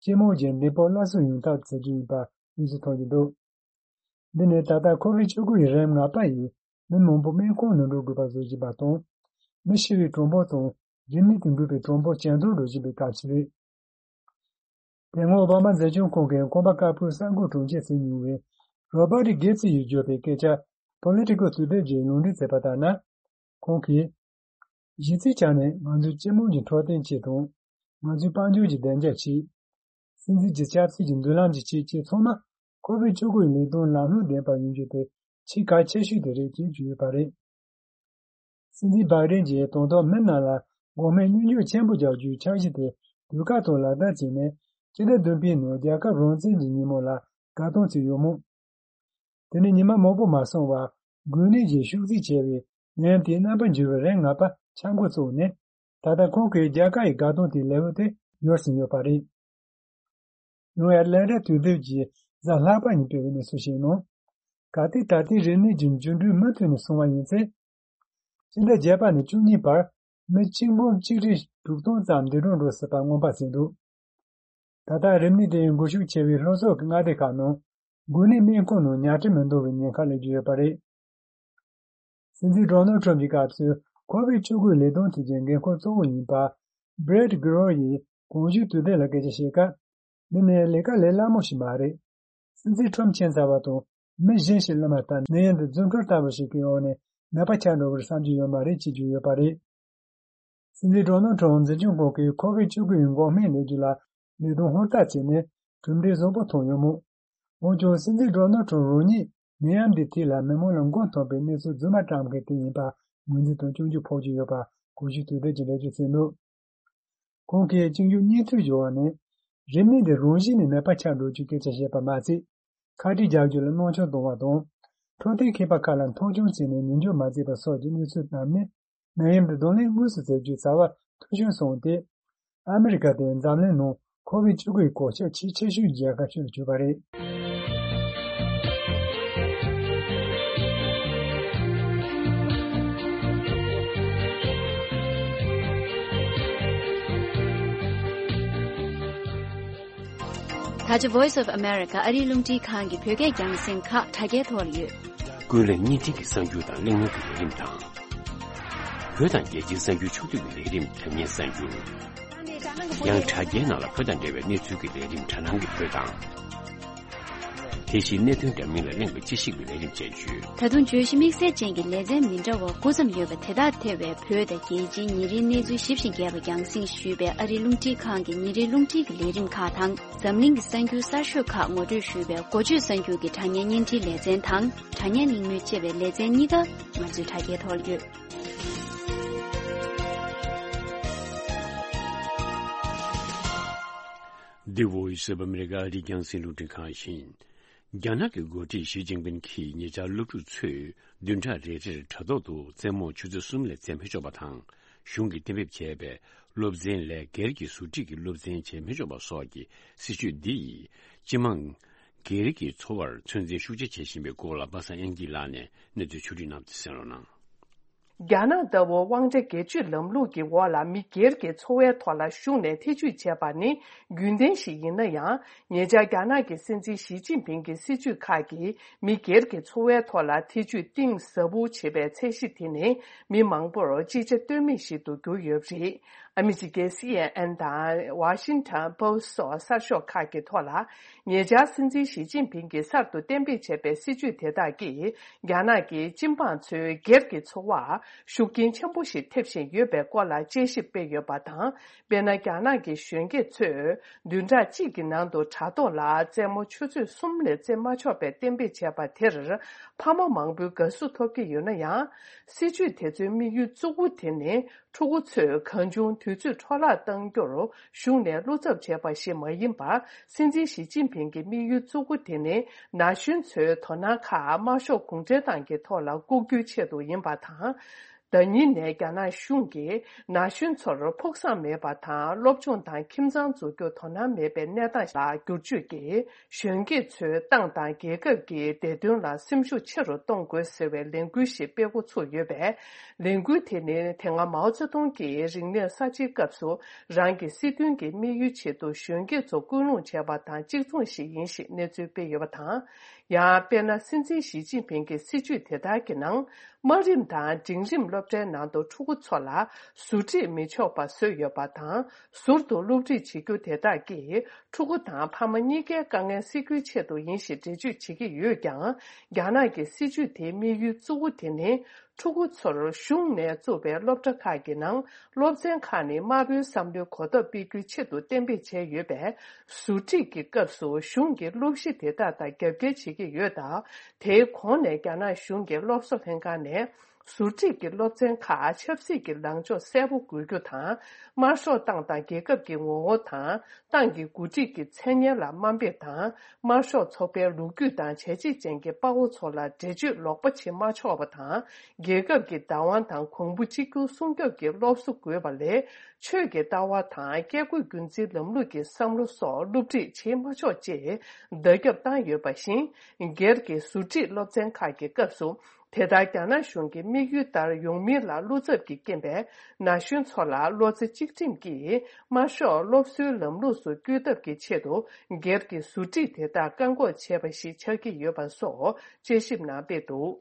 སྤྱི་དམངས་ཀྱི་འདེམས་བསྐོ་སླར་གསོ་ཡོང་ཐབས་བྱེད་རྒྱུ་ཡིན་པ་གནས་ཚུལ་ཐོན་གྱི་འདུག་འདི་ནི་ད་ལྟ་ཁོ་བིཌ་བཅུ་དགུ་ཡི་རིམས་ནད་ཡིས་མི་མང་པོ་སྨན་ཁང་ནང་འགྲོ་དགོས་པ་བཟོ་བཞིན་པ་དང་། མི་ཤི་བའི་གྲངས་འབོར་དང་རིམས་ནད་དེ་འགོས་པའི་གྲངས་འབོར་ཇེ་མཐོར་འགྲོ་བཞིན་པའི་སྐབས་ཤིག་རེད། དེ་སྔོན་ཨོ་བྷ་མ་འཛིན་སྐྱོང་ཁང་གིས་ཁང་པ་དཀར་པོའི་གསར་འགོད་དྲུང་ཆེ་ཟིན་མྱོང་བའི་རོ་བྷར་ཊི་གྷིབ་སི་ཡིས་བརྗོད་པའི་སྐད་ཆ་པོ་ལི་ཊི་ཀལ་ཊུ་ཌེ་ཡིས་ལུང་འདྲེན་མཛད་པ་ལྟར་ན། ཁོང་གིས། གཞི་རྩའི་ཆ་ནས་ང་ཚོའི་སྤྱི་དམངས་ཀྱི་འཕྲོད་བསྟེན་ཆེད་དང་། ང་ཚོའི་དཔལ་འབྱོར་གྱི་བདེ་འཇགས་ཆེད། སྲིད་འཛིན་གྱི་ཆབ་སྲིད་ཀྱི་མདུན་ལམ་གྱི་ཆེད་བཅས་ཚང་མ་ཁོ་བིཌ་བཅུ་དགུ་ཡི་ལས་དོན་ལམ་ལྷོང་ལྡན་པ་ཡོང་རྒྱུ་དེ་ཆེས་གལ་ཆེ་ཤོས་དེ་རེད་ཅེས་བརྗོད་ཡོད་པ་རེད། སྲིད་འཛིན་བྷའི་ཌེན་གྱིས་དང་ཐོག་མི་རྣམས་ལ་འགོག་སྨན་སྨྱོ་འཇུག་ཆེན་པོ་རྒྱག་རྒྱུའི་འཆར་གཞི་དེ་དུས་བཀག་ཐོག་ལག་བསྟར་བྱས་ནས་སྤྱི་ཟླ་བདུན་པའི་ནང་རྒྱལ་ཁབ་རང་བཙན་གྱི་ཉིན་མོ་ལ་དགའ་སྟོན་བྱས་ཡོད་མོད། དེ་ནས་ཉི་མ་མང་པོ་མ་སོང་བར་འགོས་ནད་ཀྱིས་ཤུགས་རྫོགས་ཆེ་བའི་ནད་ཡམས་དེའི་རྣམ་པར་འགྱུར་བའི་རིམས་ནད་ཁྱབ་འགོ་བཙུགས་ནས། ད་ལྟ་ཁོང་གིས་རྒྱལ་ཁབ་ཡི་དགའ་སྟོན་དེའི་ལེའུ་དེ་ཡོལ་ཟིན་ཡོད་པ་རེད། ཡང་ཨེ་ཊ་ལན་ཊ་དུས་དེབ་ཀྱིས་གཟའ་ལྷག་པ་ཉིན་སྤེལ་བའི་གནས་ཚུལ་ཞིག་ནང་། གལ་ཏེ་ད་ལྟའི་རིམས་ནད་ཀྱི་འགྱུར་འགྲོས་མུ་མཐུད་ནས་སོང་བ་ཡིན་ཚེ། སྤྱི་ཟླ་བརྒྱད་པ་ནས་བཅུ་གཉིས་བར་མི་གཅིག་འབུམ་གཅིག་ཁྲི་དྲུག་སྟོང་ཙམ་འདས་གྲོངས་འགྲོ་སྲིད་པ་སྔོན་དཔག་བྱས་འདུག་ད་ལྟ་རིམས་ནད་དེ་འགོས་ཤུགས་ཆེ་བའི་ལྷོ་ཕྱོགས་ཀྱི་མངའ་སྡེ་ཁག་ནང་འགོས་ནད་སྨན་ཁང་ནང་ཉལ་ཁྲི་མི་འདང་བའི་ཉེན་ཁ་སླེབས་ཀྱི་ཡོད་པ་རེད། སྲིད་འཛིན་ཌོ་ནལ་ཁྲོམ་གྱི་སྐབས་སུ་ཁོ་བིཌ་བཅུ་དགུ་ལས་དོན་ཐད་ཀྱི་འགན་འཁུར་གཙོ་བོ་ཡིན་པ། བྷི་རེཊ་གྷི་རོ་ཡིས་གོང་ཞུས་དུས་དེབ་ལ་སྐད་ཆ་བཤད་སྐབས། འདི་ནི་ལས་ཀ་ལས་སླ་མོ་ཞིག་མ་རེད། སྲིད་འཛིན་ཁྲོམ་ཕྱིན་ཚར་བ་དང་མི་གཞན་ཞིག་སླེབས་མ་ཐག་ནད་ཡམས་འདི་རྫུན་འཕྲུལ་ལྟ་བུ་ཞིག་གི་འོག་ནས་ནད་པ་ཆགས་འགྲོ་བར་བསམ་རྒྱུ་ཡོད་མ་རེད་ཅེས་བརྗོད་ཡོད་པ་རེད། སྲིད་འཛིན་ཌོ་ནལ་ཁྲོམ་འཛིན་སྐྱོང་ཁང་གིས་ཁོ་བིཌ་བཅུ་དགུ་ཡི་འགོག་སྨན་ལས་འགུལ་ལ་ལས་དོན་ཧུར་ཐག་བྱས་ནས་གྲུབ་འབྲས་བཟང་པོ་ཐོན་ཡོད་མོད། འོན་ཀྱང་སྲིད་འཛིན་ཌོ་ནལ་ཁྲོམ་རང་ཉིད་ནད་ཡམས་འདིའི་ཐད་ལ་མི་མང་ལ་མགོ་འཐོམས་པའི་གནས་ཚུལ་རྫུན་མ་བཀྲམ་མཁན་དེ་ཡིན་པ་ངོས་འཛིན་དང་སྐྱོན་བརྗོད་ཕོག་གི་ཡོད་པ་གོང་ཞུས་དུས་དེབ་ཀྱི་འགྲེལ་བརྗོད་གསན་འདུག་ཁོང་གིས་གཅིག་མཇུག་གཉིས་མཐུད་བརྗོད་པ་ནི། རིམས་ནད་འདི་རང་བཞིན་ནས་ནད་པ་ཆགས་འགྲོ་རྒྱུའི་སྐད་ཆ་བཤད་པ་མ་ཚད། ཁ་དཀྲིས་རྒྱག་རྒྱུ་ལ་སྣང་ཆུང་གཏོང་བ་དང་། འཕྲོད་བསྟེན་མཁས་པ་ཁག་ལ་མཐོང་ཆུང་བྱས་ནས་ཉན་འཇོག་མ་བྱས་པ་སོགས་ཀྱི་གནས་ཚུལ་རྣམས་ནི། ནད་ཡམས་འདི་གདོང་ལེན་དངོས་སུ་མཛད་རྒྱུའི་བྱ་བ་མཐོང་ཆུང་སོང་སྟེ། ཨ་མི་རི་ཀ་དེ་འཛམ་གླིང་ནང་ཁོ་བིཌ་བཅུ་དགུ་ཡི་གོད་ཆག་ཆེས་ཆེ་ཤོས་ཀྱི་རྒྱལ་ཁབ་ཤིག་ལ་གྱུར་པ་རེད། ད་ཆ་Voice of America ཨ་རིའི་རླུང་འཕྲིན་ཁང་གི་བོད་སྐད་རྒྱང་སྲིང་ཁག་དྲ་རྒྱའི་ཐོག་ལ་ཡོད། ཀུན་གླེང་བརྙན་འཕྲིན་གྱི་གསར་འགྱུར་དང་གླེང་མོལ་གྱི་ལས་རིམ་དང་། བོད་དང་རྒྱལ་སྤྱིའི་གསར་འགྱུར་ཕྱོགས་བསྡུས་ཀྱི་ལས་རིམ་དྲ་བརྙན་གསར་འགྱུར། ཡང་དྲ་རྒྱའི་ནང་ལ་བོད་དང་འབྲེལ་བའི་གནས་ཚུལ་གྱི་ལས་རིམ་དྲ་སྣང་གི་བོད་དང་། དེ་བཞིན་གནད་དོན་འདྲ་མིན་ལ་གླེང་བའི་དཔྱད་ཞིབ་ཀྱི་ལས་རིམ་བཅས་ཡོད། ད་དུང་བརྗོད་གཞི་དམིགས་བསལ་ཅན་གྱི་ལེ་ཚན་མི་འདྲ་བ་དགུ་ཙམ་ཡོད་པ་དེ་དག་ཐེ་བའི་བོད་དང་རྒྱལ་སྤྱིའི་ཉིན་རེའི་གནས་ཚུལ་ཞིབ་ཅིང་རྒྱས་པ་རྒྱང་སྲིང་ཞུས་པའི་ཨ་རིའི་རླུང་འཕྲིན་ཁང་གི་ཉིན་རེའི་རླུང་འཕྲིན་གྱི་ལས་རིམ་ཁག་དང་། འཛམ་གླིང་གི་གསར་འགྱུར་གསར་ཤོས་ཁག་ངོ་སྤྲོད་ཞུས་པའི་འགོ་བརྗོད་གསར་འགྱུར་གྱི་དྲ་བརྙན་བརྙན་འཕྲིན་ལེ་ཚན་དང་། དྲ་བརྙན་གླེང་མོལ་ཅེས་པའི་ལེ་ཚན་གཉིས་ཀ་ང་ཚོའི་དྲ་རྒྱའི་ཐོག་ལ་ཡོད། The Voice of America ཨ་རིའི་རྒྱང་སྲིང་རླུང་འཕྲིན་ཁང་ཡིན། རྒྱ་ནག་གི་འགོ་ཁྲིད་ཞི་ཅིན་ཕིན་གྱིས་ཉེ་ཆར་སློབ་ཕྲུག་ཚོས་བདུན་ཕྲག་རེ་རེར་དྲ་ཐོག་ཏུ་རྩེད་མོ་ཆུ་ཚོད་གསུམ་ལས་རྩེ་མི་ཆོག་པ་དང་། གཞུང་གིས་གཏན་འབེབས་བྱས་པའི་སློབ་ཚན་ལས་སྒེར་གྱི་ཟུར་ཁྲིད་ཀྱི་སློབ་ཚན་བྱེད་མི་ཆོག་པ་སོགས་ཀྱི་སྲིད་བྱུས་འདི་ཡིས་སྤྱི་དམངས་སྒེར་གྱི་འཚོ་བར་ཚོད་འཛིན་ཤུགས་ཆེ་བྱེད་བཞིན་པའི་སྐོར་ལ་པ་སངས་དབྱངས་སྐྱིད་ལགས་ནས་གནས་ཚུལ་ཕྱོགས་བསྒྲིགས་གནང་སྟེ་གསན་རོགས་གནང་། རྒྱ་ནག་ལྟ་བུ་དབང་ཆ་སྒེར་གཅོད་ལམ་ལུགས་ཀྱི་འོག་ལ་མི་སྒེར་གྱི་འཚོ་བའི་ཐོག་ལ་གཞུང་ནས་ཐེ་ཇུས་བྱས་པ་ནི་རྒྱུན་ལྡན་ཞིག་ཡིན་ན་ཡང་། ཉེ་ཆར་རྒྱ་ནག་གི་སྲིད་འཛིན་ཞི་ཅིན་ཕིང་གི་སྲིད་བྱུས་ཁག་གིས་མི་སྒེར་གྱི་འཚོ་བའི་ཐོག་ལ་ཐེ་ཇུས་གཏིང་ཟབ་པོ་བྱེད་པའི་ཚད་གཞི་དེ་ནི་མི་མང་པོར་ཅི་བྱ་གཏོལ་མེད་ཞིག་ཏུ་གྱུར་ཡོད་པ་རེད། ཨ་མི་རི་ཀའི་སི་ཨེན་ཨེན་དང་ཝ་ཤིང་ཊོན་པོ་སི་ཊི་སོགས་གསར་ཤོག་ཁག་གི་ཐོག་ལ། ཉེ་ཆར་སྲིད་འཛིན་ཞི་ཅིན་ཕིང་གིས་གསར་དུ་གཏན་འབེབས་བྱས་པའི་སྲིད་བྱུས་དེ་དག་གིས་རྒྱ་ནག་གི་སྤྱི་འབངས་ཚོའི་སྒེར་གྱི་འཚོ་བར་ཤུགས་རྐྱེན་ཆེན་པོ་ཞིག་ཐེབས་བཞིན་ཡོད་པའི་སྐོར་ལ་དཔྱད་ཞིབ་སྤེལ་ཡོད་པ་དང་། དཔེར་ན། རྒྱ་ནག་གི་གཞོན་སྐྱེས་ཚོས་བདུན་ཕྲག་གཅིག་གི་ནང་དུ་དྲ་ཐོག་ལ་རྩེད་མོ་ཆུ་ཚོད་གསུམ་ལས་རྩེ་མ་ཆོག་པའི་གཏན་འབེབས་བྱས་པ་དེར་ཕ་མ་མང་པོས་དགའ་བསུ་ཐོབ་ཀྱི་ཡོད་ན་ཡང་། སྲིད་བྱུས་དེ་ཚོའི་དམིགས་ཡུལ་གཙོ་བོ་དེ་ནི། ཕྲུ་གུ་ཚོས་གང་བྱུང་དུས་ཚོད་འཕྲོ་བརླག་གཏང་རྒྱུར་གཞུང་ནས་བློ་འཚབ་བྱས་པ་ཞིག་མ་ཡིན་པར། སྲིད་འཛིན་ཞི་ཅིན་ཕིང་གི་དམིགས་ཡུལ་གཙོ་བོ་དེ་ནི། ན་གཞོན་ཚོའི་དོ་སྣང་ཁག་དམར་ཤོག་གུང་ཁྲན་ཏང་གི་ཐོག་ལ་བཀུག་རྒྱུའི་ཆེད་དུ་ཡིན་པ་དང་། ཟླ་ཉིན་ནས་རྒྱ་ནག་གཞུང་གིས་ན་གཞོན་ཚོར་ཕུགས་བསམ་མེད་པ་དང་། སློབ་སྦྱོང་དང་ཁྱིམ་ཚང་འཛུགས་རྒྱུར་དོ་སྣང་མེད་པའི་གནས་སྟངས་ལ་བསྒྱུར་བཅོས་ཀྱིས། གཞོན་སྐྱེས་ཚོའི་ཏང་དང་རྒྱལ་ཁབ་ཀྱི་བདེ་དོན་ལ་སེམས་ཤུགས་ཆེ་རུ་གཏོང་དགོས་ཟེར་བའི་ལས་འགུལ་ཞིག་སྤེལ་འགོ་ཚུགས་ཡོད་པས། ལས་འགུལ་དེ་ནི་དེ་སྔ་མའོ་ཙེ་ཏུང་གིས་རིག་གནས་གསར་བརྗེའི་སྐབས་སུ་རང་གི་སྲིད་དོན་གྱི་དམིགས་ཡུལ་ཆེད་དུ་གཞོན་སྐྱེས་ཚོ་སྐུལ་སློང་བྱས་པ་དང་གཅིག་མཚུངས་ཤིག་ཡིན་ཞེས་གནས་ཚུལ་སྤེལ་ཡོད་པ་དང་། ཡང་དཔེར་ན། སྲིད་འཛིན་ཞི་ཅིན་ཕིང་གི་སྲིད་བྱུས་དེ་དག་གི་ནང་། དམའ་རིམ་དང་འབྲིང་རིམ་སློབ་གྲྭའི་ནང་དུ་ཕྲུ་གུ་ཚོ་ལ་ཟུར་ཁྲིད་མི་ཆོག་པ་བཟོས་ཡོད་པ་དང་། ཟུར་དུ་སློབ་ཁྲིད་བྱེད་རྒྱུ་དེ་དག་གིས་ཕྲུ་གུ་དང་ཕ་མ་གཉིས་ཀའི་དཀའ་ངལ་སེལ་རྒྱུའི་ཆེད་དུ་ཡིན་ཞེས་འགྲེལ་བརྗོད་བྱེད་ཀྱི་ཡོད་ཀྱང་། རྒྱ་ནག་གི་སྲིད་བྱུས་དེའི་དམིགས་ཡུལ་གཙོ་བོ་དེ་ནི། ཕྲུ་གུ་ཚོར་གཞུང་ནས་བཙུགས་པའི་སློབ་གྲྭ་ཁག་གི་ནང་སློབ་ཚན་ཁག་ནི་དམར་པོའི་བསམ་བློའི་གོ་རྟོགས་སྤེལ་རྒྱུའི་ཆེད་དུ་གཏན་འབེབས་བྱས་ཡོད་པས། ཟུར་ཁྲིད་ཀྱི་སྐབས་སུ་གཞུང་གིས་སློབ་གཞི་དེ་དག་དང་རྒྱབ་འགལ་བྱེད་ཀྱི་ཡོད་སྟབས། དེའི་གོང་ནས་རྒྱ་ནག་གཞུང་གི་སློབ་གསོ་ལྷན་ཁང་ནས། ཟུར་ཁྲིད་ཀྱི་སློབ་ཚན་ཁག་ཆབ་སྲིད་ཀྱི་ལངས་ཕྱོགས་གསལ་པོ་དགོས་རྒྱུ་དང་། དམར་ཤོག་ཏང་དང་རྒྱལ་ཁབ་ཀྱི་ངོ་བོ་དང་། ཏང་གི་འགོ་ཁྲིད་ཀྱི་མཚན་སྙན་ལ་དམའ་འབེབས་དང་། དམར་ཤོག་ཚོགས་པའི་ལོ་རྒྱུས་དང་བྱས་རྗེས་ཅན་གྱི་དཔའ་བོ་ཚོ་ལ་འགྲེལ་བརྗོད་ལོག་པ་བྱེད་མ་ཆོག་པ་དང་། རྒྱལ་ཁབ་ཀྱི་བདག་དབང་དང་གོང་བུ་གཅིག་གྱུར་སྲུང་སྐྱོབ་ཀྱི་སློབ་གསོ་དགོས་པ་ལས། ཆོས་ཀྱི་ལྟ་བ་དང་། བཀས་བཀོད་རྒྱུད་འཛིན་ལམ་ལུགས་ཀྱི་བསམ་བློ་སོགས་སློབ་ཁྲིད་བྱེད་མ་ཆོག་ཅེས་བརྡ་ཁྱབ་བཏང་ཡོད་པ་བཞིན། སྒེར་གྱི་ཟུར་ཁྲིད་སློབ་ཚན་ཁག་གི་སྐབས་སུ། དེ་ལྟར་རྒྱ་ནག་གཞུང་གི་དམིགས་ཡུལ་ལྟར་ཡོང་མིན་ལ་བློ་འཚབ་ཀྱི་རྐྱེན་པས། ན་གཞོན་ཚོ་ལ་བློ་རྩེ་གཅིག་སྒྲིམ་གྱིས་དམར་ཤོག་སློབ་གསོའི་ལམ་ལུགས་སུ་བསྐྱོད་ཐབས་ཀྱི་ཆེད་དུ། སྒེར་གྱི་ཟུར་ཁྲིད་དེ་དག་བཀག་འགོག་བྱས་པ་ཞིག་ཆགས་ཀྱི་ཡོད་པ་སོགས་དཔྱད་ཞིབ་ནང་སྤེལ་འདུག་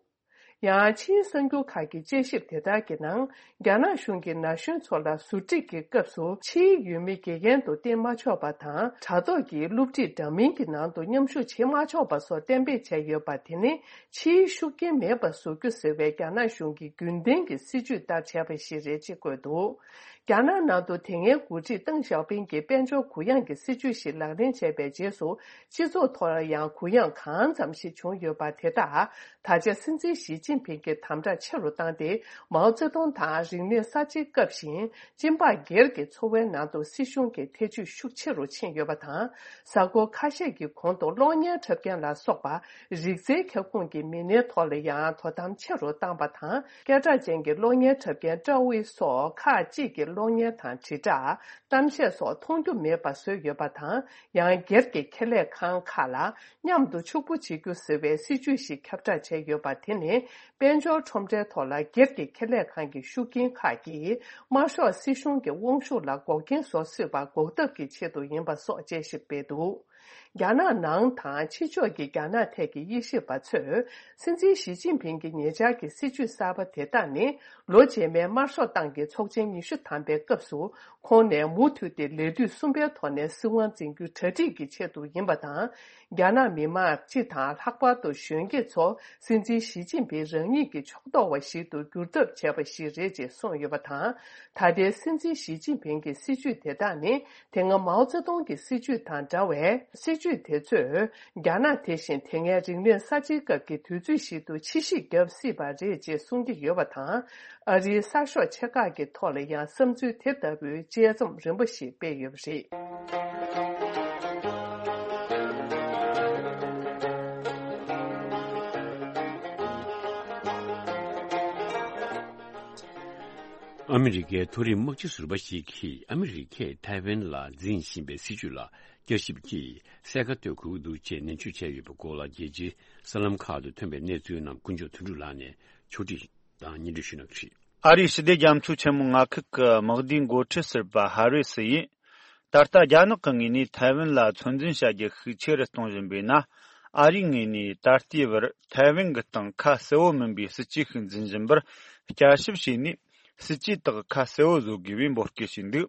ཡང་། ཕྱིའི་གསར་འགྱུར་ཁག་གི་དཔྱད་ཞིབ་དེ་དག་གི་ནང་། རྒྱ་ནག་གཞུང་གིས་ན་གཞོན་ཚོ་ལ་ཟུར་ཁྲིད་ཀྱི་སྐབས་སུ། ཕྱིའི་ཡུལ་མི་དགེ་རྒན་དུ་བསྟེན་མ་ཆོག་པ་དང་། དྲ་ཐོག་གི་སློབ་ཁྲིད་འདྲ་མིན་གྱི་ནང་དུ་མཉམ་ཞུགས་བྱེད་མ་ཆོག་པ་སོགས་གཏན་འབེབས་བྱས་ཡོད་པ། དེ་ནི་ཕྱིའི་ཤུགས་རྐྱེན་མེད་པར་བཟོ་རྒྱུ་ཟེར་བའི་རྒྱ་ནག་གཞུང་གི་རྒྱུན་ལྡན་གྱི་སྲིད་བྱུས་ལྟར་བྱས་པ་ཞིག་རེད་ཅེས་བཀོད་འདུག་རྒྱ་ནག་ནང་དུ་དེ་སྔའི་འགོ་ཁྲིད་ཏེང་ཞའོ་ཕིང་གིས་དཔལ་འབྱོར་གུ་ཡངས་ཀྱི་སྲིད་བྱུས་ཤིག་ལག་ལེན་བྱས་པའི་རྗེས་སུ། སྤྱི་ཚོགས་ཐོག་ཡང་གུ་ཡངས་གང་ཙམ་ཞིག་བྱུང་ཡོད་པ་དེ་དག་ད་ཆ་སྲིད་འཛིན་ཞི་ཅིན་ཕིང་གིས་དམ་དྲག་ཆེ་རུ་བཏང་སྟེ། མའོ་ཙེ་ཏུང་དང་རིག་གནས་གསར་བརྗེའི་སྐབས་བཞིན། སྤྱི་འབངས་སྒེར་གྱི་འཚོ་བའི་ནང་དུ་སྲིད་གཞུང་གི་ཐེ་ཇུས་ཤུགས་ཆེ་རུ་ཕྱིན་ཡོད་པ་དང་། གཟའ་འཁོར་ཁ་ཤས་ཀྱི་གོང་དུ་གློག་བརྙན་འཁྲབ་མཁན་ལ་སོགས་པ། རིག་རྩལ་ཁྱབ་ཁོངས་ཀྱི་མི་སྣའི་ཐོག་ལ་ཡང་དོ་དམ་ཆེ་རུ་བཏང་པ་དང་། སྐད་གྲགས་ཅན་གྱི་གློག་བརྙན་འཁྲབ་མཁན་ཀྲའོ་ཝེ་སོགས་ཁག་ཅིག་གི་གློག་བརྙན་དང་། དྲིལ་བསྒྲགས། གཏམ་བཤད་སོགས་མཐོང་རྒྱུ་མེད་པ་བཟོས་ཡོད་པ་དང་། ཡང་སྒེར་གྱི་ཁེ་ལས་ཁང་ཁག་ལ་མཉམ་དུ་ཕྱུག་པོ་བྱེད་རྒྱུ་ཟེར་བའི་སྲིད་ཇུས་ཤིག་ཁྱབ་བསྒྲགས་བྱས་ཡོད་པ། དེ་ནི་དཔལ་འབྱོར་ཁྲོམ་རའི་ཐོག་ལ་སྒེར་གྱི་ཁེ་ལས་ཁང་གི་ཤུགས་རྐྱེན་ཁག་གིས་དམར་ཤོག་སྲིད་གཞུང་གི་དབང་ཤུགས་ལ་འགོག་རྐྱེན་བཟོ་སྲིད་པར་འགོག་ཐབས་ཀྱི་ཆེད་དུ་ཡིན་པ་སོགས་དཔྱད་ཞིབ་སྤེལ་འདུག་རྒྱ་ནག་ནང་དང་ཕྱི་ཕྱོགས་ཀྱི་རྒྱ་ནག་ཐད་ཀྱི་དབྱེ་ཞིབ་པ་ཚོས། སྲིད་འཛིན་ཞི་ཅིན་ཕིང་གི་ཉེ་ཆར་གྱི་སྲིད་ཇུས་གསར་པ་དེ་དག་ནི། ལོ་རྗེས་མའི་དམར་ཤོག་ཏང་གི་ཚོགས་ཆེན་ཉི་ཤུ་ཐམ་པའི་སྐབས་སུ། ཁོང་ནས་མུ་མཐུད་དེ་ལས་དུས་གསུམ་པའི་ཐོག་ནས་སྲིད་དབང་འཛིན་རྒྱུའི་གྲ་སྒྲིག་གི་ཆེད་དུ་ཡིན་པ་དང་། རྒྱ་ནག་མི་དམངས་སྤྱི་དང་ལྷག་པར་དུ་གཞོན་སྐྱེས་ཚོ། སྲིད་འཛིན་ཞི་ཅིན་ཕིང་རང་ཉིད་ཀྱི་ཕྱོགས་གཏོགས་པ་ཞིག་ཏུ་འགྱུར་ཐབས་བྱས་པ་ཞིག་རེད་ཅེས་གསུངས་ཡོད་པ་དང་། ད་ལྟའི་སྲིད་འཛིན་ཞི་ཅིན་ཕིང་གི་སྲིད་ཇུས་དེ་དག་ནི། དེ་སྔ་མའོ་ཙེ་ཏུང་གི་སྲིད་ཇུས་དང་འདྲ་བས། སྲིད་ཇུས་དེ་ཚོས་རྒྱ་ནག་དེ་བཞིན་དེ་སྔའི་རིག་གནས་གསར་བརྗེའི་སྐབས་ཀྱི་དུས་ཚོད་ཞིག་ཏུ་ཕྱིས་ཞིབ་བརྒྱབ་སྲིད་པ་རེད་ཅེས་གསུང་གི་ཡོད་པ་དང་། ཨ་རིའི་གསར་ཤོག་ཆེ་ཁག་གི་ཐོག་ལ་ཡང་བསམ་ཚུལ་དེ་ལྟ་བུའི་དཔྱད་རྩོམ་རིམ་པ་ཞིག་སྤེལ་ཡོད་པ་རེད། ཨ་མི་རི་ཀའི་མཐོ་རིམ་དམག་སྤྱི་ཟུར་པ་ཞིག་གིས་ཨ་མི་རི་ཀས་ཐའེ་ཝན་ལ་འཛིན་བཞིན་པའི་སྲིད་བྱུས་ལ་བསྐྱར་ཞིབ་ཀྱིས་གསལ་ཁ་གཏོད་དགོས་ཀྱི་འདུག་ཅེས་ནན་བརྗོད་བྱས་ཡོད་པའི་སྐོར་ལ། རྒྱལ་སྤྱིའི་གསར་ལམ་ཁག་ཏུ་ཐོན་པའི་གནས་ཚུལ་རྣམས་དཀོན་མཆོག་དོན་གྲུབ་ལགས་ནས་ཕྱོགས་སྒྲིག་དང་སྙན་སྒྲོན་ཞུ་གནང་གི་རེད། ཨ་རིའི་ཞི་བདེ་རྒྱ་མཚོའི་ཆེན་མོ་མངའ་ཁུལ་གྱི་དམག་སྡེའི་འགོ་ཁྲིད་ཟུར་པ་ཧ་རི་སི་ཡིས། ད་ལྟ་རྒྱ་ནག་གི་ངོས་ནས་ཐའེ་ཝན་ལ་ཚོད་འཛིན་བྱ་རྒྱུ་ཤུགས་ཆེ་རུ་གཏོང་བཞིན་པས་ན། ཨ་རིའི་ངོས་ནས་ད་ལྟའི་བར་ཐའེ་ཝན་གྱི་སྟེང་ཁ་གསལ་བོ་མིན་པའི་སྲིད་ཇུས་ཤིག་འཛིན་བཞིན་པར་བསྐྱར་ཞིབ་བྱས་ནས། སྲིད་ཇུས་དག་ཁ་གསལ་བོ་བཟོ་དགོས་པའི་འབོད་སྐུལ་བྱས་འདུག་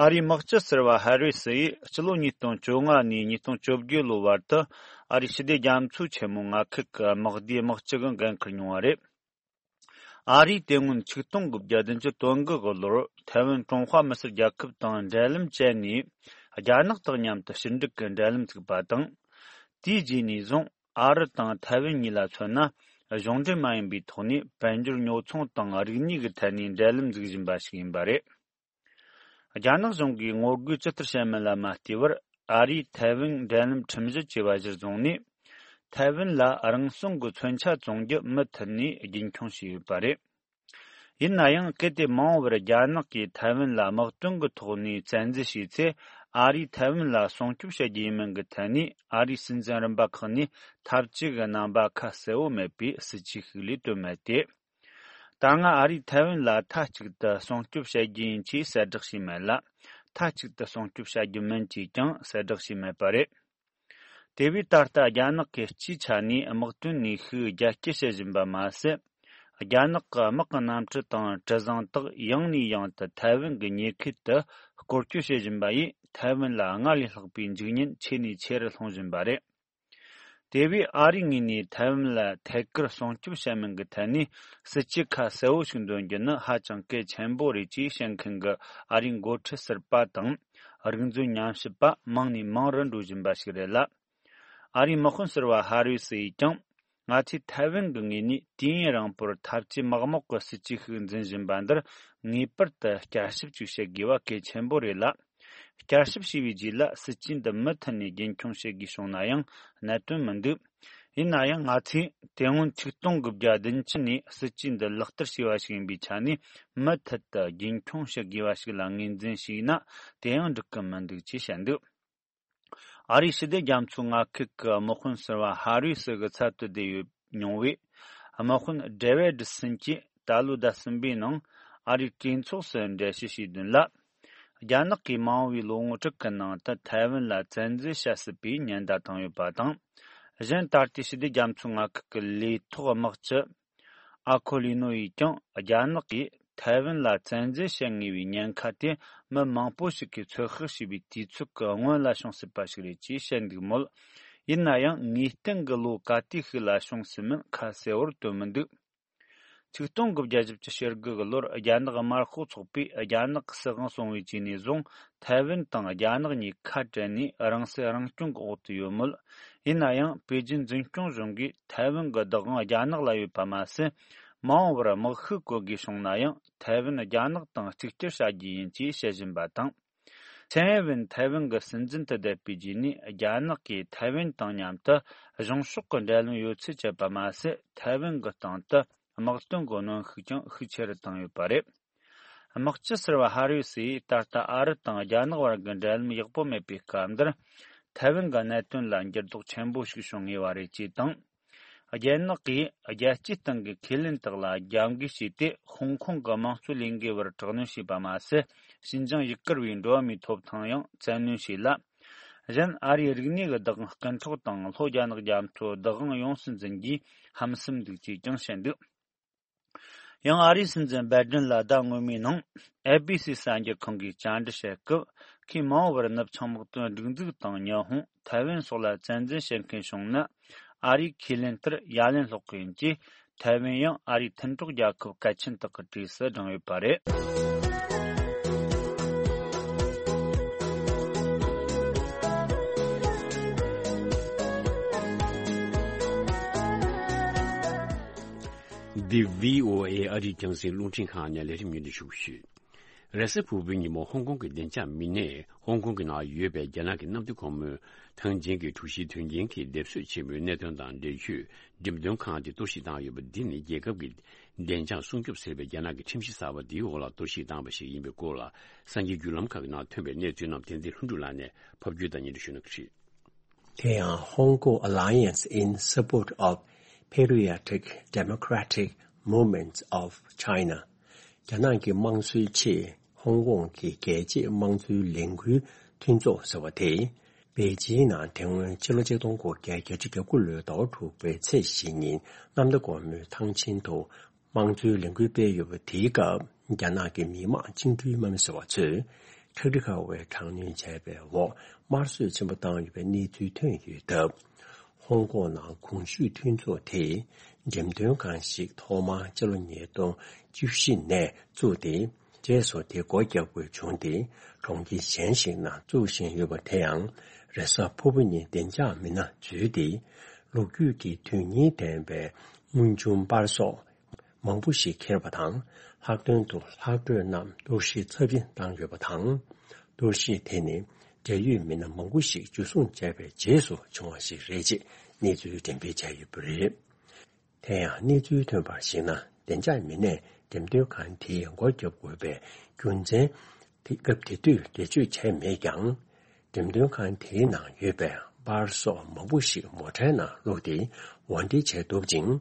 ཨ་རིའི་དམག་སྤྱི་ཟུར་པ་ཧ་རི་སི་ཡིས་ཕྱི་ལོ་ཉིས་སྟོང་བཅོ་ལྔ་ནས་ཉིས་སྟོང་བཅོ་བརྒྱད་ལོ་བར་དུ་ཨ་རིའི་ཞི་བདེ་རྒྱ་མཚོའི་ཆེན་མོ་མངའ་ཁུལ་གྱི་དམག་སྡེའི་དམག་སྤྱི་གི་འགན་འཁུར་མྱོང་བ་རེད། ཨ་རིས་དེ་སྔོན་ཆིག་སྟོང་དགུ་བརྒྱ་བདུན་ཅུ་དོན་དགུ་གི་ལོར་ཐའེ་ཝན་ཀྲུང་ཧྭ་མི་སེར་རྒྱལ་ཁབ་དང་འབྲེལ་ལམ་བཅད་ནས། རྒྱ་ནག་དང་མཉམ་དུ་ཕྱི་འབྲེལ་གྱི་འབྲེལ་ལམ་བཙུགས་པ་དང་། དེའི་རྗེས་ནས་བཟུང་ཨ་རི་དང་ཐའེ་ཝན་གཉིས་ལ་མཚོན་ན། གཞུང་འབྲེལ་མ་ཡིན་པའི་ཐོག་ནས་དཔལ་འབྱོར་ཉོ་ཚོང་དང་རིག་གནས་ཀྱི་ཐད་ནས་འབྲེལ་ལམ་འཛུགས་བཞིན་པ་ཞིག་ཡིན་པ་རེད། རྒྱ་ནག་གཞུང་གིས་ངོ་རྒོལ་ཇི་ལྟར་བྱས་མིན་ལ་མ་ལྟོས་པར། ཨ་རིས་ཐའེ་ཝན་འབྲེལ་ལམ་ཁྲིམས་གཞི་བཅས་པ་གཞིར་བཟུང་ནས། ཐའེ་ཝན་ལ་རང་སྲུང་གི་མཚོན་ཆ་བཙོང་རྒྱུ་མུ་མཐུད་ནས་རྒྱུན་འཁྱོངས་བྱས་ཡོད་པ་རེད། ཡིན་ན་ཡང་། གལ་ཏེ་མ་འོངས་པར་རྒྱ་ནག་གིས་ཐའེ་ཝན་ལ་དམག་དོན་གྱི་ཐོག་ནས་བཙན་འཛུལ་བྱས་ཚེ། ཨ་རིས་ཐའེ་ཝན་ལ་སྲུང་སྐྱོབ་བྱེད་རྒྱུ་ཡིན་མིན་གྱི་ཐད་ནས། ཨ་རིའི་སྲིད་འཛིན་རིམ་པ་ཁག་ནས་འཐབ་ཇུས་ཀྱི་རྣམ་པ་ཁ་གསལ་བོ་མེད་པའི་སྲིད་ཇུས་ཤིག་ལས་དོན་མེད་དེ། ད་སྔ་ཨ་རིས་ཐའེ་ཝན་ལ་མཐའ་གཅིག་ཏུ་སྲུང་སྐྱོབ་བྱ་རྒྱུ་ཡིན་ཅེས་གསལ་བསྒྲགས་བྱས་མེད་ལ། མཐའ་གཅིག་ཏུ་སྲུང་སྐྱོབ་བྱ་རྒྱུ་མིན་ཅེས་ཀྱང་གསལ་བསྒྲགས་བྱས་མེད་པ་རེད། དེ་བས་ད་ལྟ་རྒྱ་ནག་གིས་སྤྱིའི་ཆ་ནས་དམག་དོན་ནུས་ཤུགས་རྒྱ་སྐྱེད་བྱེད་བཞིན་པ་མ་ཟད། རྒྱ་ནག་གི་དམག་གི་གནམ་གྲུ་དང་གྲུ་གཟིངས་དག་ཡང་ནས་ཡང་དུ་ཐའེ་ཝན་གྱི་ཉེ་ཁུལ་དུ་སྐོར་སྐྱོད་བྱེད་བཞིན་པ་ཡིས། ཐའེ་ཝན་ལ་སྔར་ལས་ལྷག་པའི་འཇིགས་ཉེན་ཆེ་ནས་ཆེ་རུ་སློང་བཞིན་པ་རེད། དེ་བས་ཨ་རིའི་ངོས་ནས་ཐའེ་ཝན་ལ་ཐད་ཀར་སྲུང་སྐྱོབ་བྱ་མིན་གྱི་ཐད་ནས་སྲིད་ཇུས་ཁ་གསལ་བོ་ཞིག་འདོན་རྒྱུ་ནི་ཧ་ཅང་གལ་ཆེན་པོ་རེད་ཅེས་བཤད་མཁན་གྱི་ཨ་རིའི་འགོ་ཁྲིད་ཟུར་པ་དང་། རིག་མཛོད་ཉམས་ཞིབ་པ་མང་ནས་མང་རུ་འགྲོ་བཞིན་པ་ཞིག་རེད་ལ། ཨ་རིའི་དམག་དཔོན་ཟུར་པ་ཧ་རི་སི་ཡིས་ཀྱང་། ང་ཚོས་ཐའེ་ཝན་གྱི་ངོས་ནས་དུས་ཡུན་རིང་པོར་འཐབ་ཇུས་མག་མོག་གི་སྲིད་ཇུས་ཤིག་འཛིན་བཞིན་པ་འདིར་ངེས་པར་དུ་བསྐྱར་ཞིབ་ཅིག་བྱེད་དགོས་པ་གལ་ཆེན་པོ་རེད་ལ། བསྐྱར་ཞིབ་བྱས་པའི་རྗེས་ལ་སྲིད་ཇུས་འདི་མུ་མཐུད་ནས་རྒྱུན་འཁྱོངས་བྱེད་དགོས་བྱུང་ན་ཡང་གནད་དོན་མི་འདུག་ཡིན་ན་ཡང་། ང་ཚོས་དེ་སྔོན་ཆིག་སྟོང་དགུ་བརྒྱ་བདུན་ཅུ་ནས་སྲིད་ཇུས་འདི་ལག་བསྟར་བྱས་པ་ཞིག་ཡིན་པའི་ཆ་ནས། མུ་མཐུད་དུ་རྒྱུན་འཁྱོངས་བྱེད་དགོས་པ་ཞིག་ལ་ངོས་འཛིན་བྱས་ན་དེ་ཡང་འགྲིག་གི་མི་འདུག་ཅེས་བཤད་འདུག་ཨ་རིའི་ཞི་བདེ་རྒྱ་མཚོའི་མངའ་ཁུལ་གྱི་དམག་དཔོན་ཟུར་པ་ཧ་རི་སི་གི་ཚབ་ཏུ་བསྡད་ཡོད་མྱོང་བའི་དམག་དཔོན་ཌེ་ཝིད་སིན་གྱིས་ད་ལོའི་ཟླ་གསུམ་པའི་ནང་ཨ་རིའི་གྲོས་ཚོགས་སུ་འགྲེལ་བཤད་བྱས་དོན་ལ། རྒྱ་ནག་གིས་མ་འོངས་པའི་ལོ་ངོ་དྲུག་གི་ནང་དུ་ཐའེ་ཝན་ལ་བཙན་འཛུལ་བྱ་སྲིད་པའི་ཉེན་བརྡ་བཏང་ཡོད་པ་དང་། གཞན་ད་ལྟའི་ཞི་བདེ་རྒྱ་མཚོའི་མངའ་ཁུལ་གྱི་ལས་ཐོག་དམག་སྤྱི་ཨ་ཁོ་ལི་ནོ་ཡིས་ཀྱང་རྒྱ་ནག་གིས་ཐའེ་ཝན་ལ་བཙན་འཛུལ་བྱེད་ངེས་པའི་ཉེན་ཁ་དེ་མི་མང་པོ་ཞིག་གིས་ཚོད་དཔག་བྱས་པའི་དུས་ཚོད་ཀྱི་སྔོན་ལ་བྱུང་སྲིད་པ་ཞིག་རེད་ཅེས་བཤད་འདུག་མོད། ཡིན་ན་ཡང་ངེས་གཏན་གྱི་ལོ་ག་དུས་ཤིག་ལ་བྱུང་སྲིད་མིན་ཁ་གསལ་བོར་སྟོན་མི་འདུག་ཆིག་སྟོང་དགུ་བརྒྱ་བཞི་བཅུ་ཞེ་དགུ་གི་ལོར་རྒྱ་ནག་དམར་ཤོག་ཚོགས་པས་རྒྱ་ནག་གི་སྲིད་དབང་སྲུང་བའི་ཆེད་ནས་བཟུང་། ཐའེ་ཝན་དང་རྒྱ་ནག་གཉིས་ཁ་བྲལ་ནས་རང་སྲིད་རང་སྐྱོང་གི་འོག་ཏུ་ཡོད་མོད། ཡིན་ན་ཡང་པེ་ཅིན་འཛིན་སྐྱོང་གཞུང་གིས་ཐའེ་ཝན་གྱི་བདག་དབང་རྒྱ་ནག་ལ་ཡོད་པ་མ་ཟད། མ་འོངས་པར་དམག་ཤུགས་བཀོལ་དགོས་བྱུང་ན་ཡང་ཐའེ་ཝན་རྒྱ་ནག་དང་གཅིག་གྱུར་བྱ་རྒྱུ་ཡིན་ཅེས་བཤད་བཞིན་པ་དང་། ཚན་ཝིན་ཐའེ་ཝན་གྱི་སྲིད་འཛིན་དུ་བསྡད་པའི་རྗེས་ནས་རྒྱ་ནག་གིས་ཐའེ་ཝན་དང་མཉམ་དུ་གཞུང་ཕྱོགས་ཀྱི་འབྲེལ་ལམ་ཡོད་ཚུལ་བཅད་པ་མ་ཟད། ཐའེ་ཝན་གྱི་སྟེང་དུ་དམག་དོན་གྱི་གནོན་ཤུགས་ཀྱང་ཤུགས་ཆེ་རུ་བཏང་ཡོད་པ་རེད། དམག་སྤྱི་ཟུར་པ་ཧ་རི་སིས་ད་ལྟ་ཨ་རི་དང་རྒྱ་ནག་བར་གྱི་འབྲེལ་ལམ་ཡག་པོ་མེད་པའི་སྐབས་འདིར། ཐའེ་ཝན་གྱི་གནད་དོན་ལ་འགྱུར་ལྡོག་ཆེན་པོ་ཞིག་བྱུང་ངེས་པ་རེད་ཅེས་དང་། རྒྱ་ནག་གིས་རྒྱལ་སྤྱིའི་སྟེང་གི་ཁས་ལེན་དག་ལ་རྒྱབ་འགལ་བྱས་ཏེ། ཧོང་ཀོང་གི་དམངས་གཙོའི་ལས་འགུལ་བར་དྲག་གནོན་བྱས་པ་མ་ཟད། ཞིན་ཅང་ཡུ་གུར་བའི་འགྲོ་བ་མིའི་ཐོབ་ཐང་ཡང་བཙན་གནོན་བྱས་ལ། གཞན་ཨ་རིའི་རིག་གནས་ཀྱི་བདག་དབང་རྐུ་འཕྲོག་དང་། ལྷོ་རྒྱ་ནག་རྒྱ་མཚོའི་བདག་དབང་ཡོངས་སུ་འཛིན་རྒྱུའི་ཧམ་སེམས་འདུག་ཅེས་ཀྱང་བཤད་འདུག་ཡང་ཨ་རིའི་སྲིད་འཛིན་བའི་ཌེན་ལ་ཟླ་སྔོན་མའི་ནང་ཨེ་བྷི་སི་གསར་འགྱུར་ཁང་གིས་བཅར་འདྲི་བྱེད་སྐབས། ཁོས་མ་འོངས་པར་ནུབ་བྱང་དམག་དོན་སྒྲིག་འཛུགས་དང་ཉི་ཧོང་། ཐའེ་ཝན་སོགས་ལ་བཙན་འཛུལ་བྱེད་མཁན་བྱུང་ན། ཨ་རིའི་ཁས་ལེན་ལྟར་ཡ་ལན་སློག་གི་ཡིན་ཅེས། ཐའེ་ཝན་ཡང་ཨ་རིའི་མཐུན་གྲོགས་རྒྱལ་ཁབ་གལ་ཆེན་དག་གི་གྲས་སུ་བགྲངས་ཡོད་པ་རེད། འདི་བྷི་ཨོ་ཨེ་ཨ་རིའི་རྒྱང་སྲིང་རླུང་འཕྲིན་ཁང་ནས་ལས་རིམ་སྙན་སྒྲོན་ཞུ་གི་ཡོད། རེས་གཟའ་ཕུར་བུའི་ཉིན་མོ་ཧོང་ཀོང་གི་བདེ་འཇགས་མི་སྣས་ཧོང་ཀོང་གི་ནང་ཡོད་པའི་རྒྱ་ནག་གི་གནམ་བདེ་སྒོ་མོའི་ཐང་ཆེན་གྱི་དྲུག་བཞིའི་དོན་རྐྱེན་གྱི་སྡེབ་གསོད་ཆེན་མོའི་གནད་དོན་དང་འབྲེལ་ཆོས་འགྲེམས་སྟོན་ཁང་དེ་གཏོར་བཤིག་བཏང་ཡོད་པ་འདི་ནི་རྒྱལ་ཁབ་ཀྱི་བདེ་འཇགས་སྲུང་སྐྱོབ་ཟེར་བའི་རྒྱ་ནག་གི་ཁྲིམས་གཞི་གསར་པ་འདིའི་འོག་ལ་གཏོར་བཤིག་བཏང་བ་ཞིག་ཡིན་པའི་སྐོར་ལ་གསར་འགྱུར་བརྒྱུད་ལམ་ཁག་གི་ནང་ཐོན་པའི་གནས་ཚུལ་རྣམས་བསྟན་འཛིན་ལྷུན་གྲུབ་ལགས་ནས་ཕབ་སྒྱུར་དང་སྙན་སྒྲོན་ཞུ་གནང་གི་རེད། དེ་ཡང་Hong Kong Alliance in Support of Patriotic Democratic Movements of China། རྒྱ་ནག་གི་དམངས་གཙོའི་ཆེད་ཧོང་ཀོང་གི་རྒྱལ་གཅེས་དམངས་གཙོའི་ལས་འགུལ་མཐུན་ཚོགས་ཟེར་བ་དེས། པེ་ཅིང་ནང་དེ་སྔོན་ཕྱི་ལོ་ཆིག་སྟོང་དགུ་བརྒྱ་བརྒྱད་ཅུ་གྱ་དགུ་ལོའི་ཟླ་བ་དྲུག་པའི་ཚེས་བཞི་ཉིན་གནམ་བདེ་སྒོ་མོའི་ཐང་ཆེན་དུ་དམངས་གཙོའི་ལས་འགུལ་སྤེལ་ཡོད་པ་དེའི་སྐབས། རྒྱ་ནག་གི་མི་དམངས་བཅིངས་འགྲོལ་དམག་མི་ཟེར་བ་ཚོས་ཁྲག་དྲི་ཁ་བའི་དྲག་གནོན་བྱས་པའི་འོག་དམར་གསོད་ཆེན་པོ་བཏང་ཡོད་པའི་གནས་ཚུལ་ཐོན་ཡོད་སྟབས། ཧོང་ཀོང་ནང་གོང་ཞུས་མཐུན་ཚོགས་དེས་འགྲེམས་སྟོན་ཁང་ཞིག་ཐོག་མར་སྤྱི་ལོ་ཉིས་སྟོང་བཅུ་བཞི་ནས་བཙུགས་ཏེ། རྗེས་སུ་དེ་སྒོ་བརྒྱབ་དགོས་བྱུང་སྟེ། གྲོང་ཁྱེར་གཞན་ཞིག་ནང་བཙུགས་བཞིན་ཡོད་པ་དེ་ཡང་རེས་གཟའ་ཕུར་བུ་ཉིན་བདེ་འཇགས་མི་སྣ་འཛུལ་ཏེ། ལོ་རྒྱུས་ཀྱི་དོན་སྙིང་ལྡན་པའི་དངུལ་ཆུང་པར་སོགས་མང་པོ་ཞིག་ཁྱེར་བ་དང་། ལྷག་དོན་དུ་ལྷག་འཕྲོས་རྣམས་གཏོར་བཤིག་ཚབས་ཆེན་བཏང་ཡོད་པ་དང་། གཏོར་བཤིག་དེ་ནི་འབྲེལ་ཡོད་མི་སྣ་མང་པོ་ཞིག་འཇུ་བཟུང་བྱས་པའི་རྗེས་སུ་བྱུང་བ་ཞིག་རེད་ཅེས་གནས་ཚུལ་འགྲེམས་སྤེལ་བྱས་ཡོད་པ་རེད། དེ་ཡང་གནས་ཚུལ་ཐོན་པར་གཞིགས་ན། བདེ་འཇགས་མི་སྣས་འགྲེམས་སྟོན་ཁང་དེའི་སྒོ་བརྒྱབ་དགོས་པའི་རྒྱུ་མཚན་དེ་སྐབས་དེ་དུས་འགྲེལ་བརྗོད་བྱས་མེད་ཀྱང་། འགྲེམས་སྟོན་ཁང་དེའི་ནང་ཡོད་པའི་པར་སོགས་མང་པོ་ཞིག་མོ་ཊའི་ནང་བླུགས་ཏེ་དབོར་འདྲེན་བྱས་འདུག་ཅིང་།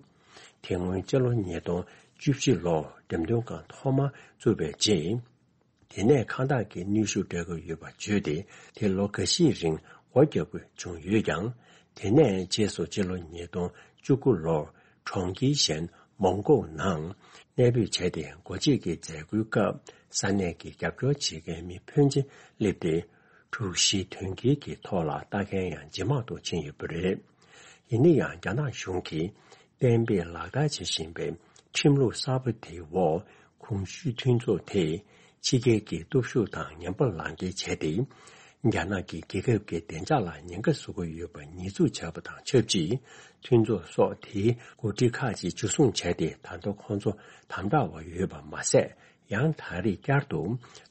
དེ་སྔོན་སྤྱི་ལོ་ཉིས་སྟོང་བཅུ་བཞི་ལོར་འགྲེམས་སྟོན་ཁང་ཐོག་མ་བཙུགས་པའི་རྗེས། དེ་ནས་ཁང་བདག་གིས་གནོན་ཤུགས་སྤྲད་ཀྱི་ཡོད་པ་བརྗོད་དེ། དེ་ལོ་འགའ་ཤས་རིང་སྒོ་བརྒྱབ་དགོས་བྱུང་ཡོད་ཀྱང་། དེ་ནས་རྗེས་སུ་སྤྱི་ལོ་ཉིས་སྟོང་བཅུ་དགུ་ལོར་གྲོང་ཁྱེར་གཞན་མོང་གོ་ནང་གནས་སྤོས་བྱས་ཏེ། སྒོ་འབྱེད་ཀྱི་མཛད་སྒོའི་སྐབས་ས་གནས་ཀྱི་རྒྱབ་སྐྱོར་བྱེད་མཁན་མི་ཕོན་ཆེ་སླེབས་ཏེ། དྲུག་བཞིའི་དོན་རྐྱེན་གྱི་ཐོག་ལ་ལྟ་མཁན་ཡང་ཇེ་མང་དུ་ཕྱིན་ཡོད་པ་རེད། ཡིན་ན་ཡང་རྒྱ་ནག་གཞུང་གིས་གཏན་འབེབས་ལག་བསྟར་བྱེད་བཞིན་པའི་ཁྲིམས་ལུགས་གསར་པ་དེའི་འོག་གོང་ཞུས་མཐུན་ཚོགས་དེས་ཕྱི་རྒྱལ་གྱི་སྟོབས་ཤུགས་དང་ངན་པ་ལག་འཁྱེར་བྱས་ཏེ། རྒྱ་ནག་གི་རྒྱལ་ཁབ་ཀྱི་བདེ་འཇགས་ལ་ཉེན་ཁ་བཟོ་གི་ཡོད་པ་ཉེས་འཛུགས་བྱས་པ་དང་ཆབས་ཅིག་མཐུན་ཚོགས་སོགས་དེའི་འགོ་ཁྲིད་ཁག་ཅིག་འཇུ་བཟུང་བྱས་ཏེ། ད་ལྟ་ཁོང་ཚོ་དམ་དྲག་འོག་ཡོད་པ་མ་ཟད། ཡང་ད་རེས་བསྐྱར་དུ་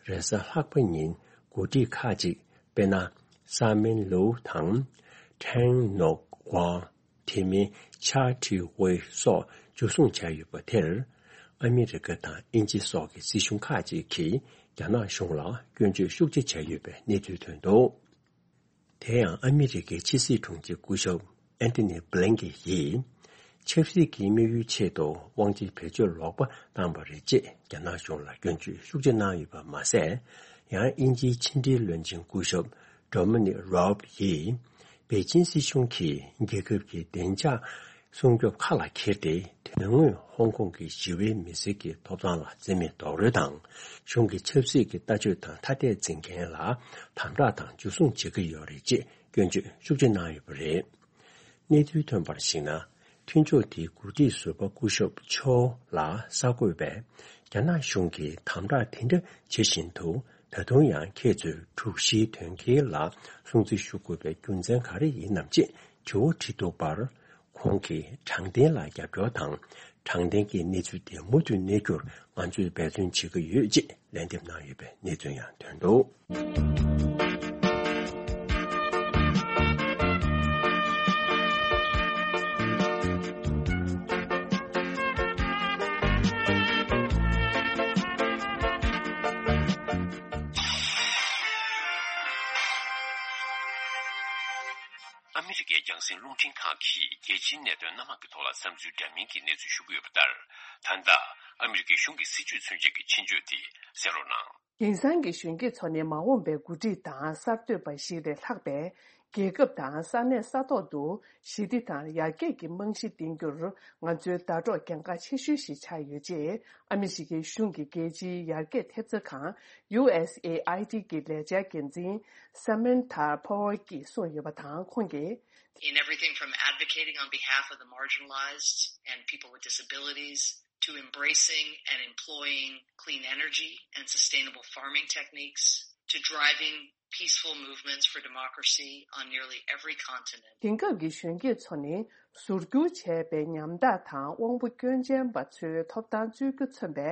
རེས་གཟའ་ལྷག་པ་ཉིན་འགོ་ཁྲིད་ཁག་ཅིག་དཔེར་ན། སཱ་མིན་ལུའུ་དང་། ཁྲེང་ནོག་ཝང་། དེ་མིན་ཆ་ཁྲི་ཝེ་སོགས་འཇུ་བཟུང་བྱས་ཡོད་པ་དེར། ཨ་མི་རི་ཀ་དང་དབྱིན་ཇི་སོགས་ཀྱི་སྲིད་གཞུང་ཁག་ཅིག་གིས་རྒྱ་ནག་གཞུང་ལ་སྐྱོན་བརྗོད་ཤུགས་ཆེ་བྱས་ཡོད་པའི་གནས་ཚུལ་ཐོན་འདུག་དེ་ཡང་ཨ་མི་རི་ཀའི་ཕྱི་སྲིད་དྲུང་ཆེ་སྐུ་ཞབས་ཨན་ཐོ་ནི་བྷི་ལིན་ཀེན་ཡིས། ཆབ་སྲིད་ཀྱི་དམིགས་ཡུལ་ཆེད་དུ་དབང་ཆའི་བེད་སྤྱོད་ལོག་པ་བཏང་བ་རེད་ཅེས་རྒྱ་ནག་གཞུང་ལ་སྐྱོན་བརྗོད་ཤུགས་ཆེ་གནང་ཡོད་པ་མ་ཟད། ཡང་དབྱིན་ཇིའི་ཕྱི་འབྲེལ་བློན་ཆེན་སྐུ་ཞབས་ཌོ་མི་ནིག་རོབ་ཡིས། པེ་ཅིན་སྲིད་གཞུང་གིས་རྒྱལ་ཁབ་ཀྱི་བདེ་འཇགས་སྲུང་སྐྱོབ་ཁ་ལ་འཁྱེར་ཏེ། དོན་དངོས་ཧོང་ཀོང་གི་ཞི་བའི་མི་སེར་གྱི་ཐོབ་ཐང་ལ་བརྩི་མེད་རྡོག་རོལ་དང་། གཞུང་གི་ཆབ་སྲིད་ཀྱི་ལྟ་སྤྱོད་དང་ཐ་དད་འཛིན་མཁན་ལ་དམ་དྲག་དང་འཇུ་བཟུང་བྱེད་ཀྱི་ཡོད་རེད་ཅེས་སྐྱོན་བརྗོད་ཤུགས་ཆེ་གནང་ཡོད་པ་རེད། གནས་ཚུལ་ཐོན་པར་གཞིགས་ན། མཐུན་ཕྱོགས་དེའི་འགོ་ཁྲིད་ཟུར་པ་སྐུ་ཞབས་ཆོ་ལ་གསར་འགོད་པས། རྒྱ་ནག་གཞུང་གིས་དམ་དྲག་དེ་འདྲ་བྱེད་བཞིན་དུ། ད་དུང་ཡང་ཁྱེད་ཚོས་དྲུག་བཞིའི་དོན་རྐྱེན་ལ་སྲུང་བརྩི་ཞུ་དགོས་པའི་རྒྱུ་མཚན་ག་རེ་ཡིན་ནམ་ཅེས་དྲི་བ་དྲིས་འདུག་པར། ཁོང་གིས་དྲང་བདེན་ལ་རྒྱབ་སྐྱོར་དང་། དྲང་བདེན་གྱི་གནས་ཚུལ་དེ་མུ་མཐུད་གནས་རྒྱུར་ང་ཚོས་འབད་བརྩོན་བྱེད་ཀྱི་ཡོད་ཅེས་ལན་འདེབས་གནང་ཡོད་པའི་གནས་ཚུལ་ཡང་ཐོན་འདུག་ཨ་མི་རི་ཀའི་རྒྱང་སྲིང་རླུང་འཕྲིན་ཁང་གིས་རྒྱལ་སྤྱིའི་གནད་དོན་སྣ་མང་གི་ཐོག་ལ་བསམ་ཚུལ་འདྲ་མིན་གྱི་གནས་ཚུལ་ཞུ་གི་ཡོད་པ་ལྟར། ད་ལྟ་ཨ་མི་རི་ཀའི་གཞུང་གི་སྲིད་ཇུས་མཚོན་བྱེད་ཀྱི་ཆེད་བརྗོད་དེ་གསན་རོགས་གནང་། དེང་སང་གི་གཞོན་སྐྱེས་ཚོ་ནི་མ་འོངས་པའི་འགོ་ཁྲིད་དང་གསར་གཏོད་པ་ཞིག་ལས་ལྷག་པའི་རྒྱལ་ཁབ་དང་ས་གནས་ས་ཐོག་ཏུ་ཞི་བདེ་དང་ཡར་རྒྱས་ཀྱི་རྨང་གཞི་འདིང་རྒྱུར་ང་ཚོའི་ཟླ་གྲོགས་གལ་འགངས་ཆེ་ཤོས་ཤིག་ཆགས་ཡོད་ཅེས་ཨ་མི་རི་ཀའི་གཞུང་གི་རྒྱལ་སྤྱིའི་ཡར་རྒྱས་ཐེབས་རྩ་ཁང་། ཡུ་ཨེས་ཨེ་ཨའི་ཌི་གི་ལས་འཆར་འགན་འཛིན་Samantha Power གྱིས་གསུངས་ཡོད་པ་དང་། ཁོང་གིས། In everything from advocating on behalf of the marginalized and people with disabilities to embracing and employing clean energy and sustainable farming techniques to driving peaceful movements for democracy on nearly every continent. དེང་སྐབས་ཀྱི་གཞོན་སྐྱེས་ཚོ་ནི་ཟུར་བསྒྱུར་བྱས་པའི་ཉམ་ཐག་དང་དབང་པོ་སྐྱོན་ཅན་པ་ཚོའི་ཐོབ་ཐང་རྩོད་རྒྱུ་མཚོན་པའི་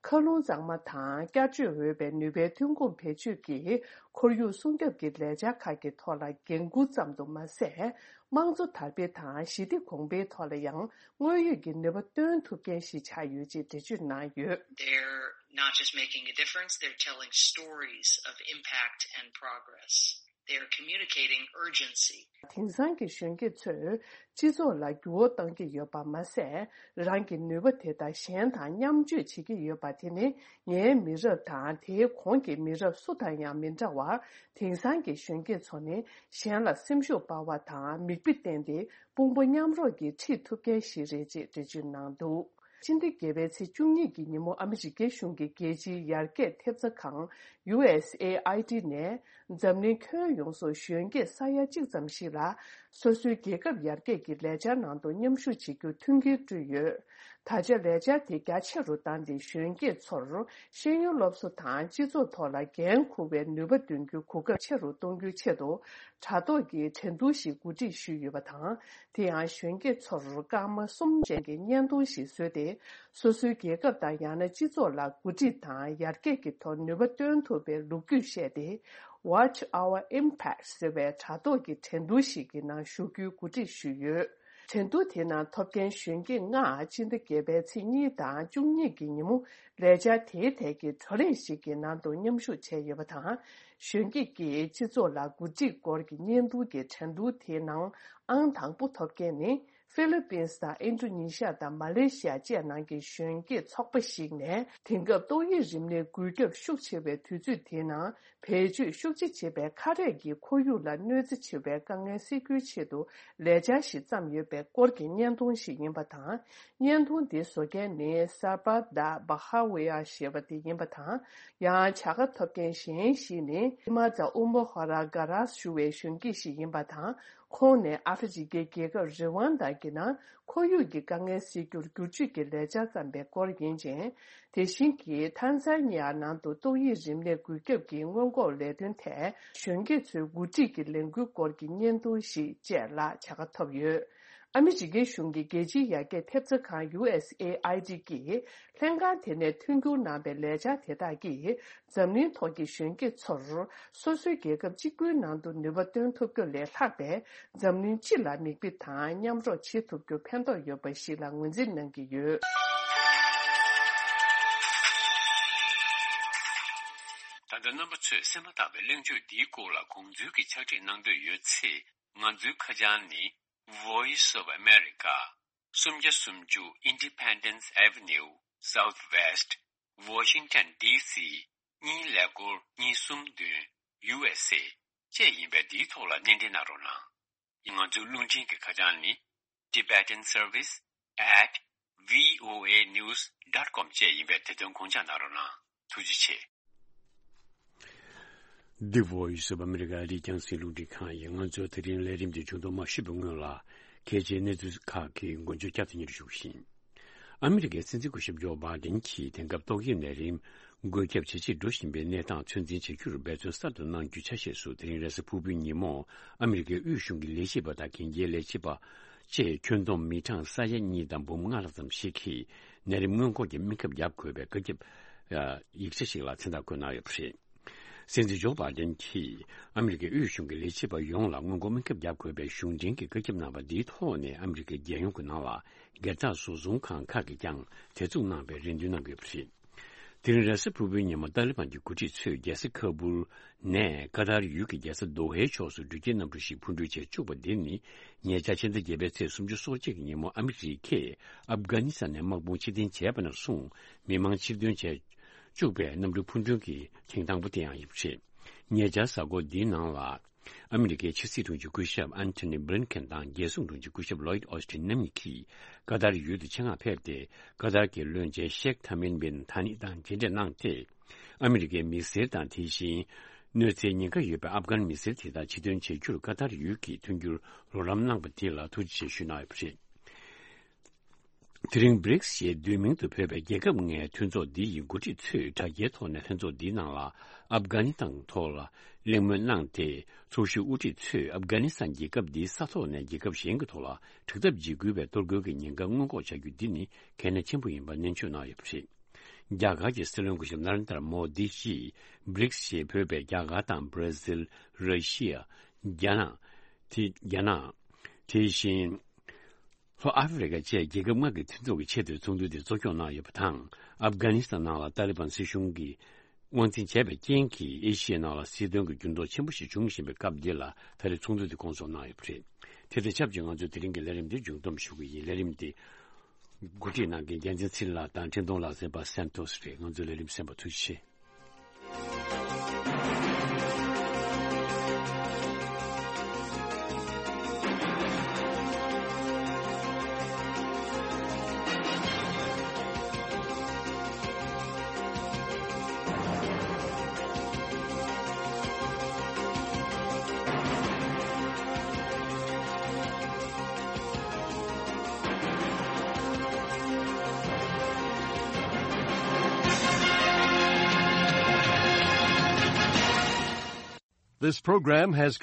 མཁའ་རླུང་གཙང་མ་དང་བསྐྱར་བཅོས་འོས་པའི་ནུས་པའི་ཐོན་ཁུངས་བེད་སྤྱོད་ཀྱིས་ཁོར་ཡུག་སྲུང་སྐྱོབ་ཀྱི་ལས་འཆར་ཁག་གི་ཐོག་ལ་འགན་འཁུར་ཙམ་དུ་མ་ཟད། དམངས་གཙོ་དར་སྤེལ་དང་ཞི་བདེ་གོང་འཕེལ་ཐོག་ལ་ཡང་དངོས་ཡོད་ཀྱི་ནུས་པ་སྟོན་ཐུབ་མཁན་ཞིག་ཆགས་ཡོད་ཅེས་འགྲེལ་བརྗོད་གནང་ཡོད། They're not just making a difference, they're telling stories of impact and progress. They are communicating urgency. དེང་སང་གི་གཞོན་སྐྱེས་ཚོས་སྤྱི་ཚོགས་ལ་འགྱུར་བ་གཏོང་གི་ཡོད་པ་མ་ཟད། རང་གི་ནུས་པ་དེ་དག་གཞན་དང་མཉམ་སྤྱོད་བྱེད་ཀྱི་ཡོད་པ་དེ་ནི་ངའི་མི་རབས་དང་དེའི་གོང་གི་མི་རབས་སུ་དང་ཡང་མི་འདྲ་བར། དེང་སང་གི་གཞོན་སྐྱེས་ཚོ་ནི་གཞན་ལ་སེམས་ཤུགས་སྤར་བ་དང་མིག་དཔེ་བསྟན་ཏེ་དཔུང་པ་མཉམ་རོགས་ཀྱིས་ཁྲིད་ཐུབ་མཁན་ཞིག་རེད་ཅེས་འགྲེལ་བརྗོད་གནང་འདུག་སྤྱི་ཟླ་བརྒྱད་པའི་ཚེས་བཅུ་གཉིས་ཀྱི་ཉིན་མོ་ཨ་མི་རི་ཀའི་གཞུང་གི་རྒྱལ་སྤྱིའི་ཡར་རྒྱས་ཐེབས་རྩ་ཁང་ཡུ་ཨེས་ཨེ་ཨའི་ཌི་ནས་འཛམ་གླིང་ཁྱོན་ཡོངས་སུ་གཞོན་སྐྱེས་ས་ཡ་གཅིག་ཙམ་ཞིག་ལ་སོ་སོའི་རྒྱལ་ཁབ་ཡར་རྒྱས་ཀྱི་ལས་འཆར་ནང་དུ་མཉམ་ཞུགས་བྱེད་རྒྱུར་མཐུན་རྐྱེན་བསྐྲུན་ཡོད། ད་ཆ་ལས་འཆར་དེ་རྒྱ་ཆེ་རུ་བཏང་སྟེ་གཞོན་སྐྱེས་ཚོར་ཤེས་ཡོན་སློབ་གསོ་དང་སྤྱི་ཚོགས་ཐོག་ལ་འགན་འཁུར་བའི་ནུས་པ་འདོན་རྒྱུའི་གོ་སྐབས་ཆེ་རུ་གཏོང་རྒྱུའི་ཆེད་དུ་དྲ་ཐོག་གི་འགྲན་བསྡུར་ཞིག་གོ་སྒྲིག་ཞུས་ཡོད་པ་དང་། དེ་ཡང་གཞོན་སྐྱེས་ཚོར་སྐར་མ་གསུམ་ཅན་གྱི་བརྙན་ཐུང་ཞིག་བཟོས་ཏེ། སོ་སོའི་རྒྱལ་ཁབ་དང་ཡང་ན་སྤྱི་ཚོགས་ལ་འགོ་ཁྲིད་དང་ཡར་རྒྱས་ཀྱི་ཐོག་ནུས་པ་བཏོན་ཐུབ་པའི་ལོ་རྒྱུས་བཤད་དེ། Watch Our Impact ཟེར་བའི་དྲ་ཐོག་གི་འགྲན་བསྡུར་ཞིག་གི་ནང་ཞུགས་རྒྱུའི་གོ་སྒྲིག་ཞུས་ཡོད། འགྲན་བསྡུར་དེའི་ནང་ཐོབ་མཁན་གཞོན་སྐྱེས་ལྔ་སྤྱི་ཟླ་བརྒྱད་པའི་ཚེས་གཉིས་དང་བཅུ་གཉིས་ཀྱི་ཉིན་མོ་ལས་འཆར་དེའི་ཐད་ཀྱི་བགྲོ་གླེང་ཞིག་གི་ནང་དུ་མཉམ་ཞུགས་བྱས་ཡོད་པ་དང་། གཞོན་སྐྱེས་ཀྱིས་སྤྱི་ཚོགས་ལ་འགོ་ཁྲིད་སྐོར་གྱི་བརྙན་ཐུང་གི་འགྲན་བསྡུར་དེའི་ནང་ཨང་དང་པོ་ཐོབ་མཁན་ནི། ཧྥི་ལི་པིན་དང་ཨིན་ཌོ་ནེ་ཤི་ཡ་དང་མ་ལེ་ཤི་ཡ་བཅས་ནང་གི་གཞོན་སྐྱེས་ཚོགས་པ་ཞིག་ནས། དེང་སྐབས་ཏོག་དབྱིབས་རིམས་ནད་འགོས་ཁྱབ་ཤུགས་ཆེ་བའི་དུས་ཚོད་དེའི་ནང་བེད་སྤྱོད་ཤུགས་ཆེ་བྱེད་པའི་ཁ་རས་ཀྱིས་ཁོར་ཡུག་ལ་གནོད་འཚེ་ཆེ་བའི་དཀའ་ངལ་སེལ་རྒྱུའི་ཆེད་དུ་ལས་འཆར་ཞིག་བརྩམས་ཡོད་པའི་སྐོར་གྱི་བརྙན་ཐུང་ཞིག་ཡིན་པ་དང་། བརྙན་ཐུང་འདི་བཟོ་མཁན་ནི་སར་པ་དཱ་བྷ་ཧ་ཝེ་ཡ་ཞེས་པ་དེ་ཡིན་པ་དང་། ཡང་བྱ་དགའ་ཐོབ་མཁན་གཞན་ཞིག་ནི་ཧི་མ་ཛ་ཨུ་མོ་ཧོ་ར་ག་རཱས་ཞུ་བའི་གཞོན་སྐྱེས་ཤིག་ཡིན་པ་དང་། ཁོང་ནས་ཨ་ཧྥེ་རི་ཁའི་རྒྱལ་ཁབ་རི་ཝན་དཱ་གི་ནང་ཁོར་ཡུག་གི་དཀའ་ངལ་སེལ་རྒྱུར་བསྒྱུར་བཅོས་ཀྱི་ལས་འཆར་བརྩམས་པའི་སྐོར་ཡིན་ཅིང་། དེ་བཞིན་གྱི་ཐན་ཛ་ནི་ཡ་ནང་དུ་ཏོག་དབྱིབས་རིམས་ནད་འགོས་ཁྱབ་ཀྱི་སྔོན་འགོག་ལས་དོན་ཐད་གཞོན་སྐྱེས་ཚོའི་འགོ་ཁྲིད་ཀྱི་ལས་འགུལ་སྐོར་གྱི་བརྙན་ཐུང་ཞིག་བཅས་ལ་བྱ་དགའ་ཐོབ་ཡོད། ཨ་མི་རི་ཀའི་གཞུང་གི་རྒྱལ་སྤྱིའི་ཡར་རྒྱས་ཐེབས་རྩ་ཁང་ཡུ་ཨེས་ཨེ་ཨའི་ཌི་གིས་ལྷན་ཁང་དེ་ནས་མཐུན་འགྱུར་གནང་པའི་ལས་འཆར་དེ་དག་གིས། འཛམ་གླིང་ཐོག་གི་གཞོན་སྐྱེས་ཚོར་སོ་སོའི་རྒྱལ་ཁབ་གཅིག་པུའི་ནང་དུ་ནུས་པ་བཏོན་ཐུབ་རྒྱུ་ལས་ལྷག་པའི་འཛམ་གླིང་སྤྱི་ལ་མིག་དཔེ་དང་མཉམ་རོགས་བྱེད་ཐུབ་རྒྱུ་ཕན་ཐོགས་ཡོད་པ་ཞིག་ལ་ངོས་འཛིན་གནང་གི་ཡོད། ད་ལྟ་རྣམ་པ་ཚོས་གསན་པ་ལྟ་བུའི་གླེང་བརྗོད་འདིའི་སྐོར་ལ་དགོངས་ཚུལ་གྱི་ཕྱག་བྲིས་གནང་འདོད་ཡོད་ཚེ། ང་ཚོའི་ཁ་བྱང་ནི། Voice of America། སུམ་བརྒྱ་སུམ་ཅུ་Independence Avenue Southwest། Washington D C གཉིས་ཀླད་ཀོར་གཉིས་གསུམ་བདུན། U S A བཅས་ཡིན་པས་འདིའི་ཐོག་ལ་སྣེ་འདྲེན་གནང་རོགས་གནང་། ང་ཚོའི་རླུང་འཕྲིན་གྱི་ཁ་བྱང་ནི། Tibetan Service at V O A news dot com བཅས་ཡིན་པས་དེ་དོན་དགོངས་འཇགས་གནང་རོགས་གནང་། ཐུགས་རྗེ་ཆེ། འདི་Voice of America རི་རྒྱང་སྲིང་རླུང་འཕྲིན་ཁང་ཡིན། ང་ཚོའི་དེ་རིང་ལས་རིམ་འདི་བྱུང་དོན་མ་ཞུས་པའི་སྔོན་ལ། གལ་ཆེའི་གནས་ཚུལ་ཁག་གི་མགོ་བརྗོད་བསྐྱར་དུ་སྙན་སྒྲོན་ཞུ་བཞིན། ཨ་མི་རི་ཀའི་སྲིད་འཛིན་སྐུ་ཞབས་ཇོ་བྷའི་ཌེན་གྱིས་དེང་སྐབས་ཏོག་དབྱིབས་ནད་རིམས་འགོས་ཁྱབ་ཇེ་ཆེར་འགྲོ་བཞིན་པའི་གནས་སྟངས་ཚོད་འཛིན་བྱ་རྒྱུར་འབད་བརྩོན་གསར་དུ་གནང་རྒྱུའི་ཆ་ཤས་སུ། དེ་རིང་རེས་གཟའ་ཕུར་བུའི་ཉིན་མོ་ཨ་མི་རི་ཀའི་དབུས་གཞུང་གི་ལས་བྱེད་པ་དང་གན་རྒྱའི་ལས་བྱེད་པ་བཅས་ཁྱོན་བསྡོམས་མི་གྲངས་ས་ཡ་གཉིས་དང་འབུམ་ལྔ་ལྷག་ཙམ་ཞིག་གིས་ནད་རིམས་སྔོན་འགོག་གི་སྨན་ཁབ་བརྒྱབ་དགོས་པའི་བཀའ་ཁྱབ་ཡིག་ཆ་ཞིག་ལ་མཚན་རྟགས་བཀོད་གནང་ཡོད་པ་རེད། སྲིད་འཛིན་ཇོ་བྷའི་ཌེན་གྱིས་ཨ་མི་རི་ཀའི་དབུས་གཞུང་གི་ལས་བྱེད་པ་ཡོངས་ལ་སྔོན་འགོག་སྨན་ཁབ་བརྒྱབ་དགོས་པའི་གཞུང་འབྲེལ་གྱི་བཀའ་ཁྱབ་གནང་བ་འདིའི་ཐོག་ནས་ཨ་མི་རི་ཀའི་རྒྱལ་ཡོངས་ཀྱི་ནང་ལ་སྒེར་བདག་བཟོ་ཚོང་ཁང་ཁག་གིས་ཀྱང་དེ་མཚུངས་གནང་བའི་རེ་འདུན་གནང་གི་ཡོད་པ་རེད། དེ་རིང་རེས་གཟའ་ཕུར་བུའི་ཉིན་མོ་ཏཱ་ལི་བན་གྱི་འགོ་ཁྲིད་ཚོས་རྒྱལ་ས་ཁ་བུལ་ནས་ཀ་ཏར་ཡུལ་གྱི་རྒྱལ་ས་དོ་ཧའི་ཕྱོགས་སུ་འགྲུལ་སྐྱེལ་གནམ་གྲུ་ཞིག་འཕུར་འགྲུལ་བྱས་བཅུག་པ་འདི་ནི་ཉེ་ཆར་ཕྱི་ཟླ་བརྒྱད་པའི་ཚེས་སུམ་ཅུ་སོ་གཅིག་གི་ཉིན་མོ་ཨ་མི་རི་ཀས་ཨབ་གྷ་ནི་སི་ཐན་ནས་དམག་དཔུང་ཕྱིར་འཐེན་བྱས་པ་ནས་བཟུང་མི་མང་ཕྱིར་ཐོན་བྱས་བཅུག་པའི་གནམ་གྲུ་འཕུར་འགྲུལ་གྱི་ཐེངས་དང་པོ་དེ་ཡང་ཡིན་པ་རེད། ཉེ་ཆར་གཟའ་འཁོར་འདིའི་ནང་ལ། ཨ་མི་རི་ཀའི་ཕྱི་སྲིད་དྲུང་ཆེ་སྐུ་ཞབས་ཨན་ཐོ་ནི་བྷི་ལིན་ཁེན་དང་རྒྱལ་སྲུང་དྲུང་ཆེ་སྐུ་ཞབས་ལོའིད་ཨོ་སི་ཐིན་རྣམ་གཉིས་ཀྱིས་ཀ་ཏར་ཡུལ་དུ་ཆེད་མངགས་ཕེབས་ཏེ། ཀ་ཏར་གྱི་བློན་ཆེན་ཤེག་ཐ་མིམ་བིན་ཐ་ནི་དང་མཇལ་འཕྲད་གནང་སྟེ། ཨ་མི་རི་ཀའི་མི་སེར་དང་དེ་བཞིན་གནོད་འཚེའི་ཉེན་ཁ་ཡོད་པའི་ཨབ་གྷན་མི་སེར་དེ་དག་ཕྱིར་ཐོན་བྱེད་རྒྱུར་ཀ་ཏར་ཡུལ་གྱིས་མཐུན་འགྱུར་རོགས་རམ་གནང་པ་དེ་ལ་ཐུགས་རྗེ་ཆེ་ཞུས་གནང་ཡོད་པ་རེད། དེ་རིང་བྷི་རིགས་ཞེས་བསྡུས་མིང་དུ་འབོད་པའི་རྒྱལ་ཁབ་ལྔའི་མཐུན་ཚོགས་འདི་ཡི་འགོ་ཁྲིད་ཚོས་དྲ་རྒྱའི་ཐོག་ནས་ལྷན་ཚོགས་འདིའི་ནང་ལ་ཨབ་གྷ་ནི་སྟན་ཐོག་ལ་གླེང་མོལ་གནང་སྟེ། ཚོགས་ཞུགས་དབུ་ཁྲིད་ཚོས་ཨབ་གྷ་ནི་སྟན་རྒྱལ་ཁབ་འདིའི་ས་ཐོག་ནས་རྒྱལ་ཁབ་གཞན་གྱི་ཐོག་ལ་དྲག་འཐབ་འཇིགས་སྐུལ་བའི་གཏོར་རྒོལ་གྱི་ཉེན་ཁ་སྔོན་འགོག་བྱ་རྒྱུ་འདི་ནི་གལ་གནད་ཆེན་པོ་ཡིན་པ་ནན་བརྗོད་གནང་ཡོད་པ་རེད། རྒྱ་གར་གྱི་སྲིད་བློན་སྐུ་ཞབས་ན་རེན་དར་མོ་དི་ཡིས་བྷི་རིགས་ཞེས་འབོད་པའི་རྒྱ་གར་དང་བྷ་ར་ཟིལ། ར་ཤི་ཡ། རྒྱ་ནག་དེ་རྒྱ་ནག་དེ་བཞིན་ལྷོ་ཨ་ཧྥེ་རི་ཁ་བཅས་རྒྱལ་ཁབ་ལྔ་གི་མཐུན་ཚོགས་ཀྱི་ཆེས་མཐོའི་ཚོགས་འདུ་དེ་གཙོ་སྐྱོང་གནང་ཡོད་པ་དང་། ཨབ་གྷ་ནི་སི་ཐན་ནང་ལ་ཏཱ་ལི་བན་སྲིད་གཞུང་གིས་དབང་འཛིན་བྱས་པའི་རྐྱེན་གྱིས་ཨེ་ཤི་ཡའི་ནང་ལ་སྲིད་དོན་གྱི་འགྱུར་ལྡོག་ཆེན་པོ་ཞིག་འབྱུང་བཞིན་པའི་སྐབས་འདི་ལ་ད་རེས་ཚོགས་འདུ་དེ་སྐོང་ཚོགས་གནང་ཡོད་པ་རེད། དེ་དང་ཆབས་ཅིག་ང་ཚོས་དེ་རིང་གི་ལས་རིམ་འདི་མཇུག་བསྡོམས་ཞུ་གི་ཡིན། ལས་རིམ་འདི་འགོ་ཁྲིད་གནང་མཁན་རྒྱལ་མཚན་ཚེ་རིང་ལགས་དང་འཕྲིན་གཏོང་ལག་རྩལ་པ་སན་ཏོས་རེད། ང་ཚོའི་ལས་རིམ་གསན་པར་ཐུགས་རྗེ་ཆེ། This program has